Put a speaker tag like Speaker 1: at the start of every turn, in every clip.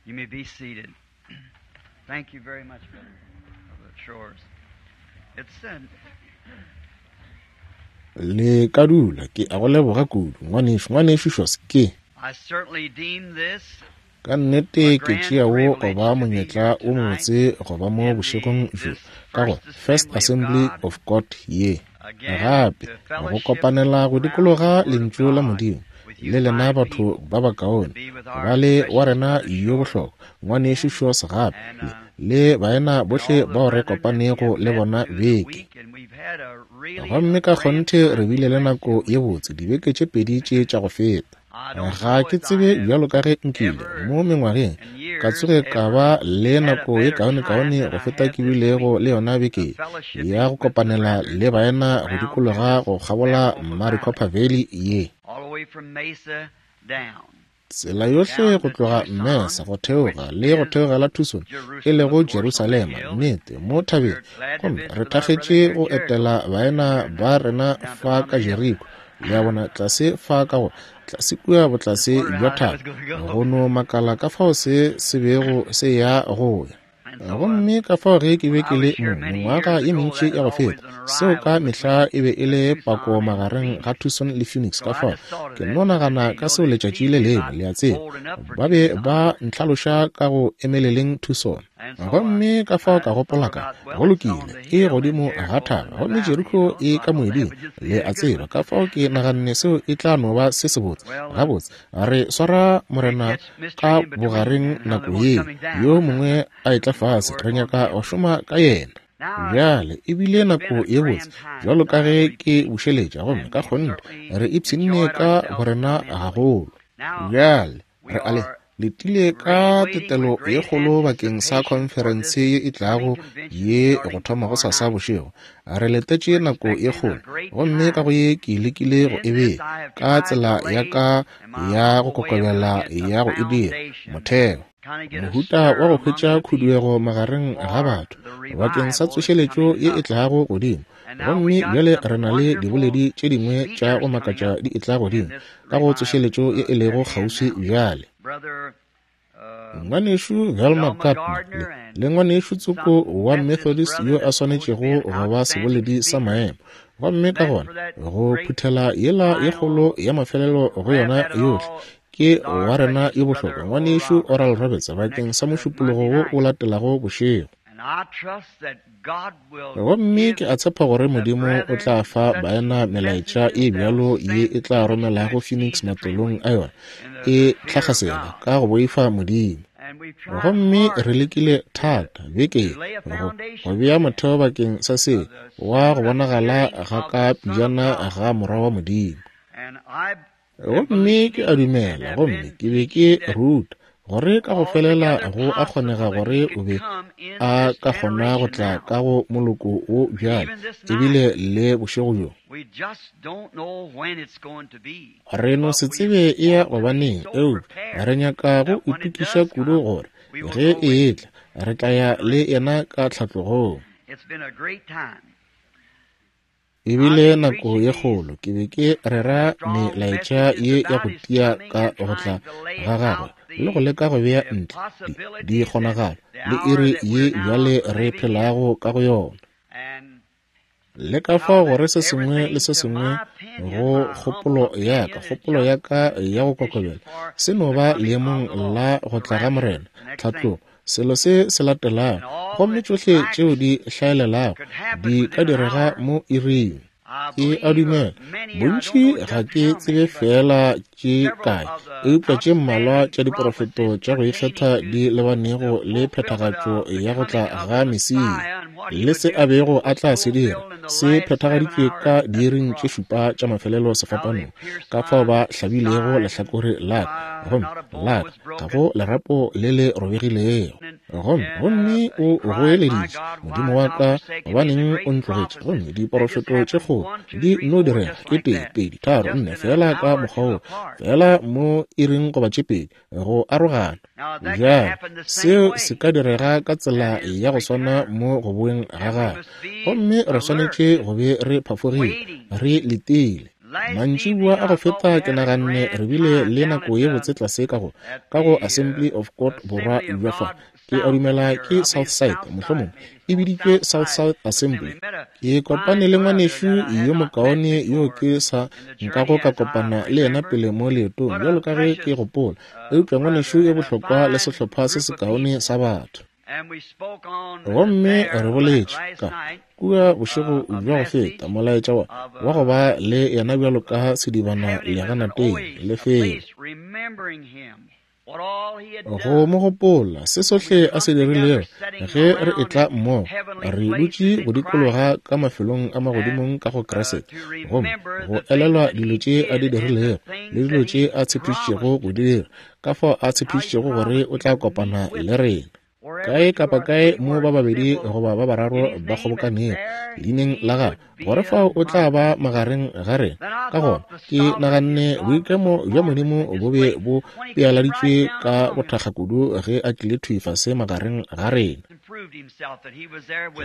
Speaker 1: You may be seated. Thank you very much, Brother, Brother Shores. It's an
Speaker 2: Le ka dula, ke a go leboga kudu, ngwanešu, ngwanešu Shores, ke.
Speaker 1: I certainly deem this
Speaker 2: Ka nnete ke tšea wo go ba monyetla wo mobotse go ba mo bošegong bjo ka go First Assembly of God ye. Gape, go kopanela go dikologa Lentšu la Modimo le lena batho ba bakaone, ba le wa rena yo bohlokwa, Ngwanešu Shores gape, le, le baena bohle bao re kopanego le bona beke. Gomme ka kgonthe re bile le nako ye botse dibeke tše pedi tše tša go feta. Ga ke tsebe bjalo ka ge nkile, mo mengwageng, ka tsoge ka ba le nako ye kaonekaone go feta ke bilego le yona beke ye, ya go kopanela le baena go dikologa go kgabola Maricopa Valley ye. Tsela yohle go tloga Mesa go theoga le go theogela Tucson, e lego Jerusalema, nnete, mo thabeng. Gomme re thakgetše go etela baena ba rena fa ka Jeriko, le a bona, tlase fa ka go, tlase kua botlase bja thaba, go no makala ka fao se se bego se ya go ya. Gomme ka fao ge ke be ke le mo mengwaga ye mentši ya go feta, seo ka mehla e be e le pako magareng ga Tucson le Phoenix. Ka fao ke no nagana ka seo letšatši le lengwe, le a tseba, ba be ba ntlhaloša ka go emeleleng Tucson. Gomme ka fao ka gopola ka, go lokile, e godimo ga thaba, gomme Jeriko e ka moeding, le a tseba. Ka fao ke naganne seo e tla no ba se sebotse. Gabotse, re swara Morena ka bogareng nako ye, yo mongwe a etla fase, re nyaka go šoma ka yena. Bjale e bile nako ye botse, bjalo ka ge ke bušeletša, gomme ka kgonthe re ipshinne ka borena gagolo. Bjale re a le letile ka tetelo ye kgolo bakeng sa khonferense ye e tlago ye go thoma go sasa bošego. Re letetše nako ye kgolo, gomme ka go ye ke lekile go e bea ka tsela ya ka ya go kokobela ya go e dira motheo, mohuta wa go hwetša khuduego magareng ga batho bakeng sa tsošeletšo ye e tlago godimo. Gomme bjale re na le diboledi tše dingwe tša go makatša di etla godimo ka go tsošeletšo ye e lego kgauswi bjale. Ngwanešu Velma Gardner le, le ngwanešu tsoko wa Methodist yo a swanetšego go ba seboledi sa maemo. Gomme ka gona go phuthela yela ye kgolo ya mafelelo go yona yohle, ke wa rena yo bohlokwa, Ngwanešu Oral Roberts, bakeng sa Mošupologo wo o latelago bošego. Gomme ke a tshepa gore Modimo o tla fa baena melaetša e bjalo ye e tla romelago Phoenix matolong a yona e tlhakgasela ka go boifa Modimo. Gomme re lekile thata beke ye go, go bea motheo bakeng sa se wa go bonagala ga ka pejana ga Morwa wa Modimo. Gomme ke a dumela, gomme ke be ke ruta, gore ka go felela go a kgonega gore o be a ka kgona go tla ka go moloko wo bjale, ebile le bošego bjo. Re no se tsebe e ya gobaneng, eupša re nyaka go itokiša kudu gore ge e etla, re tla ya le yena ka tlhatlogong. E bile nako ye kgolo. Ke be ke rera melaetša ye ya go tia ka go tla ga gagwe le go leka go bea ntle di, dikgonagalo le iri ye bjale re phelago ka go yona. Le ka fao gore se sengwe le se sengwe go kgopolo ya ka, kgopolo ya ka ya go kokobela, se no ba leemong la go tla ga Morena, tlhatlogo, Selo se se latelago, gomme tšohle tšeo di hlaelelago di ka direga mo iring. Ke a dumela, bontši ga ke tsebe feela tše kae, eupša tše mmalwa tša diporofeto tša go ikgetha di lebanego le phethagatšo ya go tla ga Mesia, le se a bego a tla se dira, se phethagaditšwe ka diiring tše šupa tša mafelelo sefapanong, ka fao ba hlabilego lehlakore la ka, gomme la ka ga go lerapo le le robegilego. Gomme, gomme o goeleditše, Modimo wa ka, gobaneng o ntlogetše? Gomme diporofeto tše kgolo di nno direga, e tee, pedi, tharo, nne, feela ka mokgwa wo, feela mo iring goba tše pedi, go arogana. Bjale, seo se ka direga ka tsela ya go swana mo go boeng ga gagwe. Gomme re swanetše go be re phafogile, re letile. Mantšiboa a go feta ke naganne re bile le nako ye botse tlase ka go, ka go Assembly of God borwa bja fa. Ke a dumela ke Southside, mohlomongwe e biditšwe Southside Assembly. Ke kopane le ngwanešu yo mokaone yo ke sa nkago ka kopana le yena pele mo leetong, bjalo ka ge ke gopola, eupša ngwanešu yo bohlokwa le sehlopha se sekaone sa batho. Gomme re boletše ka kua bošego bja go feta molaetša wa wa go ba le yena bjalo ka sedibana leganateng lefelo. Go mo gopola se sohle a se dirilego ge re etla mmogo, re dutše go dikologa ka mafelong a magodimong ka go Kriste, gomme go elelwa dilo tše a di dirilego le dilo tše a tshepišitšego go di dira, ka fao a tshepišitšego gore o tla kopana le rena. Kae kapa kae mo ba babedi goba ba bararo ba kgobokanego leineng la gagwe, gore fao o tla ba magareng ga rena. Ka gona ke naganne boikemo bja Modimo bo be bo pealaditšwe ka bothakga kudu ge a tlile thwi fase magareng ga rena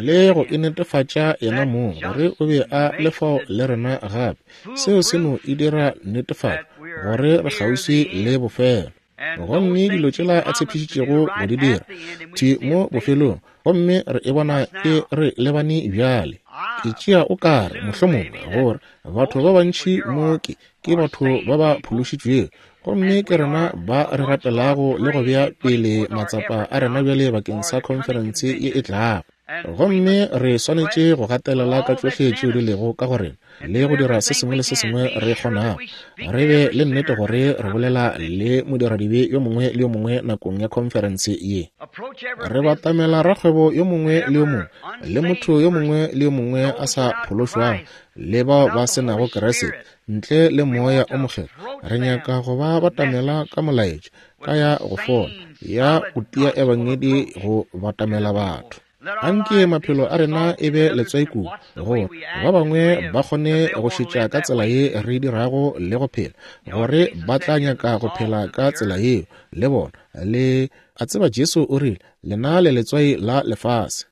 Speaker 2: le go inetefatša yena mong gore o be a le fao le rena gape. Seo se no e dira netefatšo gore re kgauswi le bofelo. Gomme dilo tšela a tshepišitšego go di dira thwi mo bofelong, gomme re e bona e re lebane bjale. Ke tšea o kare mohlomongwe gore batho ba bantši mo ke, ke batho ba ba phološitšwego, gomme ke rena ba re rapelago le go bea pele matsapa a rena bjale bakeng sa khonferense ye e tlago. Gomme re swanetše go gatelela ka tšohle tšeo di lego ka go rena le go dira se sengwe le se sengwe re kgonago, re be le nnete gore re bolela le modiradibe yo mongwe le yo mongwe nakong ya khonferense ye. Re batamela rakgwebo yo mongwe le yo mongwe le motho yo mongwe le yo mongwe a sa phološwago le bao ba se nago Kriste ntle le Moya o Mokgethwa. Re nyaka go ba batamela ka molaetša, ka ya go fola, ya go tia ebangedi go batamela batho. Anke maphelo a rena e be letswai kudu, gore ba bangwe ba kgone go šetša ka tsela ye re dirago le go phela, gore ba tla nyaka go phela ka tsela yeo le bona. Le a tseba Jesu o rile, Lena le letswai la lefase.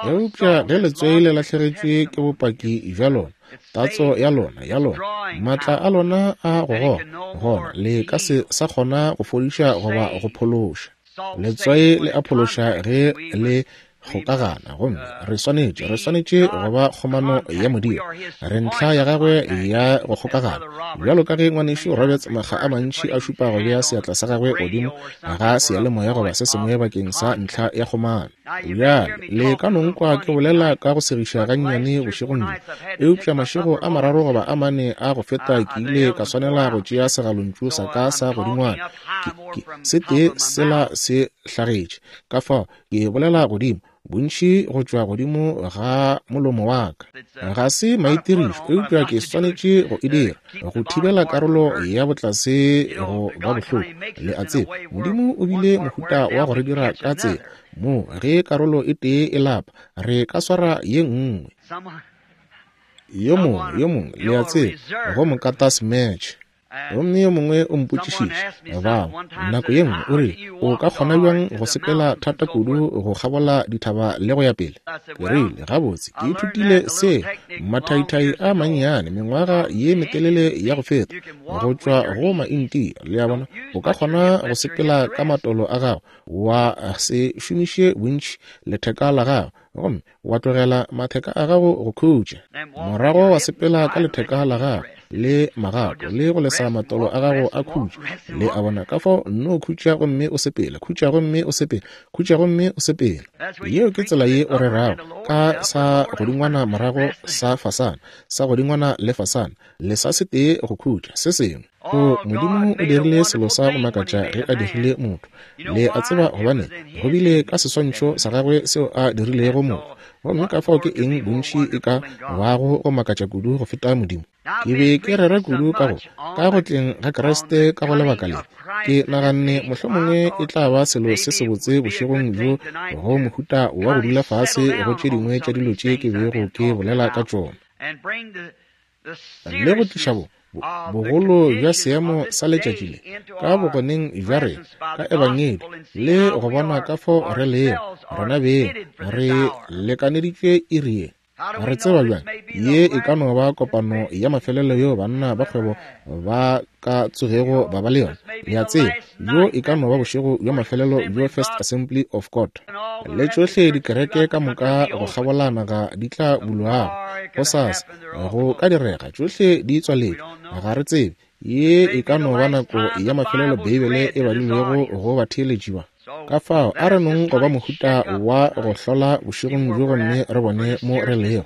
Speaker 2: Eupša ge letswai le lahlegetšwe ke bopaki bja lona, tatso ya lona, ya lona, maatla a lona a go goga, gona le ka se sa kgona go fodiša goba go phološa. Letswai le a phološa ge le kgokagana, gomme re swanetše, re swanetše go ba kgomano ya Modimo. Re ntlha ya gagwe ya go kgokagana. Bjalo ka ge ngwanešu Roberts makga a mantši a šupa go bea seatla sa gagwe godimo ga seyalemoya goba se sengwe bakeng sa ntlha ya kgomano. Bjale, le ka no nkwa ke bolela ka go segiša gannyane bošegong bjo, eupša mašego a mararo goba a mane a go feta ke ile ka swanela go tšea segalontšu sa ka sa godingwana. Ke, ke, se tee sela se hlagetše. Ka fao ke bolela godimo bontši go tšwa godimo ga molomo wa ka. Ga se maitirišo, eupša ke swanetše go e dira go thibela karolo ya botlase go ba bohloko. Le a tseba, Modimo o bile mohuta wa go re dira ka tsela moo ge karolo e tee e lapa, re ka swara ye nngwe. Yo mongwe, yo mongwe, le a tseba, go mokata smatch. Gomme yo mongwe o mpotšišitše, bao, nako ye nngwe, o rile, O ka kgona bjang go sepela thata kudu go kgabola dithaba le go ya pele? Ke rile, Gabotse, ke ithutile se mathaithai a mannyane mengwaga ye metelele ya go feta, go tšwa go Maintia. Le a bona? O ka kgona go sepela ka matolo a gago, wa se šomiše bontši letheka la gago, gomme wa tlogela matheka a gago go khutša, morago wa sepela ka letheka la gago le magato le go lesa matolo a gago a khutša. Le a bona? Ka fao nno khutša gomme o sepela, khutša gomme o sepela, khutša gomme o sepela. Yeo ke tsela ye o rerago ka sa godingwana morago sa fasana, sa godingwana le fasana, lesa se tee go khutša, se sengwe. O, Modimo o dirile selo sa go makatša ge a dirile motho. Le a tseba gobane go bile ka seswantšho sa gagwe seo a dirilego motho. Gomme ka fao ke eng bontši e ka bago go makatša kudu go feta Modimo? Ke be ke rera kudu ka go, ka go tleng ga Kriste ka go lebaka le. Ke naganne mohlomongwe e tla ba selo se sebotse bošegong bjo go mohuta wa go dula fase go tše dingwe tša dilo tše ke bego ke bolela ka tšona. Le go tliša bo, bo, bogolo bja seemo sa letšatši le ka bogoneng bja rena ka Ebangedi, le go bona ka fao re lego rena beng re lekaneditšwe iri ye. Re tseba bjang ye e ka no ba kopano ya mafelelo yeo banna ba kgwebo ba ka tsogego ba ba le yona? Le a tseba, bjo e ka no ba bošego bja mafelelo bjo First Assembly of God le tšohle dikereke ka moka go kgabola naga di tla bulwago gosasa. Go ka direga tšohle di tswaletšwe, ga re tsebe. Ye e ka no ba nako ya mafelelo Beibele e badilwego go batheeletši ba. Ka fao, a re nong go ba mohuta wa go hlola bošegong bjo gomme re bone mo re lego,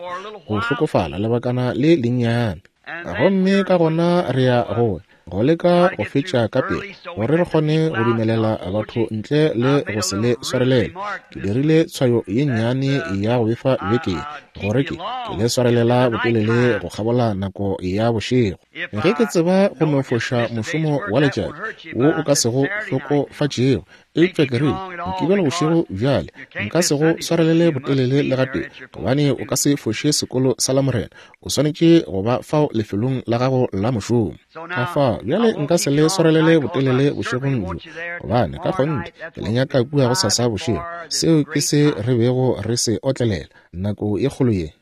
Speaker 2: go hlokofala lebakana le lennyane. Gomme ka gona re ya go go leka go fetša ka pele, gore re kgone go dumelela batho ntle le go se le swarelele. Ke dirile tshwayo ye nnyane ya go befa beke ye, gore ke le swarelela botelele go kgabola nako ya bošego. Ge ke tseba go no foša mošomo wa letšatši wo o ka sego hlokofatšego, eupša ke rile, Mokibelo bošego bjale, nka se go swarelele botelele le gatee, gobane o ka se foše sekolo sa Lamorena. O swanetše go ba fao lefelong la gago la mošomo. Ka fao, bjale nka se le swarelele botelele bošegong bjo, gobane ka kgonthe ke le nyaka kua gosasa bošego. Seo ke se re bego re se otlelela, nako ye kgolo ye.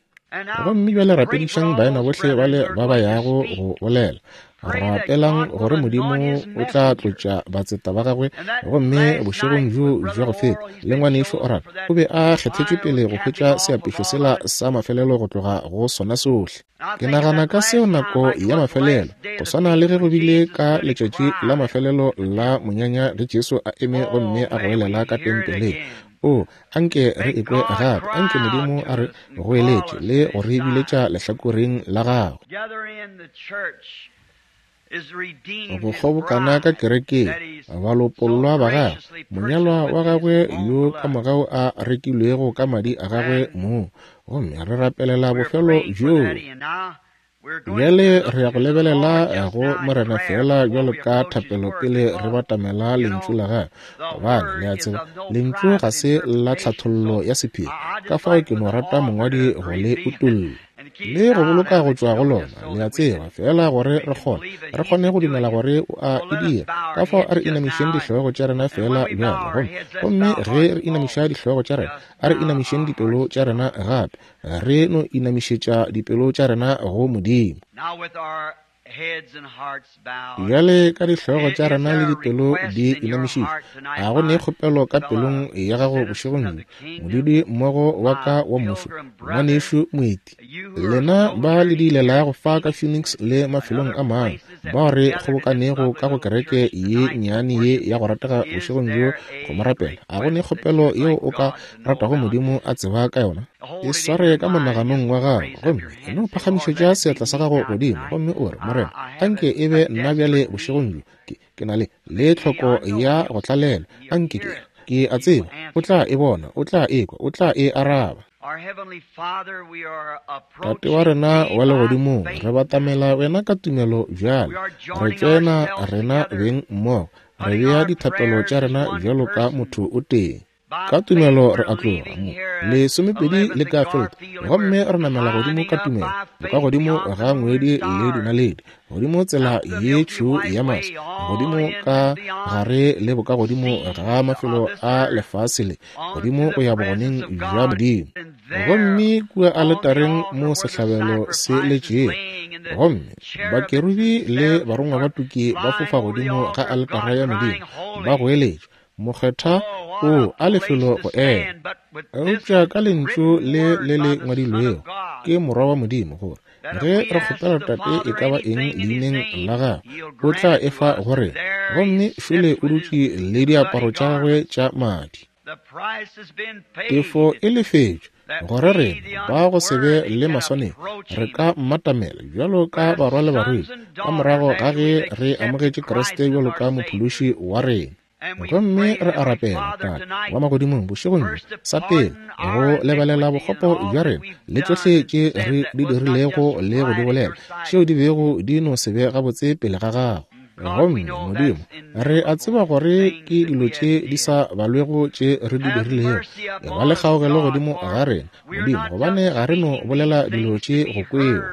Speaker 2: Gomme bjale rapedišang baena bohle bale ba ba yago go bolela. Rapelang gore Modimo o tla tlotša batseta ba gagwe. Gomme bošegong bjo bja go feta, le ngwanešu Oral o be a kgethetšwe pele go hwetša seapešo sela sa mafelelo go tloga go sona sohle. Ke nagana ka seo nako ya mafelelo, go swana le ge go bile ka letšatši la mafelelo la monyanya ge Jesu a eme gomme a goelela ka tempeleng. O, anke re ekwe gape, anke Modimo a re goeletše le go re biletša lehlakoreng la gagwe. Go kgobokana ka kerekeng, balopollwa ba gagwe, monyalwa wa gagwe yo ka mogau a rekilwego ka madi a gagwe mong, gomme re rapelela bofelo bjoo. Bjale re ya go lebelela go Morena feela bjalo ka thapelo pele re batamela Lentšu la Gagwe, gobane, le a tseba, Lentšu ga se la tlhathollo ya sephiri, ka fao ke no rata mongwadi go le utolla le go boloka go tšwa go lona, le a tseba, feela gore re kgone, re kgone go dumela gore o a e dira. Ka fao a re inamišeng dihlogo tša rena feela bjale, gomme, gomme ge re inamiša dihlogo tša rena, a re inamišeng dipelo tša rena gape. Re no inamišetša dipelo tša rena go Modimo. Bjale ka dihlogo tša rena le dipelo di inamišitšwe, a go ne kgopelo ka pelong ya gago bošegong bjo, modudi mmogo wa ka wa mmušo, ngwanešu moeti, lena ba le diilelago fa ka Phoenix le mafelong a mangwe, bao re kgobokanego ka go kereke ye nnyane ye ya go ratega bošegong bjo go mo rapela, a go ne kgopelo yeo o ka ratago Modimo a tseba ka yona? E sware ka monaganong wa gago, gomme e no phagamišetša seatla sa gago godimo, gomme o re, Morena, anke e be nna bjale bošegong bjo. Ke, ke na le, le tlhoko ya go tlalelwa. Anke ke, ke a tseba O tla e bona, O tla e kwa, O tla e araba. Tate wa rena wa Legodimong, re batamela Wena ka tumelo bjale. Re tšoena rena beng mmogo, re bea dithapelo tša rena bjalo ka motho o tee. Ka tumelo re a tloga mo lesomepedi le Garfield gomme re namela godimo ka tumelo, bokagodimo ga ngwedi le dinaledi, godimo tsela ye tšhweu ya maswi, godimo ka gare le bokagodimo ga mafelo a lefase le, godimo go ya bogoneng bja Modimo. Gomme kua aletareng mo sehlabelo se letšego, gomme bakerubi le barongwa ba tuki ba fofa godimo ga aletara ya Modimo, ba goeletša, Mokgethwa o a lefelo go ema. Eupša ka Lentšu le le le ngwadilwego ke Morwa wa Modimo, gore ge re kgopela Tate e ka ba eng leineng la gagwe, o tla e fa go rena. Gomme šole o dutše le diaparo tša gagwe tša madi. Tefo e lefetšwe, gore rena ba go se be le maswanedi re ka mmatamela bjalo ka barwa le barwedi, ka morago ga ge re amogetše Kriste bjalo ka Mophološi wa rena. Gomme re a rapela, Tate wa Magodimong, bošegong bjo, sa pele, go lebalela bokgopo bja rena le tšohle tše re di dirilego le go di bolela, tšeo di bego di no se be gabotse pele ga Gago. Gomme, Modimo, re a tseba gore ke dilo tše di sa balwego tše re di dirilego. Eba le kgaogelo godimo ga rena, Modimo, gobane ga re no bolela dilo tše go kwewa.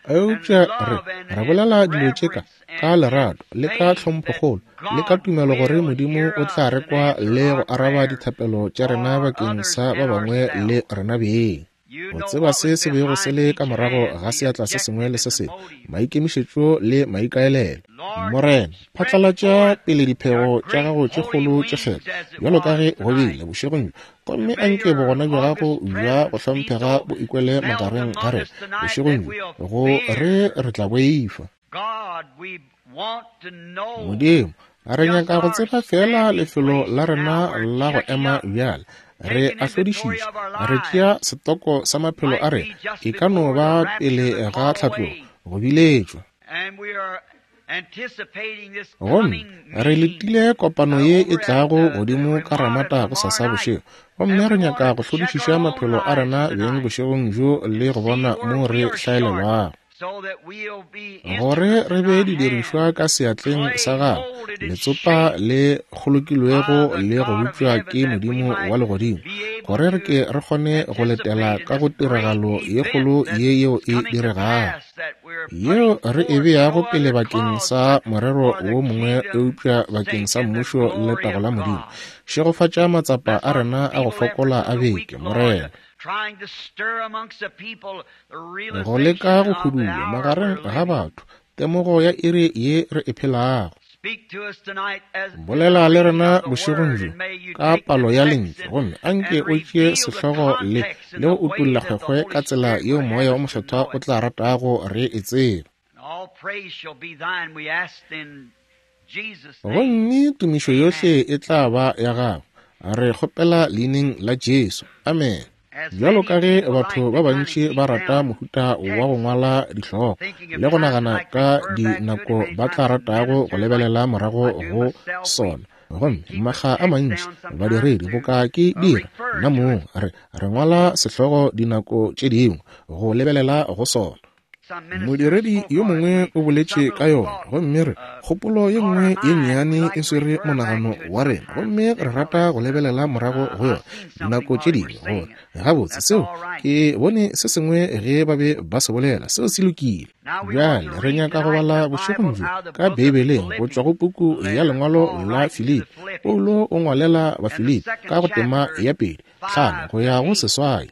Speaker 2: Eupša re, re bolela dilo tše ka, ka lerato, le ka tlhomphokgolo, le ka tumelo gore Modimo o tla re kwa le go araba dithapelo tša rena bakeng sa ba bangwe le rena beng. O tseba se se bego se le ka morago ga seatla se sengwe le se sengwe, maikemišetšo le maikaelelo. Morena, phatlalatša pele diphego tša gago tše kgolo tše kgethwa, bjalo ka ge go bile bošegong bjo, gomme anke bogona bja gago bja go hlomphega bo ikwele magareng ga rena bošegong bjo, go re re tla boifa. Modimo, re nyaka go tseba feela lefelo la rena la go ema bjale. Re a hlodišiša, re tšea setoko sa maphelo a rena, e ka no ba pele ga tlhatlogo, go biletšwa. Gomme re letile kopano ye e tlago godimo ka Ramata gosasa bošego. Gomme re nyaka go hlodišiša maphelo a rena beng bošegong bjo le go bona mo re hlaelelwago, gore re be didirišwa ka seatleng sa Gagwe, letsopa le kgolokilwego le go bopša ke Modimo wa Legodimo, gore re ke re kgone go letela ka go tiragalo ye kgolo ye yeo e diregago, yeo re e beago pele bakeng sa morero wo mongwe eupša bakeng sa Mmušo le letago la Modimo. Šegofatša matsapa a rena a go fokola a beke, Morena. Go leka go hudula magareng ga batho temogo ya iri ye re e phelago. Bolela le rena bošegong bjo ka palo ya lentšu, gomme anke o tšee sehlogo le le go utolla kgwekgwe ka tsela yeo Moya wo Mokgethwa o tla ratago re e tseba. Gomme tumišo yohle e tla ba ya Gago. Re kgopela Leineng la Jesu. Amene. Bjalo ka ge batho ba bantši ba rata mohuta wa go ngwala dihlogo le go nagana ka dinako ba tla ratago go lebelela morago go sona, gomme makga a mantši badiredi boka ke dira nna mong, re, re ngwala sehlogo dinako tše dingwe go lebelela go sona. Modiredi yo mongwe o boletše ka yona, gomme re, kgopolo ye nngwe ye nnyane e swere monagano wa rena, gomme re rata go lebelela morago go yona dinako tše dingwe, gore, gabotse, seo, ke bone se sengwe ge ba be ba se bolela, seo se lokile. Bjale re nyaka go bala bošegong bjo ka Beibeleng go tšwa go puku ya lengwalo la Filipi. Paulo o ngwalela Bafilipi ka go tema ya 2, 5 go ya go 8.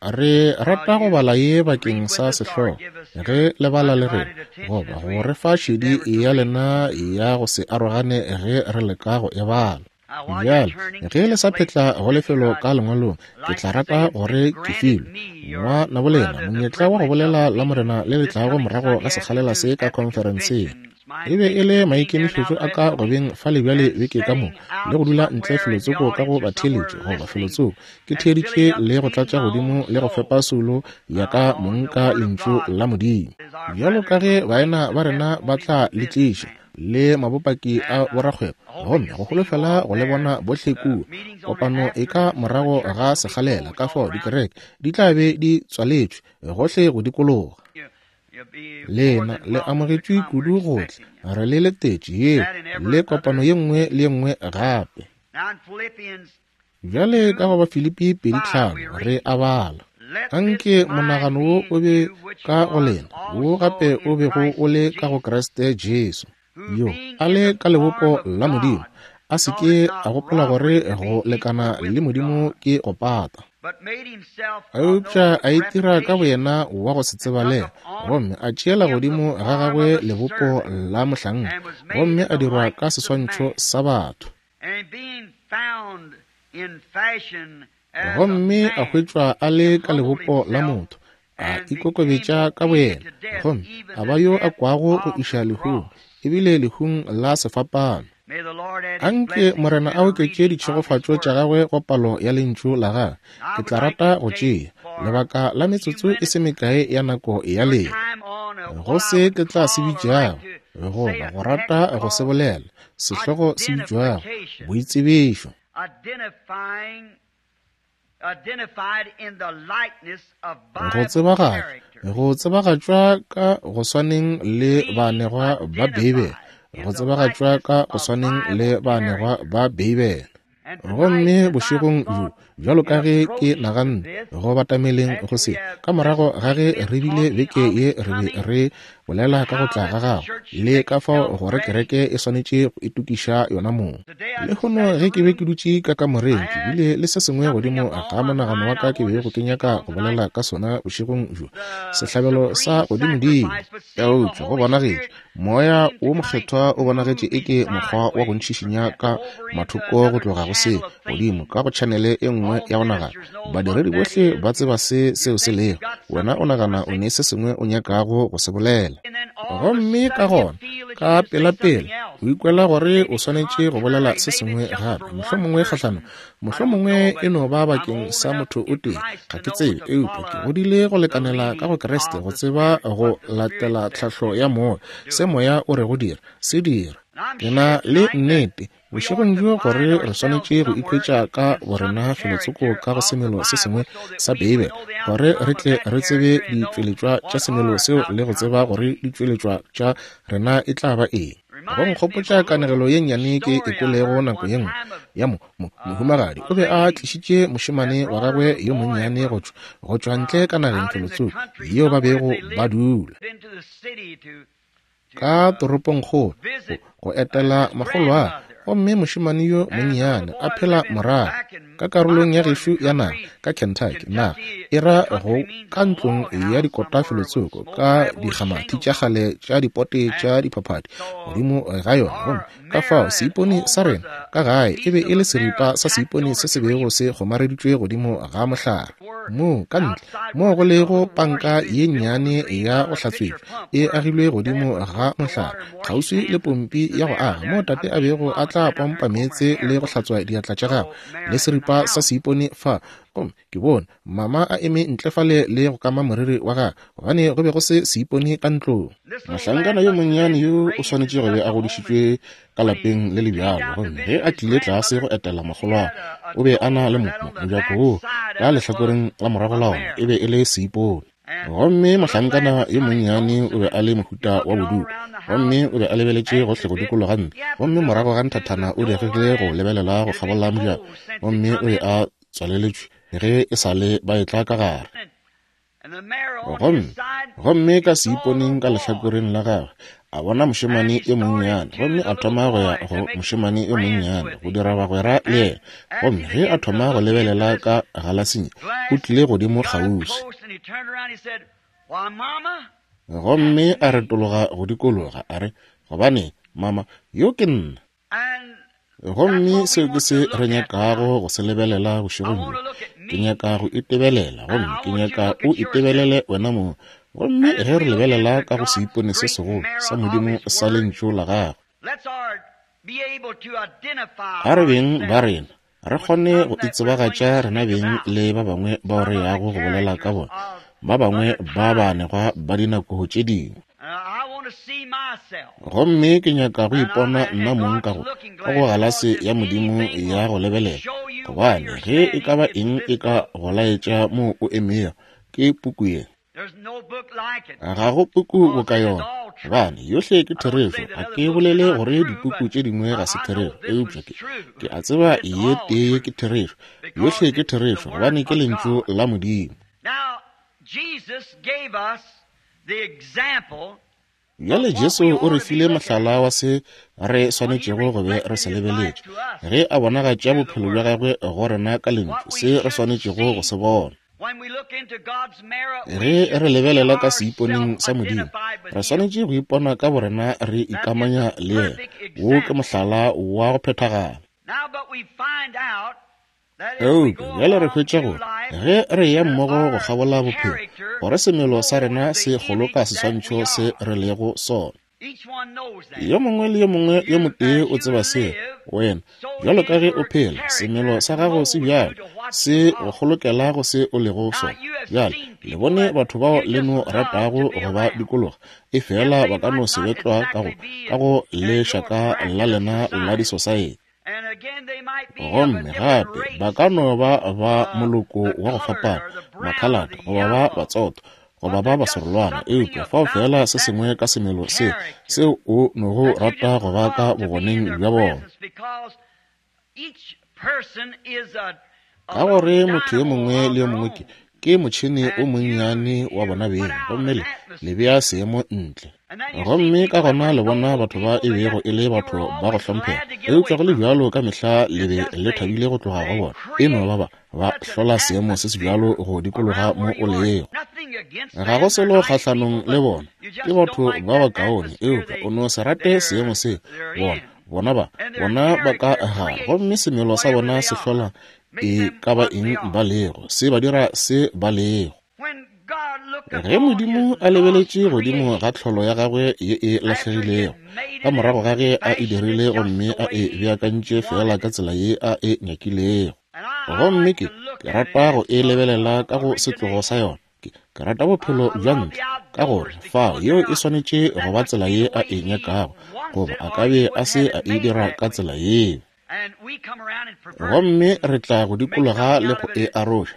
Speaker 2: Re rata go bala ye bakeng sa sehlogo, ge le bala le rena, goba go re fa šedi ya lena ya go se arogane ge re leka go e bala. Bjale, ge le sa phetla go lefelo ka lengwalong, ke tla rata gore ke filwe, ngwanabolena, monyetla wa go bolela la Morena le le tlago morago ga sekgalela se ka khonferenseng. E be e le maikemišetšo a ka go beng fa le bjale beke ka moka, le go dula ntle felotsoko ka go batheeletši goba felotsoko, ke theeditše le go tlatša godimo le go fepa soulo ya ka mong ka Lentšu la Modimo. Bjalo ka ge baena ba rena ba tla le tliša, le mabopaki a borakgwebo, gomme go holofela go le bona bohle kua. Kopano e ka morago ga sekgalela, ka fao dikereke di tla be di tswaletšwe gohle go dikologa. Lena le amogetšwe kudu go tla, re le letetše yeo le kopano ye nngwe le ye nngwe gape. Bjale ka go Bafilipi 2:5 re a bala, Anke monagano wo o be ka go lena, wo gape o bego o le ka go Kriste Jesu, yo a le ka lebopo la Modimo, a se ke a gopola gore go lekana le Modimo ke go pata, eupša a itira ka boyena wa go se tsebalege, gomme a tšeela godimo ga gagwe lebopo la mohlanka, gomme a dirwa ka seswantšho sa batho. Gomme a hwetšwa a le ka lebopo la motho, a ikokobetša ka boyena, gomme a ba yo a kwago go iša lehung, ebile lehung la sefapano. Anke Morena a oketše ditšhegofatšo tša gagwe go palo ya Lentšu la gagwe. Ke tla rata go tšea lebaka la metsotso e se mekae ya nako ya lena go se ke tla se bitšago, goba go rata go se bolela, sehlogo se bitšwago boitsebišo. Go tsebagatšwa, go tsebagatšwa ka go swaneng le baanegwa ba Beibele, go tsebagatšwa ka go swaneng le baanegwa ba Beibele. Gomme bošegong bjo, bjalo ka ge ke naganne go batameleng go se, ka morago ga ge re bile beke ye re be re bolela ka go tla ga Gago, le ka fao gore kereke e swanetše go itokiša yona mong. Lehono ge ke be ke dutše ka kamoreng, ke bile le se sengwe godimo ga monagano wa ka ke bego ke nyaka go bolela ka sona bošegong bjo, sehlabelo sa godimodimo. Eupša go bonagetše Moya wo Mokgethwa o bonagetše eke mokgwa wa go ntšhišinya ka mathoko go tloga go se, godimo ka go tšhanele e nngwe ya go nagana. Badiredi bohle ba tseba se seo se lego. Wena o nagana o ne se sengwe o nyakago go se bolela. Gomme ka gona, ka pelapela, o ikwela gore o swanetše go bolela se sengwe gape, mohlomongwe kgahlanong Mohlomongwe e no ba bakeng sa motho o tee, ga ke tsebe, eupša ke godile go lekanela ka go Kriste go tseba go latela tlhahlo ya Moya. Se Moya o rego dira, se dira. Ke na le nnete, bošegong bjo, gore re swanetše go ikhwetša ka borena felotsoko ka go semelo se sengwe sa Beibele, gore re tle re tsebe ditšweletšwa tša semelo seo le go tseba gore ditšweletšwa tša rena e tla ba eng. Go nkgopotša kanegelo ye nnyane ke e kwelego nako ye nngwe ya mo, mo, mohumagadi o be a tlišitše mošemane wa gagwe yo monnyane go tšwa, go tšwa ntle ka nageng felotsoko yeo ba bego ba dula ka toropongkgolo go, go etela makgolwagwe. Gomme mošemane yo monnyane a phela morago ka karolong ya gešo ya naga ka Kentucky, naga e ra go ka ntlong ya dikota felotsoko ka dikgamathi tša kgale tša dipote tša diphaphadi godimo ga yona. Gomme ka fao seipone sa rena ka gae e be e le seripa sa seipone se se bego se kgomareditšwe godimo ga mohlare moo ka ntle moo go lego panka ye nnyane ya go hlatswetšwa e agilwe godimo ga mohlare kgauswi le pompi ya go aga moo tate a bego a tla pompa meetse le go hlatswa diatla tša gagwe le seripa sa seipone fa. Gomme ke bone mama a eme ntle fale le go kama moriri wa gagwe, gobane go be go se seipone ka ntlong. Mohlankana yo monnyane yo o swanetše go be a godišitšwe ka lapeng le le bjalo. Gomme ge a tlile tlase go etela makgolwagwe, o be a na le mojako woo ka lehlakoreng la morago la ona e be e le seipone. Gomme mohlankana yo monnyane o be a le mohuta wa bodutu, gomme o be a lebeletše gohle go dikologa ntlo. Gomme morago ga nthathana o diregile go lebelela go kgabola mojako, gomme o be a tswaleletšwe ge e sa le ba etla ka gare. Gomme, gomme ka seiponeng ka lehlakoreng la gagwe a bona mošemane yo monnyane, gomme a thoma go ya go mošemane yo monnyane go dira bagwera le yena. Gomme ge a thoma go lebelela ka galasing, o tlile godimo kgauswi. Gomme a retologa go dikologa, a re, Gobaneng, mama, yo ke nna. Gomme seo ke se re nyakago go se lebelela bošegong bjo. Ke nyaka go itebelela, gomme ke nyaka o itebelele wena mong. Gomme ge re lebelela ka go seipone se segolo sa Modimo sa Lentšu la Gagwe, a re beng ba rena re kgone go itsebagatša rena beng le ba bangwe bao re yago go bolela ka bona, ba bangwe ba baanegwa ba dinako tše dingwe. Gomme ke nyaka go ipona nna mong ka go, ka go galase ya Modimo ya go lebelela, gobane ge e ka ba eng e ka go laetša moo o emego, ke puku ye. Ga go puku boka yona, gobane yohle ke therešo. Ga ke bolele gore dipuku tše dingwe ga se therešo, eupša ke, ke a tseba ye tee ke therešo. Yohle ke therešo, gobane ke Lentšu la Modimo. Bjale Jesu o re file mohlala wa se re swanetšego go be re se lebeletše ge a bonagatša bophelo bja gagwe go rena ka lentšu, se re swanetšego go se bona. Ge re lebelela ka seiponeng sa Modimo, re swanetše go ipona ka borena re ikamanya le yena. Wo ke mohlala wa go phethagala. Eupša bjale re hwetša gore ge re eya mmogo go kgabola bophelo, gore semelo sa rena se kgoloka seswantšho se re lego sona. Yo mongwe le yo mongwe yo motee o tseba seo. Wena, bjalo ka ge o phela, semelo sa gago se bjalo, se go kgolokela go se o lego sona. Bjale, le bone batho bao le no ratago go ba dikologa, efela ba ka no se be tlwa ka go, ka go lešaka la lena la disosaete. Gomme gape ba ka no ba ba moloko wa go fapana, makhalate, goba ba batsotho, goba ba baserolwana, eupša fao feela se sengwe ka semelo se seo o nogo rata go ba ka bogoneng bja bona. Ka gore motho yo mongwe le yo mongwe ke, ke motšhene o monnyane wa bona beng, gomme le, le bea seemo ntle. Gomme ka gona le bona batho ba e bego e le batho ba go hlomphega, eupša go le bjalo ka mehla le be le thabile go tloga go bona. E no ba ba, ba hlola seemo se se bjalo go dikologa mo o lego. Ga go selo kgahlanong le bona, ke batho ba bakaone, eupša o no se rate seemo se bona, bona ba, bona ba ka gare, gomme semelo sa bona se hlola e ka ba eng ba lego, se ba dira se ba lego. Ge Modimo a lebeletše godimo ga tlholo ya gagwe ye e lahlegilego, ka morago ga ge a e dirile gomme a e beakantše feela ka tsela ye a e nyakilego. Gomme ke, ke rata go e lebelela ka go setlogo sa yona. Ke, ke rata bophelo bja ntle, ka gore fao yeo e swanetše go ba tsela ye a e nyakago, goba a ka be a se a e dira ka tsela yeo. Gomme re tla go dikologa le go e aroša,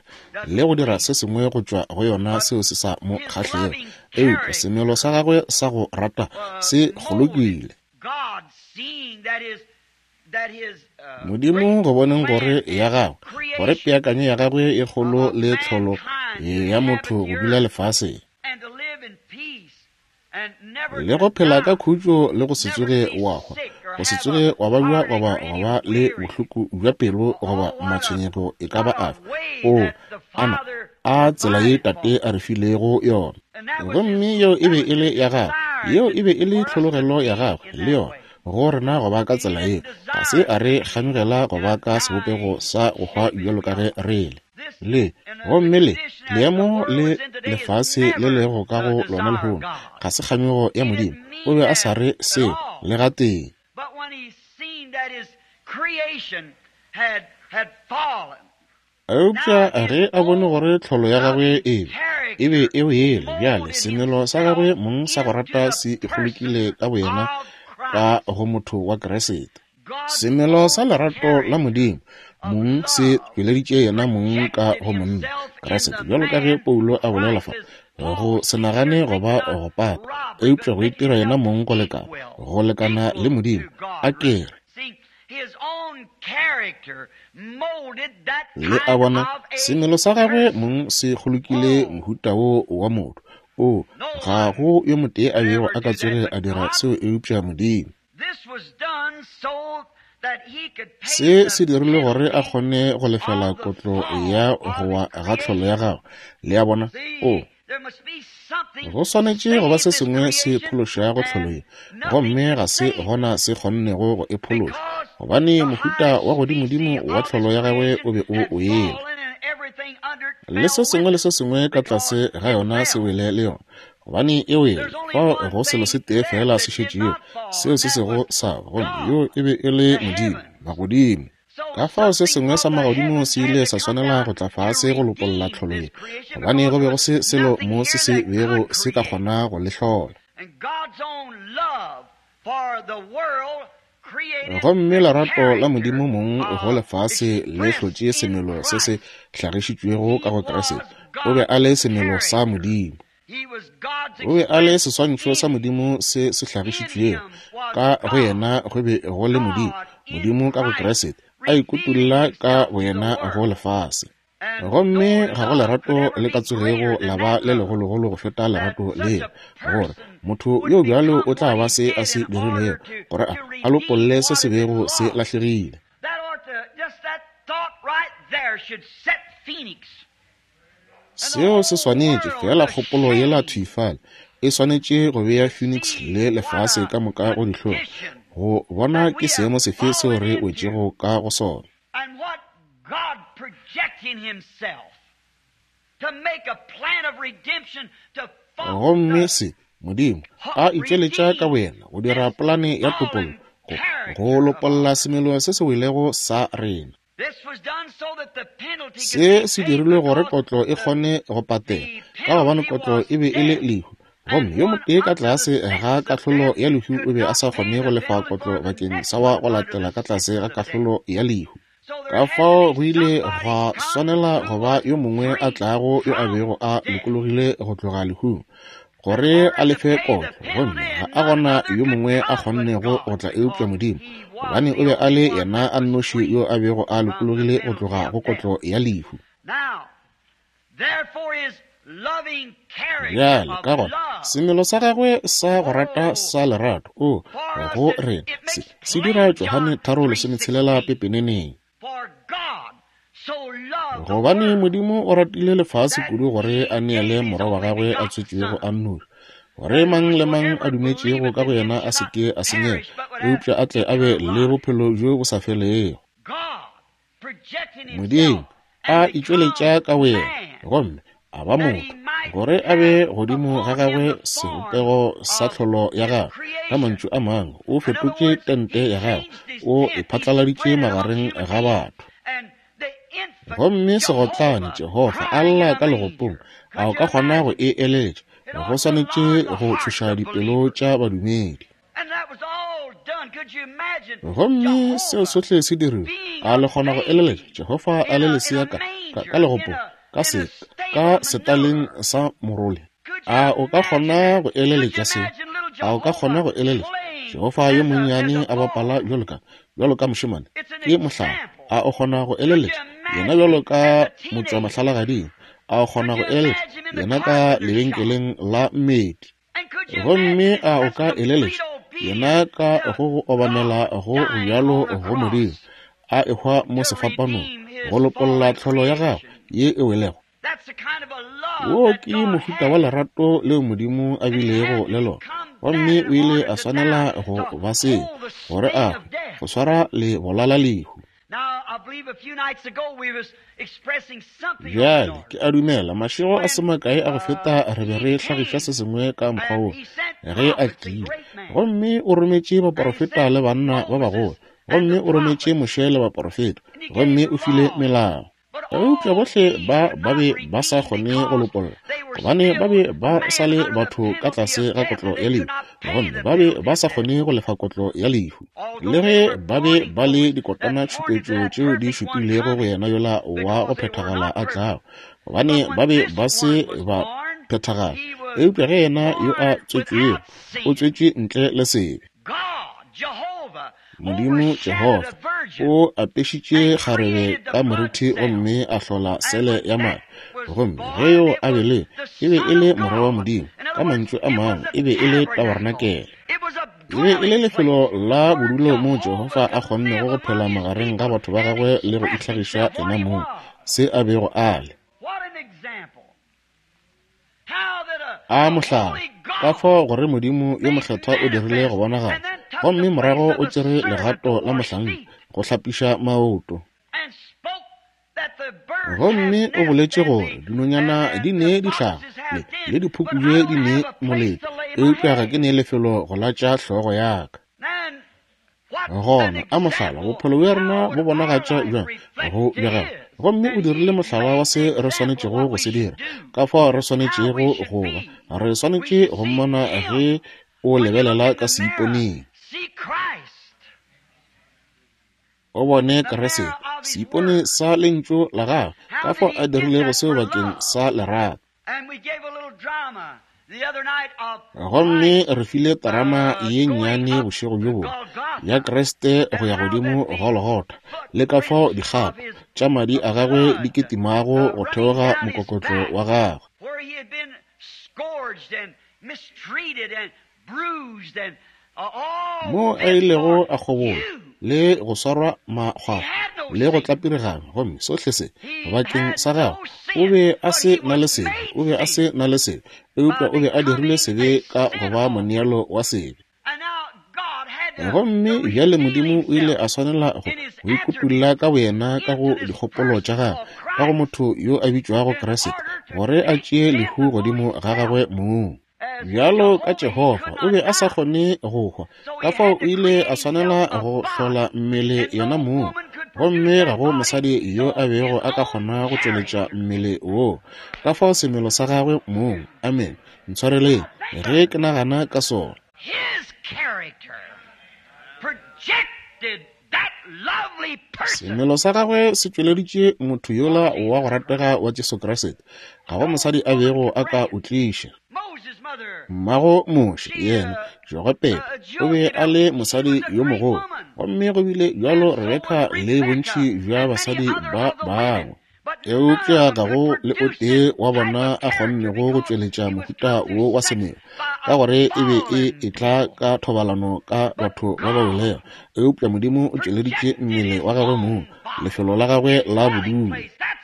Speaker 2: le go dira se sengwe go tšwa go yona seo se sa mo kgahlego. Eupša semelo sa gagwe sa go rata se kgolokile. Modimo go boneng gore ya gagwe, gore peakanyo ya gagwe e kgolo le tlholo ya motho go dula lefaseng, le go phela ka khutšo le go se tsoge wa hwa, go se tsoge wa babja goba go ba le bohloko bja pelo goba matshwenyego e ka ba afe. O, ana a tsela ye Tate a re filego yona. Gomme yeo e be e le ya gagwe, yeo e be e le tlhologelo ya gagwe le yona, go rena go ba ka tsela yeo. Ga se a re kganyogela go ba ka sebopego sa go hwa bjalo ka ge re le. Le, gomme le, leemo le lefase le lego ka go lona lehono, ga se kganyogo ya Modimo. O be a sa re seo le gatee. Eupša ge a bone gore tlholo ya gagwe e be, e be e wele, bjale semelo sa gagwe mong sa go rata se ikgolokile ka boyena ka go motho wa Kriste. Semelo sa lerato la Modimo mong se tšweleditše yena mong ka go monna Kriste, bjalo ka ge Paulo a bolela fa, go se nagane goba go pata, eupša go itira yena mong go lekana, go lekana le Modimo. A ke re, le a bona, semelo sa gagwe mong se kgolokile mohuta wo wa motho. O, ga go yo motee a bego a ka tsoge a dira seo eupša Modimo. Se se dirilwe gore a kgone go lefela kotlo ya go wa ga tlholo ya gagwe. Le a bona? O, go swanetše go ba se sengwe se phološago tlholo ye, gomme ga se gona se kgonnego go e phološa, gobane mohuta wa godimodimo wa tlholo ya gagwe o be o wele. Le se sengwe le se sengwe ka tlase ga yona se wele le yona. Gobane e wele, fao go selo se tee feela se šetšego, seo se sego sa, gomme yoo e be e le Modimo, magodimo. Ka fao se sengwe sa magodimo se ile sa swanela go tla fase go lopolla tlholo ye, gobane go be go se selo mo se se bego se ka kgona go le hlola. Gomme lerato la Modimo mong go lefase le hlotše semelo se se hlagišitšwego ka go Kriste. O be a le semelo sa Modimo. O be a le seswantšho sa Modimo se se hlagišitšwego. Ka go yena go be go le Modimo, Modimo ka go Kriste, a ikutolla ka boyena go lefase. Gomme ga go lerato le ka tsogego la ba le legologolo go feta lerato leo, gore motho yo bjalo o tla ba se a se dirilego, gore a, a lopolle se se bego se lahlegile. Seo se swanetše, feela kgopolo yela thwi fale, e swanetše go bea Phoenix le lefase ka moka go dihlong, go bona ke seemo sefe seo re wetšego ka go sona. Gomme se, Modimo, a itšweletša ka boyena go dira polane ya topollo, go, go lopolla semelo se se welego sa rena. Se se dirilwe gore kotlo e kgone go patela, ka gobane kotlo e be e le lehu, gomme yo motee ka tlase ga kahlolo ya lehu o be a sa kgone go lefa kotlo bakeng sa wa go latela ka tlase ga kahlolo ya lehu. Ka fao go ile gwa swanela go ba yo mongwe a tlago yo a bego a lokologile go tloga lehung. gore a lefe kotlo, gomme ga a gona yo mongwe a kgonnego go tla eupša Modimo, gobane o be a le yena a nnoši yo a bego a lokologile go tloga go kotlo ya lehu. Bjale ka gona semelo sa gagwe sa go rata sa lerato o go rena se dira Johane 3:16 pepeneneng. Gobane Modimo o ratile lefase kudu gore a neele morwa wa gagwe a tswetšwego a nnoši, gore mang le mang a dumetšego ka go yena a se ke a senyega, eupša a tle a be le bophelo bjo bo sa felego. Modimo a itšweletša ka boyena gomme a ba motho, gore a be godimo ga gagwe sebopego sa tlholo ya gagwe. Ka mantšu a mangwe, o fetotše tente ya gagwe, o e phatlaladitše magareng ga batho. Gomme segotlane Jehofa a lla ka legopong, a o ka kgona go e eletša? Go swanetše go tšhoša dipelo tša badumedi. Gomme seo sohle se diriwe, a le kgona go eleletša Jehofa a le lesea ka legopong, ka setaleng sa morole? A o ka kgona go eleletša seo? A o ka kgona go eleletša Jehofa yo monnyane a bapala bjalo ka mošemane? Ke mohlala. A o kgona go eleletša yena bjalo ka motšwamahlalagading? A o kgona go eleletša yena ka lebenkeleng la mmedi? Gomme a o ka eleletša yena ka go obamela go bjalo go Modimo, a ehwa mo sefapanong go lopolla tlholo ya gagwe ye e welego? Wo ke mohuta wa lerato leo Modimo a bilego le lona, gomme o ile a swanela go ba seo gore a go swara le bolala lehu. Bjale ke a dumela mašego a se makae a go feta re be re hlagiša se sengwe ka mokgwa wo ge a tlile, gomme o rometše baporofeta le banna ba bagolo, gomme o rometše Moshe le baporofeta, gomme o file melao. Eupša bohle ba be ba sa kgone go lopolla, gobane ba be ba sa le batho ka tlase ga kotlo ya lehu, gomme ba be ba sa kgone go lefa kotlo ya lehu. Le ge ba be ba le dikotana tšhupetšo tšeo di šupilego go yena yola wa go phethagala a tlago, gobane ba be ba se ba phethagala. Eupša ge yena yo a tswetšwego o tswetšwe ntle le sebe. Modimo Jehofa o apešitše kgarebe ka moriti gomme a hlola sele ya madi, gomme ge yo a bele e be e le morwa wa Modimo. Ka mantšu a mangwe, e be e le tabarenakele, e be e le lefelo la bodulo moo Jehofa a kgonnego go phela magareng ga batho ba gagwe le go itlhagiša yena mong se a bego a le. A mohlala, ka fao gore Modimo yo mokgethwa o dirile go bonagala, gomme morago o tšere legato la mohlanka go hlapiša maoto. Gomme o boletše gore dinonyana di ne dihlaga le diphukubje di ne molete, eupša ga ke ne lefelo go latša hlogo ya ka. Gona a mohlala, bophelo bja rena bo bonagatša bjang go bja gagwe, gomme o dirile mohlala wa se re swanetšego go se dira, ka fao re swanetšego go ba. Re swanetše go mmona ge o lebelela ka seiponeng. O bone Kriste, seipone sa lentšu la gagwe, ka fao a dirilego seo bakeng sa lerato. Gomme re file terama ye nnyane bošego bjo bongwe ya Kriste go ya godimo Golgotha, le ka fao dikgapo tša madi a gagwe di ketimago go theoga mokokotlo wa gagwe. Mo a ilego a kgobola le go swarwa makgwakgwa le go tlapirigana, gomme sohle se bakeng sa gagwe. O be a se na le sebe, o be a se na le sebe, eupša o be a dirile sebe ka go ba moneelo wa sebe. Gomme bjale Modimo o ile a swanela go ikutulla ka boyena ka go dikgopolo tša gagwe, ka go motho yo a bitšwago Kriste, gore a tšee lehu godimo ga gagwe mong. Bjalo ka Jehofa, o be a sa kgone go hwa, ka fao o ile a swanela go hlola mmele yena mong, gomme ga go mosadi yo a bego a ka kgona go tšweletša mmele woo, ka fao semelo sa gagwe mong. Amen. Ntshwareleng ge ke nagana ka sona. Semelo sa gagwe se tšweleditše motho yola wa go ratega wa Jesu Kriste. Ga go mosadi a bego a ka o tliša. Mmago Moshe, yena Jogebede, o be a le mosadi yo mogolo, gomme go bile bjalo Rebeka le bontši bja basadi ba bangwe. Eupša ga go le o tee wa bona a kgonnego go tšweletša mohuta wo wa semelo, ka gore e be e etla ka thobalano ka batho ba ba welego. Eupša Modimo o tšweleditše mmele wa gagwe mong, lefelo la gagwe la bodulo.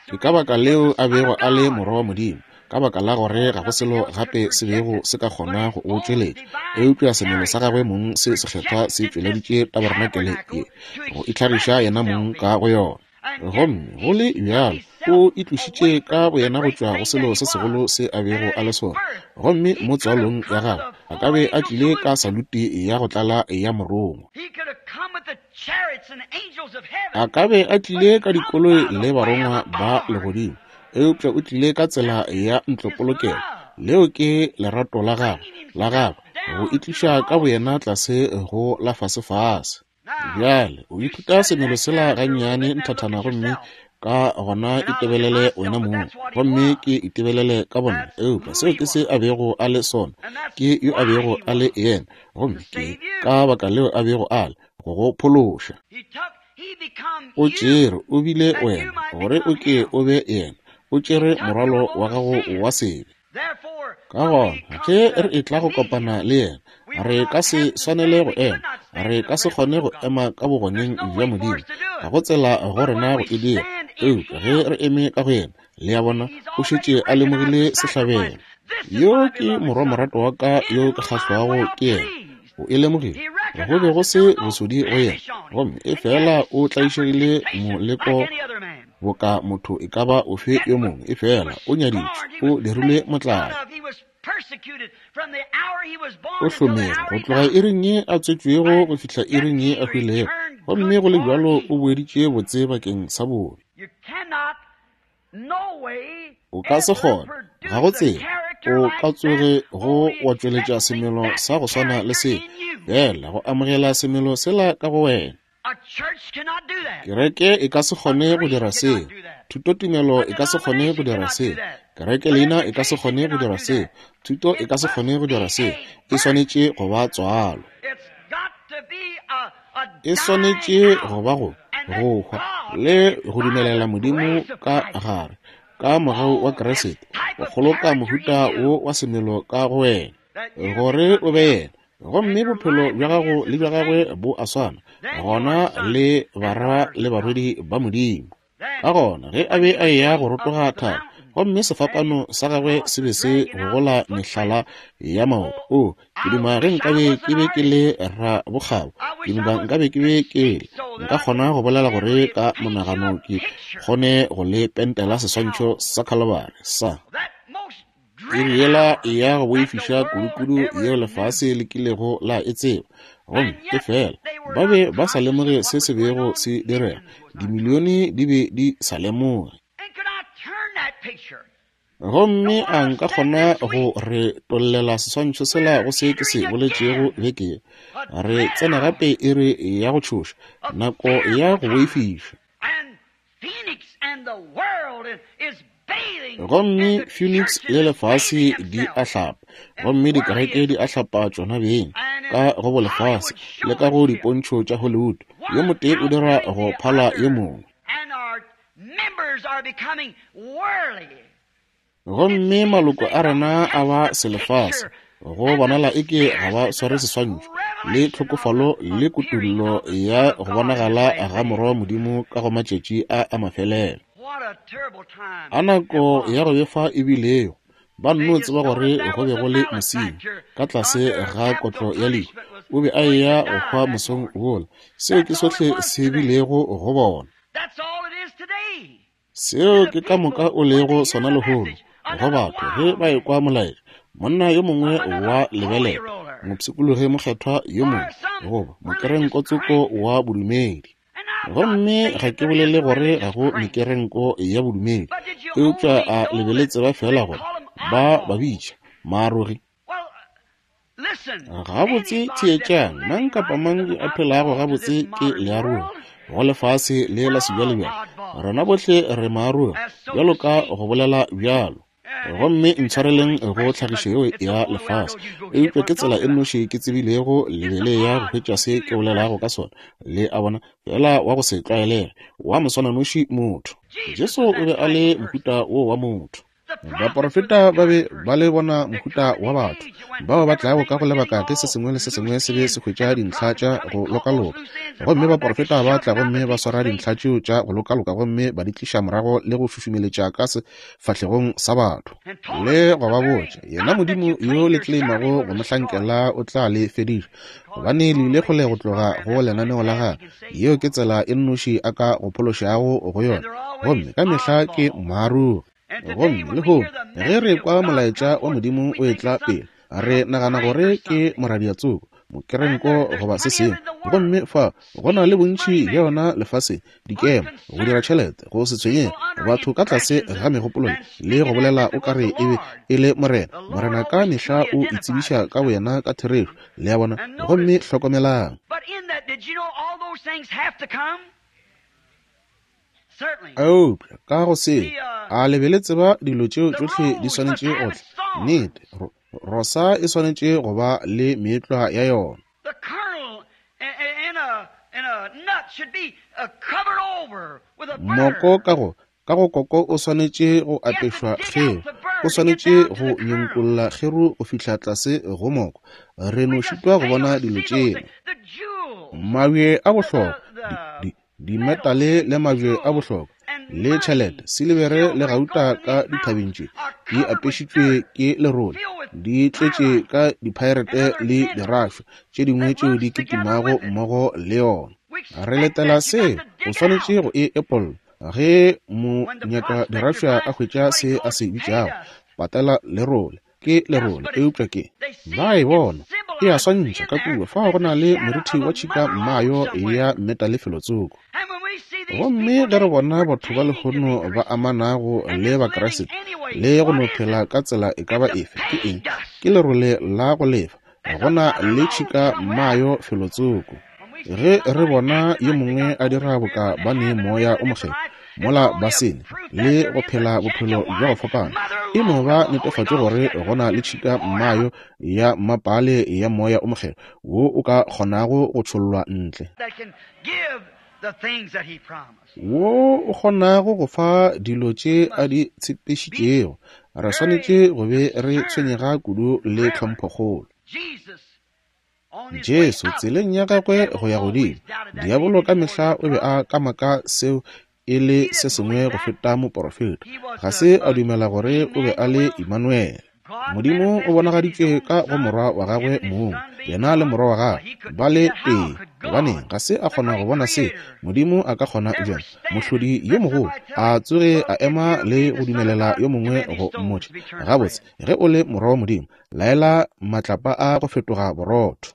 Speaker 2: Ke ka baka leo a bego a le morwa wa Modimo, ka baka la gore ga go selo gape se bego se ka kgona go o tšweletša, eupša semelo sa gagwe mong se sekgethwa se tšweleditše tabarenakele ye, go itlhagiša yena mong ka go yona. Gomme go le bjalo o itlošitše ka boyena go tšwa go selo se segolo se a bego a le sona, gomme mo tswalong ya gagwe a ka be a tlile ka saluti ya go tlala ya morongwa. A ka be a tlile ka dikoloi le barongwa ba legodimo, eupša o tlile ka tsela ya ntlopolokelo. Leo ke lerato la gagwe, la gagwe, go itliša ka boyena tlase go la fasefase. Bjale o ithuta semelo sela gannyane nthathana, gomme ka gona itebelele wena mong, gomme ke itebelele ka bonna. Eupša seo ke se a bego a le sona, ke yo a bego a le yena, gomme ke ka baka leo a bego a le, go go phološa. O tšere, o bile wena, gore o ke o be yena. O tšere morwalo wa gago wa sebe. Ka gona ge re etla go kopana le yena, re ka se swanele go ema, re ka se kgone go ema ka bogoneng bja Modimo. Ga go tsela go rena go e dira. Eupša ge re eme ka go yena, le a bona, o šetše a lemogile sehlabelo. Yo ke morwa morato wa ka yo ke kgahlwago ke yena. O e lemogile, go be go se bosodi go yena, gomme efela o tlaišegile moleko boka motho e ka ba ofe yo mongwe, efela o nyaditšwe, o dirilwe motlae, o hlomere go tloga iring ye a tswetšwego go fihla iring ye a hwilego, gomme go le bjalo o boeditše botse bakeng sa bobe. O ka se kgone, ga go tsela, o ka tsoge go wa tšweletša semelo sa go swana le se, fela go amogela semelo sela ka go wena. Kereke e ka se kgone go dira seo. Thutotumelo e ka se kgone go dira seo. Kereke leina e ka se kgone go dira seo. Thuto e ka se kgone go dira seo. E swanetše go ba tswalo. E swanetše go ba go go hwa le go dumelela Modimo ka gare, ka mogau wa Kriste, go kgoloka mohuta wo wa semelo ka go wena, gore o be yena. Gomme bophelo bja gago le bja gagwe bo a swana, gona le barwa le barwedi ba Modimo. Ka gona ge a be a eya go rotoga thaba, gomme sefapano sa gagwe se be se gogola mehlala ya maoto. O, ke duma ge nkabe ke be ke le rabokgabo, ke duma nkabe ke be ke le, nka kgona go bolela gore ka monagano ke kgone go le pentela seswantšho sa Khalabare sa iri yela ya go boifiša kudukudu yeo lefase le kilego la e tseba. Gomme efela ba be ba sa lemoge se se bego se direga, dimilione di be di sa lemoge. Gomme a nka kgona go re tollela seswantšho sela go se ke se boletšego beke ye? Re tsena gape iri ya go tšhoša, nako ya go boifiša. Gomme Phoenix le lefase di a hlapa, gomme dikereke di a hlapa tšona beng ka go bolefase le ka go dipontšho tša Hollywood. Yo motee o dira go phala yo mongwe. Gomme maloko a rena a ba selefase, go bonala eke ga ba sware seswantšho le tlhokofalo le kutollo ya go bonagala ga Morwa wa Modimo ka go matšatši a a mafelelo. A nako ya go befa e bilego! Ba nno tseba gore go be go le mosenyi ka tlase ga kotlo ya lehu, o be a eya go hwa mosong wola. Seo ke sohle se bilego go bona. Seo ke ka moka o lego sona lehono go batho ge ba ekwa molaetša. Monna yo mongwe wa lebelela, mopshikologi mokgethwa yo mongwe, goba mokerenkotsoko wa bodumedi. Gomme ga ke bolele gore ga go mekerenko ya bodumedi, eupša a le be le tseba feela gore ba ba bitša maarogi. Gabotse theetšang, mang kapa mang yo a phelago gabotse ke learogi go lefase le la sebjalebjale. Rena bohle re maarogi, bjalo ka go bolela bjalo. Gomme ntshwareleng go tlhagišo yeo ya lefase, eupša ke tsela e nnoši ke tsebilego lebele ya go hwetša se ke bolelago ka sona. Le a bona, fela wa go se tlwaelege, wa moswananoši motho. Jesu o be a le mohuta wo wa motho. Baporofeta ba be ba le bona mohuta wa batho bao ba tlago ka go lebaka ge se sengwe le se sengwe se be se hwetša dintlha tša go lokaloka. Gomme baporofeta ba tla gomme ba swara dintlha tšeo tša go lokaloka gomme ba di tliša morago le go šušumeletša ka sefahlegong sa batho le go ba botša, yena Modimo yo le tleimago go mo hlankela o tla le fediša, gobane le ile kgole go tloga go lenaneo la gagwe. Yeo ke tsela e nnoši a ka go phološago go yona, gomme ka mehla ke moarogi. Gomme lehono ge re kwa molaetša wa Modimo o etla pele, re nagana gore ke moradiatsoko, mokerenko goba se sengwe. Gomme fa go na le bontši bja yona lefaseng, dikema, go dira tšhelete, go se tshwenyege, batho ka tlase ga megopolo le go bolela o ka re e be e le Morena. Morena ka mehla o itsebiša ka boyena ka therešo, le a bona. Gomme hlokomelang. Eupša ka go seo, a le be le tseba dilo tšeo tšohle di swanetše go tla? Nnete, rosa e swanetše go ba le meetlwa ya yona. Moko ka go ka go koko o swanetše go apešwa kgeru, o swanetše go nyenkolla kgeru go fihla tlase go moko. Re no šitwa go bona dilo tšeo. Mabje a bohlokwa, dimetale le mabje a bohlokwa, le tšhelete, silibere le gauta ka dithabeng tše di apešitšwe ke lerole, di tletše ka diphaerete le dirašwa tše dingwe tšeo di kitimago mmogo le yona. Re letela seo, o swanetše go e epolla. Ge mo nyaka dirašwa a hwetša se a se bitšago patela lerole, ke lerole, eupša ke ba e bona e a swantšha ka kua fao go na le morithi wa tšhika mmayo ya metale felotsoko. Gomme ge re bona batho ba lehono ba amanago le Bakriste le go no phela ka tsela e ka ba efe, ke eng? Ke lerole la go lefa. Go na le tšhika mmayo felotsoko. Ge re bona yo mongwe a dira boka ba ne moya o mokgethwa mola ba sene le go phela bophelo bja go fapana, e no ba netefatšo gore go na le tšhika mmayo ya mmapale ya moya o mokgethwa wo o ka kgonago go tšhollwa ntle, wo o kgonago go fa dilo tše a di tshepišitšego. Re swanetše go be re tshwenyega kudu le tlhomphokgolo. Jesu tseleng ya gagwe go ya godimo, diabolo ka mehla o be a kamaka seo e le se sengwe go feta moporofeta. Ga se a dumela gore o be a le Immanuel. Modimo o bonagaditšwe ka go morwa wa gagwe mong, yena le morwa wa gagwe ba le tee. Gobaneng ga se a kgona go bona se? Modimo a ka kgona bjang, mohlodi yo mogolo, a tsoge a ema le go dumelela yo mongwe go mmotša, gabotse, ge o le morwa wa Modimo, laela matlapa a go fetoga borotho.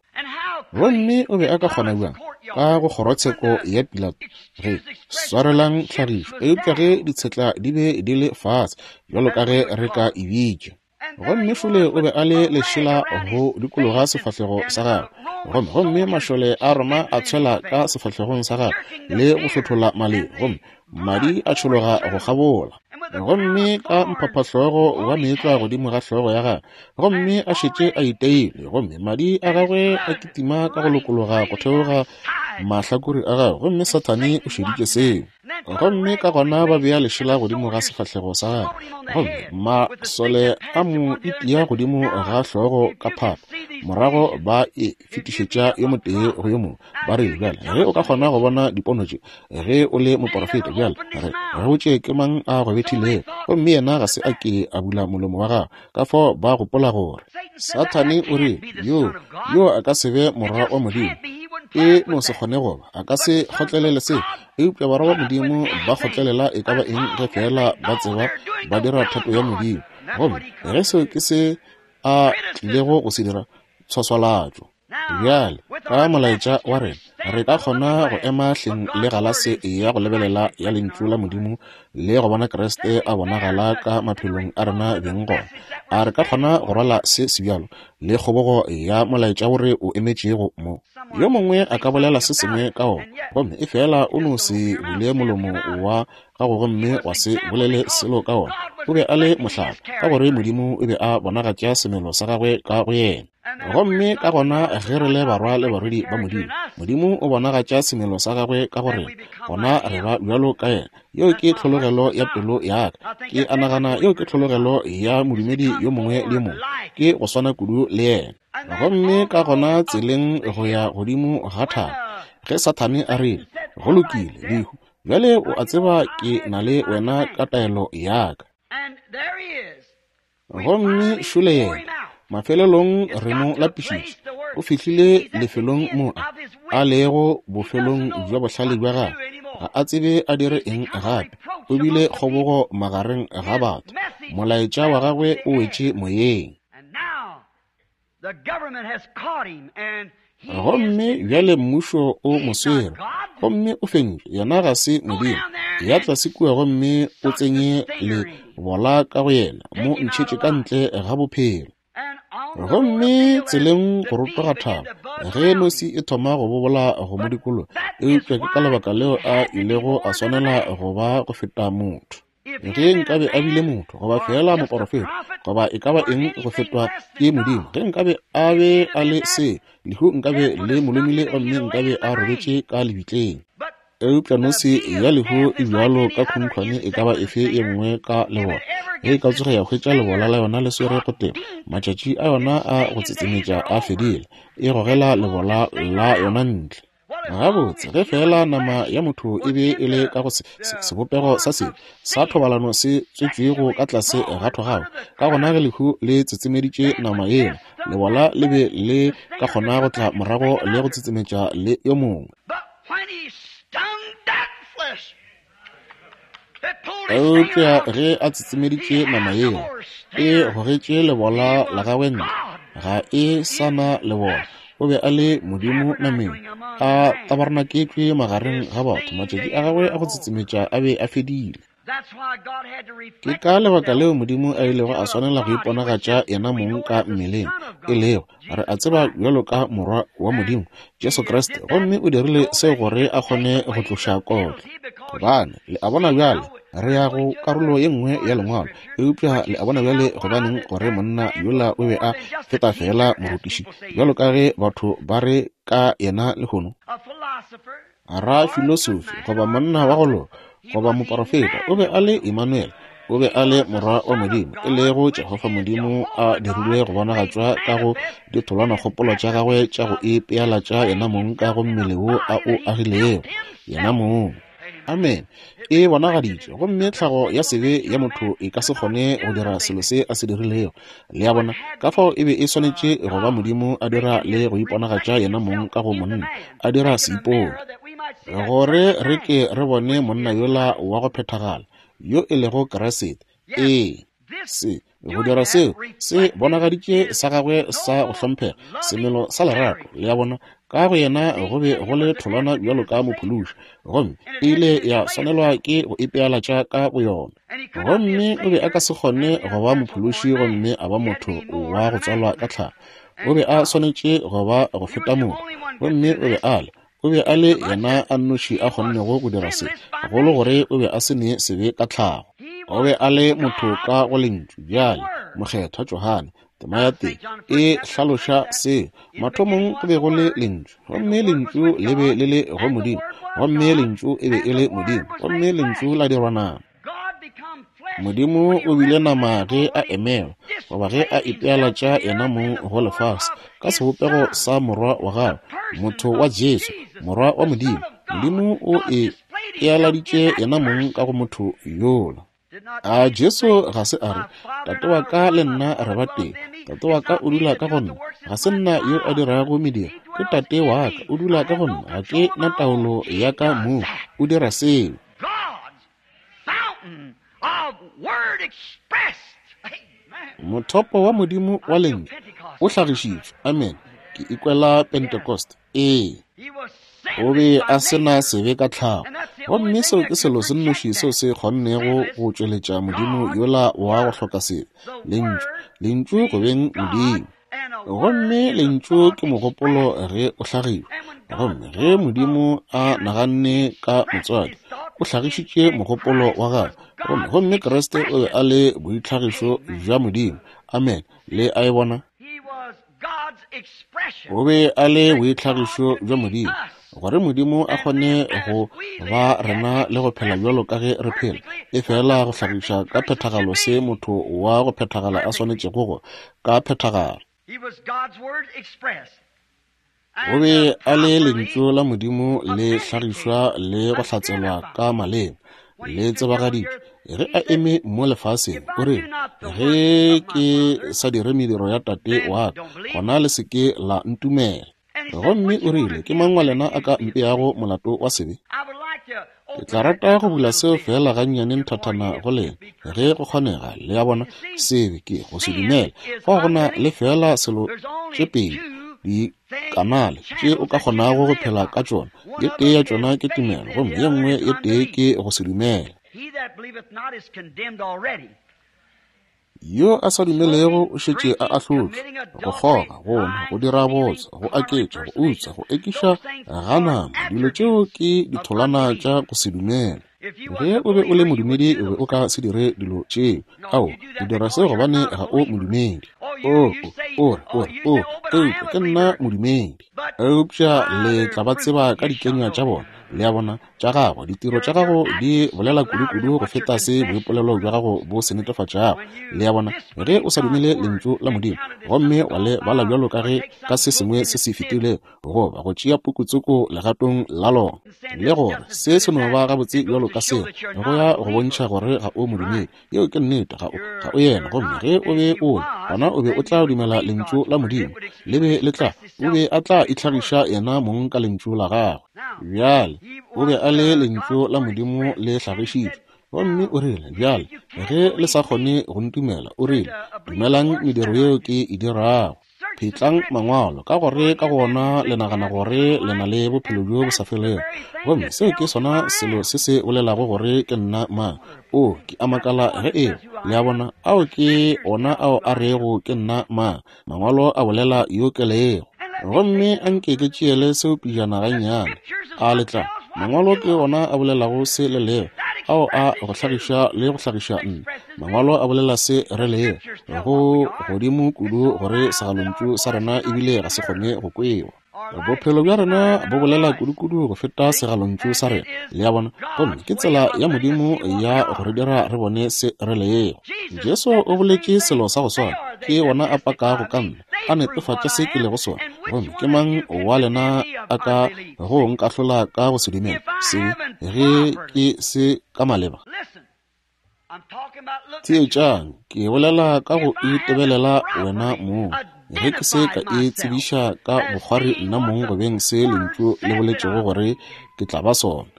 Speaker 2: Gomme o be a ka kgona bjang ka go kgorotsheko ya Pilato ge swarelang tlhagišo, eupša ge ditshetla di be di le fase bjalo ka ge re ka e bitša. Gomme fule o be a le lešela go dikologa sefahlego sa gagwe, gomme gomme mašole a Roma a tshwela ka sefahlegong sa gagwe le go hlothola maleng, gomme madi a tšhologa go kgabola. Gomme ka mphaphahlogo wa meetlwa godimo ga hlogo ya gagwe, gomme a šetše a iteilwe, gomme madi a gagwe a kitima ka go lokologa go theoga mahlakore a gagwe, gomme Sathane o šeditše seo. Gomme ka gona ba bea lešela godimo ga sefahlego sa gagwe, gomme masole a mo itia godimo ga hlogo ka phapa, morago ba e fetišetša yo motee go yo mongwe. Ba re, bjale, ge o ka kgona go bona dipono tše, ge o le moporofeta, bjale re botše ke mang a go bethilego. Gomme yena ga se a ke a bula molomo wa gagwe. Ka fao ba gopola gore Sathane o rile, yo, yo a ka se be morwa wa Modimo. E no se kgone go ba, a ka se kgotlelele se. Eupša barwa ba Modimo ba kgotlelela e ka ba eng ge feela ba tseba ba dira thato ya Modimo. Gomme ge seo ke se a tlilego go se dira, tshwaswalatšo. Bjale, ka molaetša wa rena, Re ka kgona go ema hleng le galase ya go lebelela ya Lentšu la Modimo le go bona Kriste a bonagala ka maphelong a rena beng gona. A re ka kgona go rwala se sebjalo le kgobogo ya molaetša wo re o emetšego mo? Yo mongwe a ka bolela se sengwe ka wona, gomme efela o no se bule molomo wa gago gomme wa se bolele selo ka wona. O be a le mohlala, ka gore Modimo o be a bonagatša semelo sa gagwe ka go yena. Gomme ka gona ge re le barwa le barwedi ba Modimo, Modimo o bonagatša semelo sa gagwe ka go rena, gona re ba bjalo ka yena. Yeo ke tlhologelo ya pelo ya ka. Ke a nagana yeo ke tlhologelo ya modumedi yo mongwe le yo mongwe, ke go swana kudu le yena. Gomme ka gona tseleng go ya godimo ga thaba, ge Sathane a rile, Go lokile, lehu, bjale o a tseba ke na le wena ka taelo ya ka. Gomme šole yena, mafelelong re mo lapišitše. O fihlile lefelong mo a lego bofelong bja bohlale bja gagwe. Ga a tsebe a dire eng gape. O bile kgobogo magareng ga batho. Molaetša wa gagwe o wetše moyeng. Gomme bjale mmušo o mo swere, gomme o fentšwe. Yena ga se Modimo. Ya tlase kua gomme o tsenye lebola ka go yena, mo ntšhetše ka ntle ga bophelo. Gomme tseleng go rotoga thaba, ge nosi e thoma go bobola go mo dikologa, eupša ke ka lebaka leo a ilego a swanela go ba go feta motho. Ge nkabe a bile motho, goba feela moporofeta, goba e ka ba eng go fetwa ke Modimo, ge nkabe a be a le se, lehu nkabe le mo lomile gomme nkabe a robetše ka lebitleng. Eupša nosi ya lehu e bjalo ka khunkhwane e ka ba efe ye nngwe ka lebola. Ge e ka tsoge ya hwetša lebola la yona le swere go tema, matšatši a yona a go tsetsemetša a fedile, e gogela lebola la yona ntle. Gabotse, ge feela nama ya motho e be e le ka go se, se, sebopego sa sebe sa thobalano se tswetšwego ka tlase ga thogako, ka gona ge lehu le tsetsemeditše nama yela, lebola le be le ka kgona go tla morago le go tsetsemetša le yo mongwe. Eupša ge a tsetsemeditše nama yela, e gogetše lebola la gagwe ntle. Ga e sa na lebola. O be a le Modimo nameng, a tabarenaketšwe magareng ga batho. Matšatši a gagwe a go tsetsemetša a be a fedile. Ke ka lebaka leo Modimo a ilego a swanela go iponagatša yena mong ka mmeleng, e lego, re a tseba bjalo ka Morwa wa Modimo, Jesu Kriste, gomme o dirile seo gore a kgone go tloša kotlo. Gobane, le a bona bjale, re ya go karolo ye nngwe ya Lengwalo, eupša le a bona bjale gobaneng gore monna yola o be a feta feela morutiši, bjalo ka ge batho ba re ka yena lehono. Rafilosofi, goba monna wa go loka, goba moporofeta, o be a le Emmanuel, o be a le Morwa wa Modimo, e lego Jehofa Modimo a dirilwe go bonagatšwa ka go ditholwanakgopolo tša gagwe tša go ipealatša yena mong ka go mmele wo a o agilego yena mong. Amen. E bonagaditšwe, gomme tlhago ya sebe ya motho e ka se kgone go dira selo se a se dirilego. Le a bona? Ka fao e be e swanetše go ba Modimo a dira le go iponagatša yena mong ka go monna, a dira seipone, gore re ke re bone monna yola wa go phethagala, yo e lego Kriste. Ee. Se, go dira seo, se bonagaditše sa gagwe sa go hlomphega, semelo sa lerato. Le a bona? Ka go yena go be go le tholwana bjalo ka mophološi, gomme e ile ya swanelwa ke go ipealatša ka boyona. Gomme o be a ka se kgone go ba mophološi gomme a ba motho wa go tswalwa ka tlhago. O be a swanetše go ba go feta motho, gomme o be a le. O be a le yena a nnoši a kgonnego go dira se, gagolo gore o be a se ne sebe ka tlhago. O be a le motho ka go Lentšu. Bjale, Mokgethwa Johane, tema ya teng, e hlaloša seo. Mathomong go be go le Lentšu, gomme Lentšu le be le le go Modimo, gomme Lentšu e be e le Modimo, gomme Lentšu la dirwa nama. Modimo o bile nama ge a emelwa, goba ge a ipealatša yena mong go lefase, ka sebopego sa Morwa wa gagwe, motho wa Jesu, Morwa wa Modimo. Modimo o e pealaditše yena mong ka go motho yola. A Jesu ga se a re, Tate wa ka le nna re ba tee, Tate wa ka o dula ka go nna, ga se nna yo a dirago mediro, ke Tate wa ka o dula ka go nna, ga ke na taolo ya ka mong, o dira seo. Mothopo wa Modimo wa Lentšu o hlagišitšwe. Amen. Ke ikwela Pentecost. Ee. O be a se na sebe ka tlhago. Gomme seo ke selo se nnoši seo se kgonnego go tšweletša Modimo yola wa go hloka sebe, Lentšu, Lentšu go beng Modimo. Gomme Lentšu ke mogopolo ge o hlagišwa. Gomme ge Modimo a naganne ka motswadi, o hlagišitše mogopolo wa gagwe. Gomme, gomme Kriste o be a le boitlhagišo bja Modimo. Amen. Le a e bona? O be a le boitlhagišo bja Modimo, gore Modimo a kgone go ba rena le go phela bjalo ka ge re phela, efela go hlagiša ka phethagalo se motho wa go phethagala a swanetšego go ka phethagala. O be a le Lentšu la Modimo le hlagišwa le go hlatselwa ka maleme, le tsebagaditšwe. Ge a eme mo lefaseng, o rile, Ge ke sa dire mediro ya Tate wa ka, gona le se ke la ntumela. Gomme o rile, Ke mang wa lena a ka mpeago molato wa sebe? Ke tla rata go bula seo feela gannyane nthathana go lena, ge go kgonega. Le a bona, sebe ke go se dumela. Fao go na le feela selo tše pedi, dikanale tše o ka kgonago go phela ka tšona. Ye tee ya tšona ke tumelo, gomme ye nngwe ye tee ke go se dumela. Yo a sa dumelego o šetše a ahlotšwe. Go kgoga, go nwa, go dira bootswa, go aketša, go utswa, go ekiša ga nama, dilo tšeo ke ditholwana tša go se dumele. Ge o be o le modumedi, o be o ka se dire dilo tšeo. Ao, o dira seo gobane ga o modumedi. O, o, o re, o, eupša ke nna modumedi. Eupša le tla ba tseba ka dikenywa tša bona. Le a bona? Tša gago, ditiro tša gago di bolela kudu-kudu go feta se boipolelo bja gago bo se netefatšago. Le a bona? Ge o sa dumele Lentšu la Modimo gomme wa le bala bjalo ka ge ka se sengwe se se fetilego, goba go tšea pukutsoko legatong la lona, le gore se se no ba gabotse bjalo ka seo, go ya go bontšha gore ga o modumedi. Yeo ke nnete, ga o, ga o yena. Gomme ge o be o le, gona o be o tla dumela Lentšu la Modimo. Le be le tla, o be a tla itlhagiša yena mong ka Lentšu la gagwe. Bjale, o be a le Lentšu la Modimo le hlagišitšwe. Gomme o rile, Bjale, ge le sa kgone go ntumela, o rile, dumelang mediro yeo ke e dirago. Phetlang Mangwalo, ka gore ka go ona le nagana gore le na le bophelo bjo bo sa felego. Gomme seo ke sona selo se se bolelago gore ke nna mang. O, ke a makala ge eba, le a bona, ao ke ona ao a rego ke nna mang. Mangwalo a bolela yo ke lego. Gomme a nke ke tšeele seo pejana gannyane. A le tla? Mangwalo ke ona a bolelago se le lego, ao a go hlagiša le go hlagiša nna. Mangwalo a bolela se re lego, go godimo kudu gore segalontšu sa rena ebile ga se kgone go kwewa. Bophelo bja rena bo bolela kudu-kudu go feta segalontšu sa rena, le a bona, gomme ke tsela ya Modimo ya go re dira re bone se re lego. Jesu o boletše selo sa go swana, ke wona a pakago ka nna, a netefatša se ke lego sona. Gomme ke mang wa lena a ka go nkahlola ka go se dumele se ge ke se ka maleba? Theetšang, ke bolela ka go itebelela wena mong. Ge ke se ka e tsebiša ka bokgwari nna mong go beng se Lentšu le boletšego gore ke tla ba sona.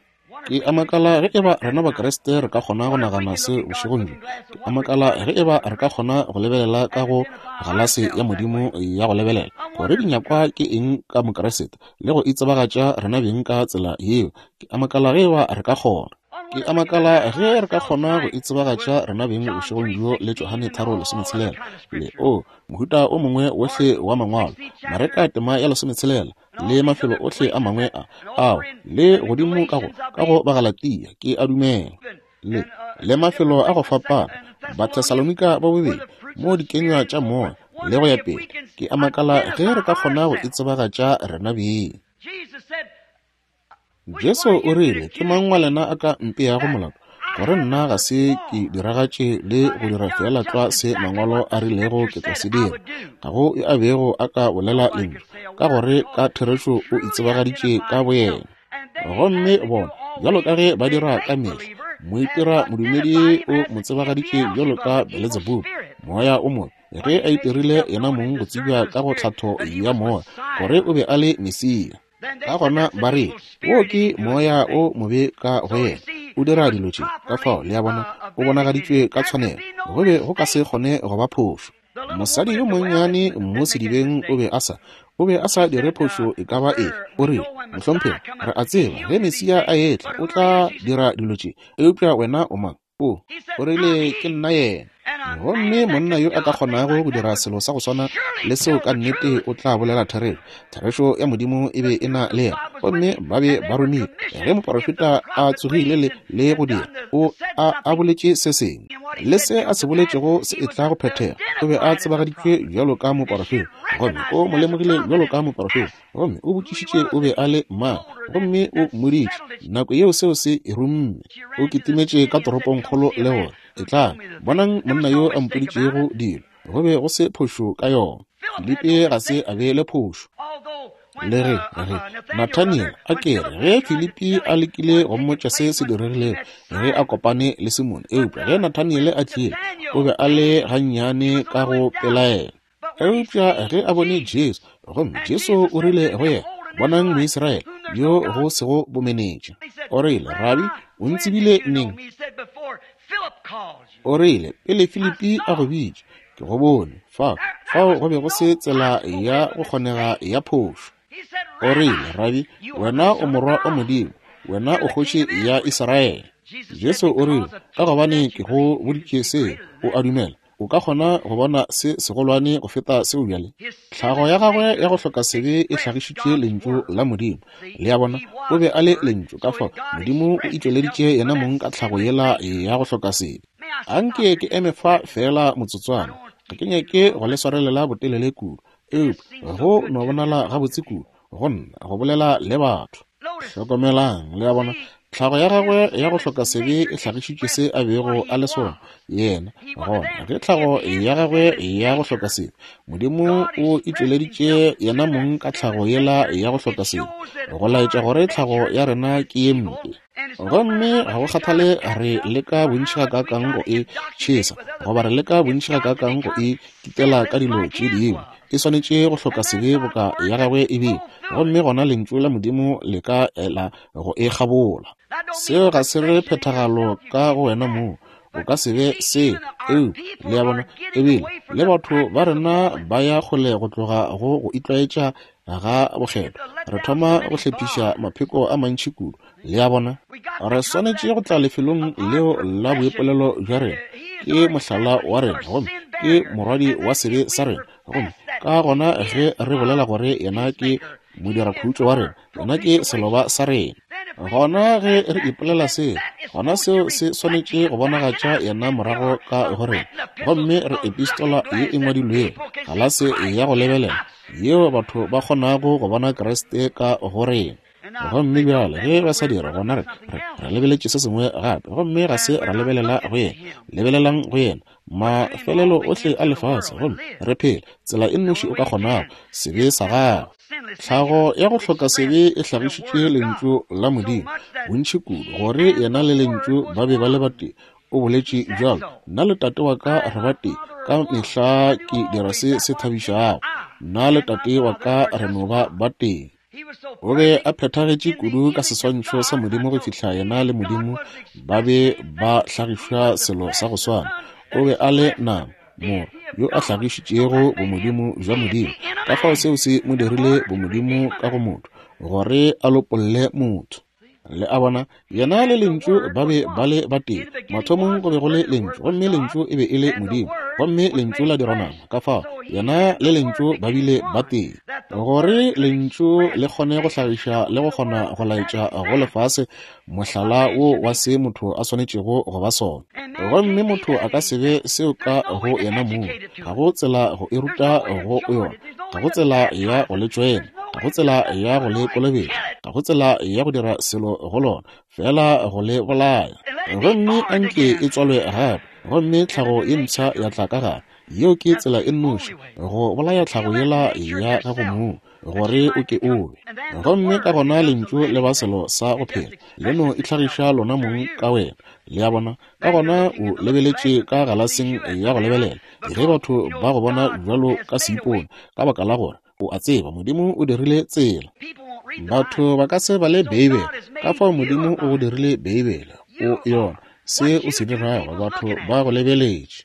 Speaker 2: Ke a makala ge eba rena Bakriste re ka kgona go nagana se bošegong bjo. Ke a makala ge eba re ka kgona go lebelela ka go galase ya Modimo ya go lebelela gore dinyakwa ke eng ka Mokriste le go itsebagatša rena beng ka tsela yeo. Ke a makala ge eba re ka kgona. Ke a makala ge re ka kgona go itsebagatša rena beng bošegong bjo le Johane 3:16 le o mohuta o mongwe wohle wa mangwalo, Mareka tema ya 16 le mafelo ohle a mangwe a ao le godimo ka go ka go Bagalatia, ke a dumela, le le mafelo a go fapana, Bathesalonika ba bobedi, mo dikenywa tša moya le go ya pele. Ke a makala ge re ka kgona go itsebagatša rena beng. Jesu o rile, Ke mang wa lena a ka mpeago molato gore nna ga se ke diragatše le go dira feela tlwa se Mangwalo a rilego ke tla se dira? Ga go yo a bego a ka bolela lentšu, ka gore ka therešo o itsebagaditše ka boyena. Gomme bona, bjalo ka ge ba dira ka mehla, moitira modumedi o mo tsebagaditše bjalo ka Beletsebubu, moya o mobe, ge a itirile yena mong go tsebja ka go tlhatho ya moya gore o be a le Mesia. Ka gona ba re, Wo ke moya o mobe ka go yena, o dira dilo tše. Ka fao, le a bona, o bonagaditšwe ka tshwanelo. Go be go ka se kgone go ba phošo. Mosadi yo monnyane mo sedibeng o be a sa. O be a sa dire phošo e ka ba efe. O rile, Mohlomphegi, re a tseba ge Mesia a etla o tla dira dilo tše, eupša wena o mang? O, o rile, Ke nna yena. Gomme monna yo a ka kgonago go dira selo sa go swana le seo ka nnete o tla bolela therešo. Therešo ya Modimo e be e na le yena, gomme ba be ba romilwe. Ge moporofeta a tsogile le, le go dira, o a, a boletše se sengwe, le se a se boletšego se etla go phethega. O be a tsebagaditšwe bjalo ka moporofeta, gomme o mo lemogile bjalo ka moporofeta, gomme o botšišitše o be a le mang, gomme o mmoditše. Nako yeo seo se e rumme. O kitimetše ka toropongkgolo le gore, Etlang, bonang monna yo a mpoditšego dilo. Go be go se phošo ka yona. Filipi ga se a be le phošo. Le ge, ge Nathaniel a ke re ge Filipi a lekile go mmotša se se diregilego ge a kopane le Simone, eupša ge Nathaniel a tlile, o be a le gannyane ka go pelaela. Eupša ge a bone Jesu, gomme Jesu o rile go yena, Bonang Moisraele yo go sego bomenetša. O rile, Rabi, o ntsebile neng? O rile, Pele Filipi a go bitša, ke go bone. Fao, fao go be go se tsela ya go kgonega ya phošo. O rile, Rabi, wena o Morwa wa Modimo, wena o Kgoši ya Israele. Jesu o rile, Ka gobane ke go boditše se, o a dumela? O ka kgona go bona se segolwane go feta seo bjale. Tlhago ya gagwe ya go hloka sebe e hlagišitše Lentšu la Modimo. Le a bona, o be a le Lentšu, ka fao Modimo o itšweleditše yena mong ka tlhago yela ya go hloka sebe. Anke ke eme fa feela motsotswana. Ga ke nyake go le swarelela botelele kudu, eupša go no bonala gabotse kudu go nna go bolela le batho. Hlokomelang, le a bona, tlhago ya gagwe ya go hloka sebe e hlagišitše se a bego a le sona yena. Gona ge tlhago ya gagwe ya go hloka sebe, Modimo o itšweleditše yena mong ka tlhago yela ya go hloka sebe, go laetša gore tlhago ya rena ke ye mpe. Gomme ga go kgathale re leka bontši gakaakang go e tšhesa, goba re leka bontši gakaakang go e kitela ka dilo tše dingwe, e swanetše go hloka sebe boka ya gagwe e bile, gomme gona Lentšu la Modimo le ka ela go e kgabola. Seo ga se re phethagalo ka go wena mong, o ka se be seo, eupša, le a bona, ebile le batho ba rena ba ya kgole go tloga go go itlwaetša ga bokgethwa. Re thoma go hlephiša mapheko a mantši kudu, le a bona. Re swanetše go tla lefelong leo la boipolelo bja rena. Ke mohlala wa rena, gomme ke morwadi wa sebe sa rena. Gomme ka gona ge re bolela gore yena ke modirakhutšo wa rena, yena ke seloba sa rena, gona ge re ipolela seo, gona seo se swanetše go bonagatša yena morago ka go rena. Gomme re epistola ye e ngwadilwego, galase ya go lebelela, yeo batho ba kgonago go bona Kriste ka go rena. Gomme bjale ge ba sa dira, gona re, re, re lebeletše se sengwe gape, gomme ga se ra lebelela go yena. Lebelelang go yena, mafelelo ohle a lefase, gomme re phela tsela e nnoši o ka kgonago, sebe sa gago. Tlhago ya go hloka sebe e hlagišitše Lentšu la Modimo bontši kudu, gore yena le Lentšu ba be ba le batee. O boletše bjalo, Nna le Tate wa ka re batee, ka mehla ke dira se se thabišago. Nna le Tate wa ka re no ba batee. O be a phethagetše kudu ka seswantšho sa Modimo go fihla yena le Modimo ba be ba hlagišwa selo sa go swana. O be a le nama, Morwa, yo a hlagišitšego bomodimo bja Modimo. Ka fao seo se mo dirile bomodimo ka go motho, gore a lopolle motho. Le a bona, yena le Lentšu ba be ba le batee. Mathomong go be go le Lentšu, gomme Lentšu e be e le Modimo, gomme Lentšu la dirwa nama. Ka fao, yena le Lentšu ba bile batee. Gore Lentšu le kgone go hlagiša le go kgona go laetša go lefase mohlala wo wa se motho a swanetšego go ba sona. Gomme motho a ka se be seo ka go yena mong. Ga go tsela go e ruta go yona. Ga go tsela ya go le tšoena. Ga go tsela ya go le kolobetša. Ga go tsela ya go dira selo go lona, feela go le bolaya. Gomme a nke e tswalwe gape, gomme tlhago ye mpsha ya tla ka gare. Yeo ke tsela e nnoši, go bolaya tlhago yela ya gago mong, gore o ke o be. Gomme ka gona Lentšu le ba selo sa go phela, le no itlhagiša lona mong ka wena. Le a bona? Ka gona o lebeletše ka galaseng ya go lebelela, ge batho ba go bona bjalo ka seipone, ka baka la gore o a tseba Modimo o dirile tsela. Batho ba ka se bale Beibele, ka fao Modimo o go dirile Beibele. O yona, se o se dirago, batho ba go lebeletše.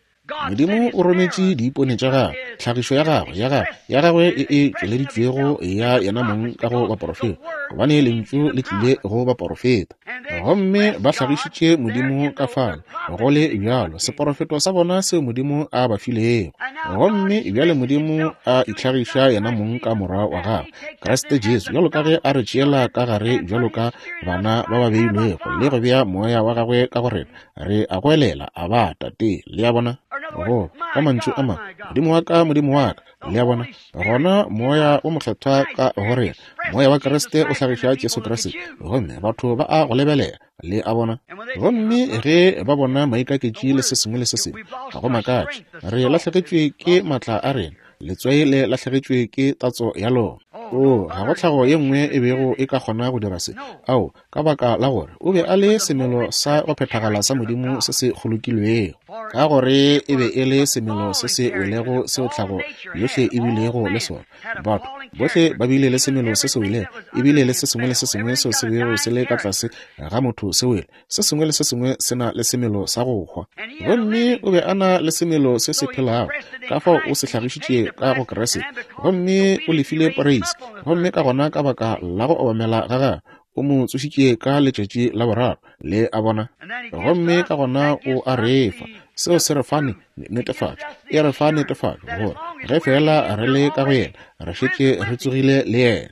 Speaker 2: Modimo o rometše diipone tša gagwe, tlhagišo ya gagwe, ya gagwe, ya gagwe e e tšweleditšwego ya yena mong ka go baporofeta, gobane lentšu le tlile go baporofeta. Gomme ba hlagišitše Modimo ka fale, go le bjalo, seporofeto sa bona seo Modimo a ba filego. Gomme bjale Modimo a itlhagiša yena mong ka Morwa wa gagwe, Kriste Jesu, bjalo ka ge a re tšeela ka gare bjalo ka bana ba ba beilwego, le go bea Moya wa gagwe ka go rena, re a goelela, Aba, Tate. Le a bona? Go, ka mantšu a mangwe, Modimo wa ka, Modimo wa ka. Le a bona? Gona Moya wo Mokgethwa ka go rena, Moya wa Kriste o hlagiša Jesu Kriste, gomme batho ba a go lebelela. Le a bona? Gomme ge ba bona maikaketši le se sengwe le se sengwe, ga go makatše, re lahlegetšwe ke maatla a rena, letswai le lahlegetšwe ke tatso ya lona. Oo, ga go tlhago ye nngwe e bego e ka kgona go dira se. Ao, ka baka la gore o be a le semelo sa go phethagala sa Modimo se se kgolokilwego, ka gore e be e le semelo se se welego seo tlhago yohle e bilego le sona. Batho bohle ba bile le semelo se se welego, e bile le se sengwe le se sengwe seo se bego se le ka tlase ga motho se wele. Se sengwe le se sengwe se na le semelo sa go hwa. Gomme o be a na le semelo se se phelago, ka fao o se hlagišitše ka go Kriste, gomme o lefile poreisi, gomme ka gona ka baka la go obamela ga gagwe o mo tsošitše ka letšatši la boraro. Le a bona? Gomme ka gona o a re fa. Seo se re fa netefatšo. E re fa netefatšo gore ge feela re le ka go yena, re šetše re tsogile le yena.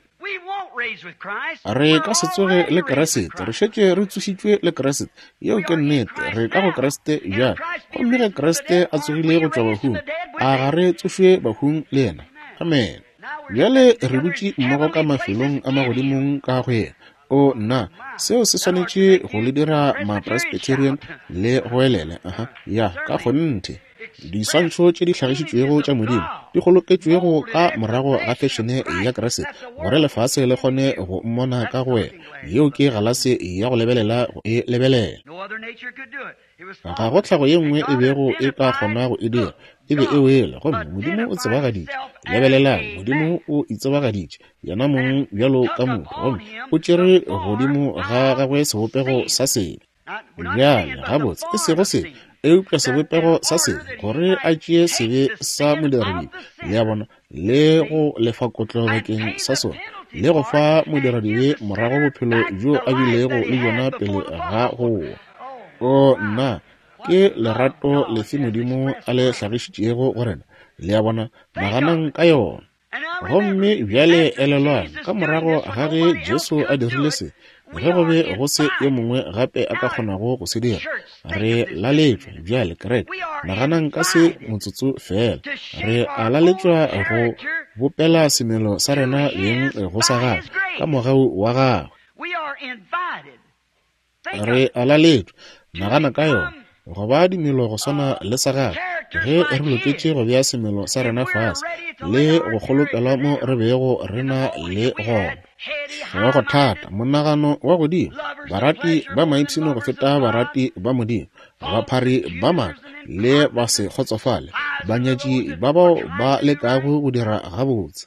Speaker 2: Re ka se tsoge le Kriste, re šetše re tsošitšwe le Kriste. Yeo ke nnete, re ka go Kriste bjale. Gomme ge Kriste a tsogile go tšwa bahung, a ga re tsošwe bahung le yena? Amen. Bjale re dutše mmogo ka mafelong a magodimong ka go yena. O nna, seo se swanetše go le dira Mapresbyterian le goelele. Aha, ya, ka kgonthe. Diswantšho tše di hlagišitšwego tša Modimo di kgoloketšwego ka morago ga fešene ya Kriste gore lefase le kgone go mmona ka go wena. Yeo ke galase ya go lebelela go e lebelela. Ga go tlhago ye nngwe e bego e ka kgona go e dira. E be e wele, gomme Modimo o tsebagaditše. Lebelelang, Modimo o itsebagaditše yena mong bjalo ka motho, gomme o tšere godimo ga gagwe sebopego sa sebe. Bjale, gabotse, e sego sebe, eupša sebopego sa sebe, gore a tšee sebe sa modiradibe, le a bona, le go lefa kotlo bakeng sa sona, le go fa modiradibe morago bophelo bjo a bilego le bjona pele ga go wa. O nna, ke lerato lefe Modimo a le hlagišitšego go rena, le a bona, naganang ka yona. Gomme bjale elelwang, ka morago ga ge Jesu a dirile se, ge go be go se yo mongwe gape a ka kgonago go se dira, re laletšwa bjale, kereke, naganang ka se motsotso feela, re a laletšwa go bopela semelo sa rena beng go sa gagwe, ka mogau wa gagwe. Re a laletšwa, nagana ka yona, go ba dimelo go swana le sa gagwe, ge re loketše go bea semelo sa rena fase le go kgolokela mo re bego re na le gona. Hlogo thata, monagano wa godimo, barati ba maipshino go feta barati ba Modimo, baphari ba maaka le ba se kgotsofale, banyatši ba bao ba lekago go dira gabotse.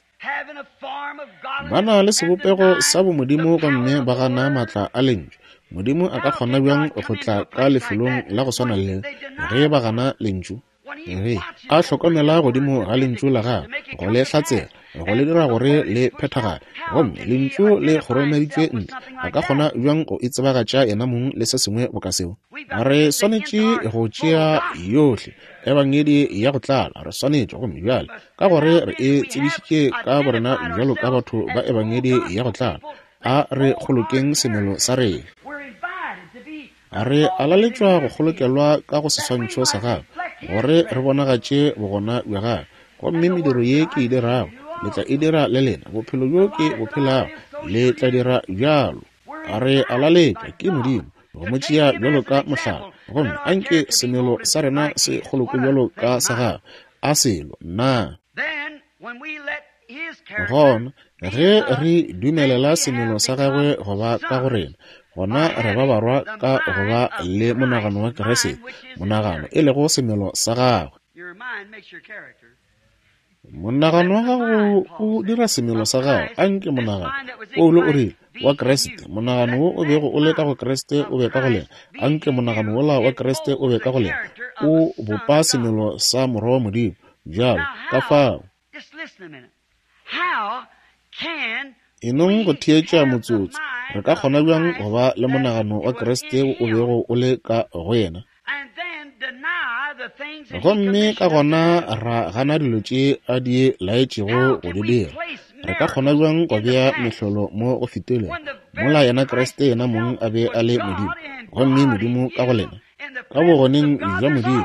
Speaker 2: Ba na le sebopego sa bomodimo gomme ba gana maatla a Lentšu. Modimo a ka kgona bjang go tla ka lefelong la go swana le ge ba gana Lentšu? Ge a hlokomela godimo ga Lentšu la gagwe, go le hlatsela, go le dira gore le phethagale, gomme Lentšu le kgoromeditšwe ntle, a ka kgona bjang go itsebagatša yena mong le se sengwe boka seo? Re swanetše go tšea yohle Ebangedi ya go tlala, re swanetše, gomme bjale ka gore re e tsebišitše ka borena bjalo ka batho ba Ebangedi ya go tlala, a re kgolokeng semelo sa rena. Re a laletšwa go kgolokelwa ka go seswantšho sa gagwe, gore re bonagatše bogona bja gagwe. Gomme mediro ye ke e dirago, le tla e dira le lena. Bophelo bjo ke bo phelago, le tla dira bjalo. Re a laletšwa ke Modimo go mo tšea bjalo ka mohlala, gomme anke semelo sa rena se kgolokwe bjalo ka sa gagwe. A selo na? Gona ge re dumelela semelo sa gagwe go ba ka go rena, gona re ba barwa ka go ba le monagano wa Kriste, monagano e lego semelo sa gagwe. Monagano wa gago o dira semelo sa gago. Anke monagano, Paulo o rile, wa Kriste, monagano wo o bego o le ka go Kriste o be ka go lena. Anke monagano wola wa Kriste o be ka go lena. O bopa semelo sa Morwa wa Modimo bjalo ka fao. Enong go theetša motsotso. Re ka kgona bjang go ba le monagano wa Kriste wo o bego o le ka go yena, gomme ka gona ra gana dilo tše a di laetšego go di dira? Re ka kgona bjang go bea mehlolo mo go fetilego, mola yena Kriste yena mong a be a le Modimo, gomme Modimo ka go lena, ka bogoneng bja Modimo,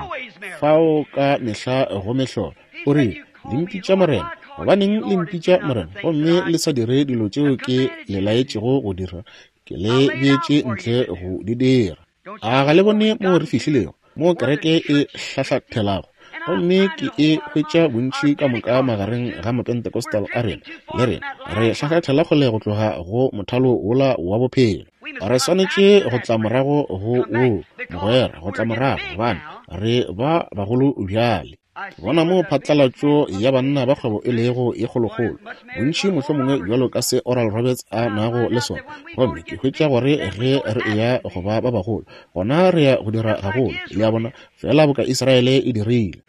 Speaker 2: fao ka mehla go mehlolo? O rile, Le mpitša Morena. Gobaneng le mpitša Morena, gomme le sa dire dilo tšeo ke le laetšego go dira? Ke le beetše ntle go di dira. A ga le bone moo re fihlilego, moo kereke e hlahlathelago? Gomme ke e hwetša bontši ka moka magareng ga Mapentecostal a rena le rena, re hlahlathela kgole go tloga go mothalo wola wa bophelo. Re swanetše go tla morago go woo, mogwera, go tla morago, gobane re ba bagolo bjale. Ke bona moo phatlalatšo ya banna ba kgwebo e lego ye kgolokgolo, bontši mohlomongwe bjalo ka se Oral Roberts a nago le sona. Gomme ke hwetša gore ge re eya go ba ba bagolo, gona re ya go dira gagolo, le a bona, feela boka Israele e dirile.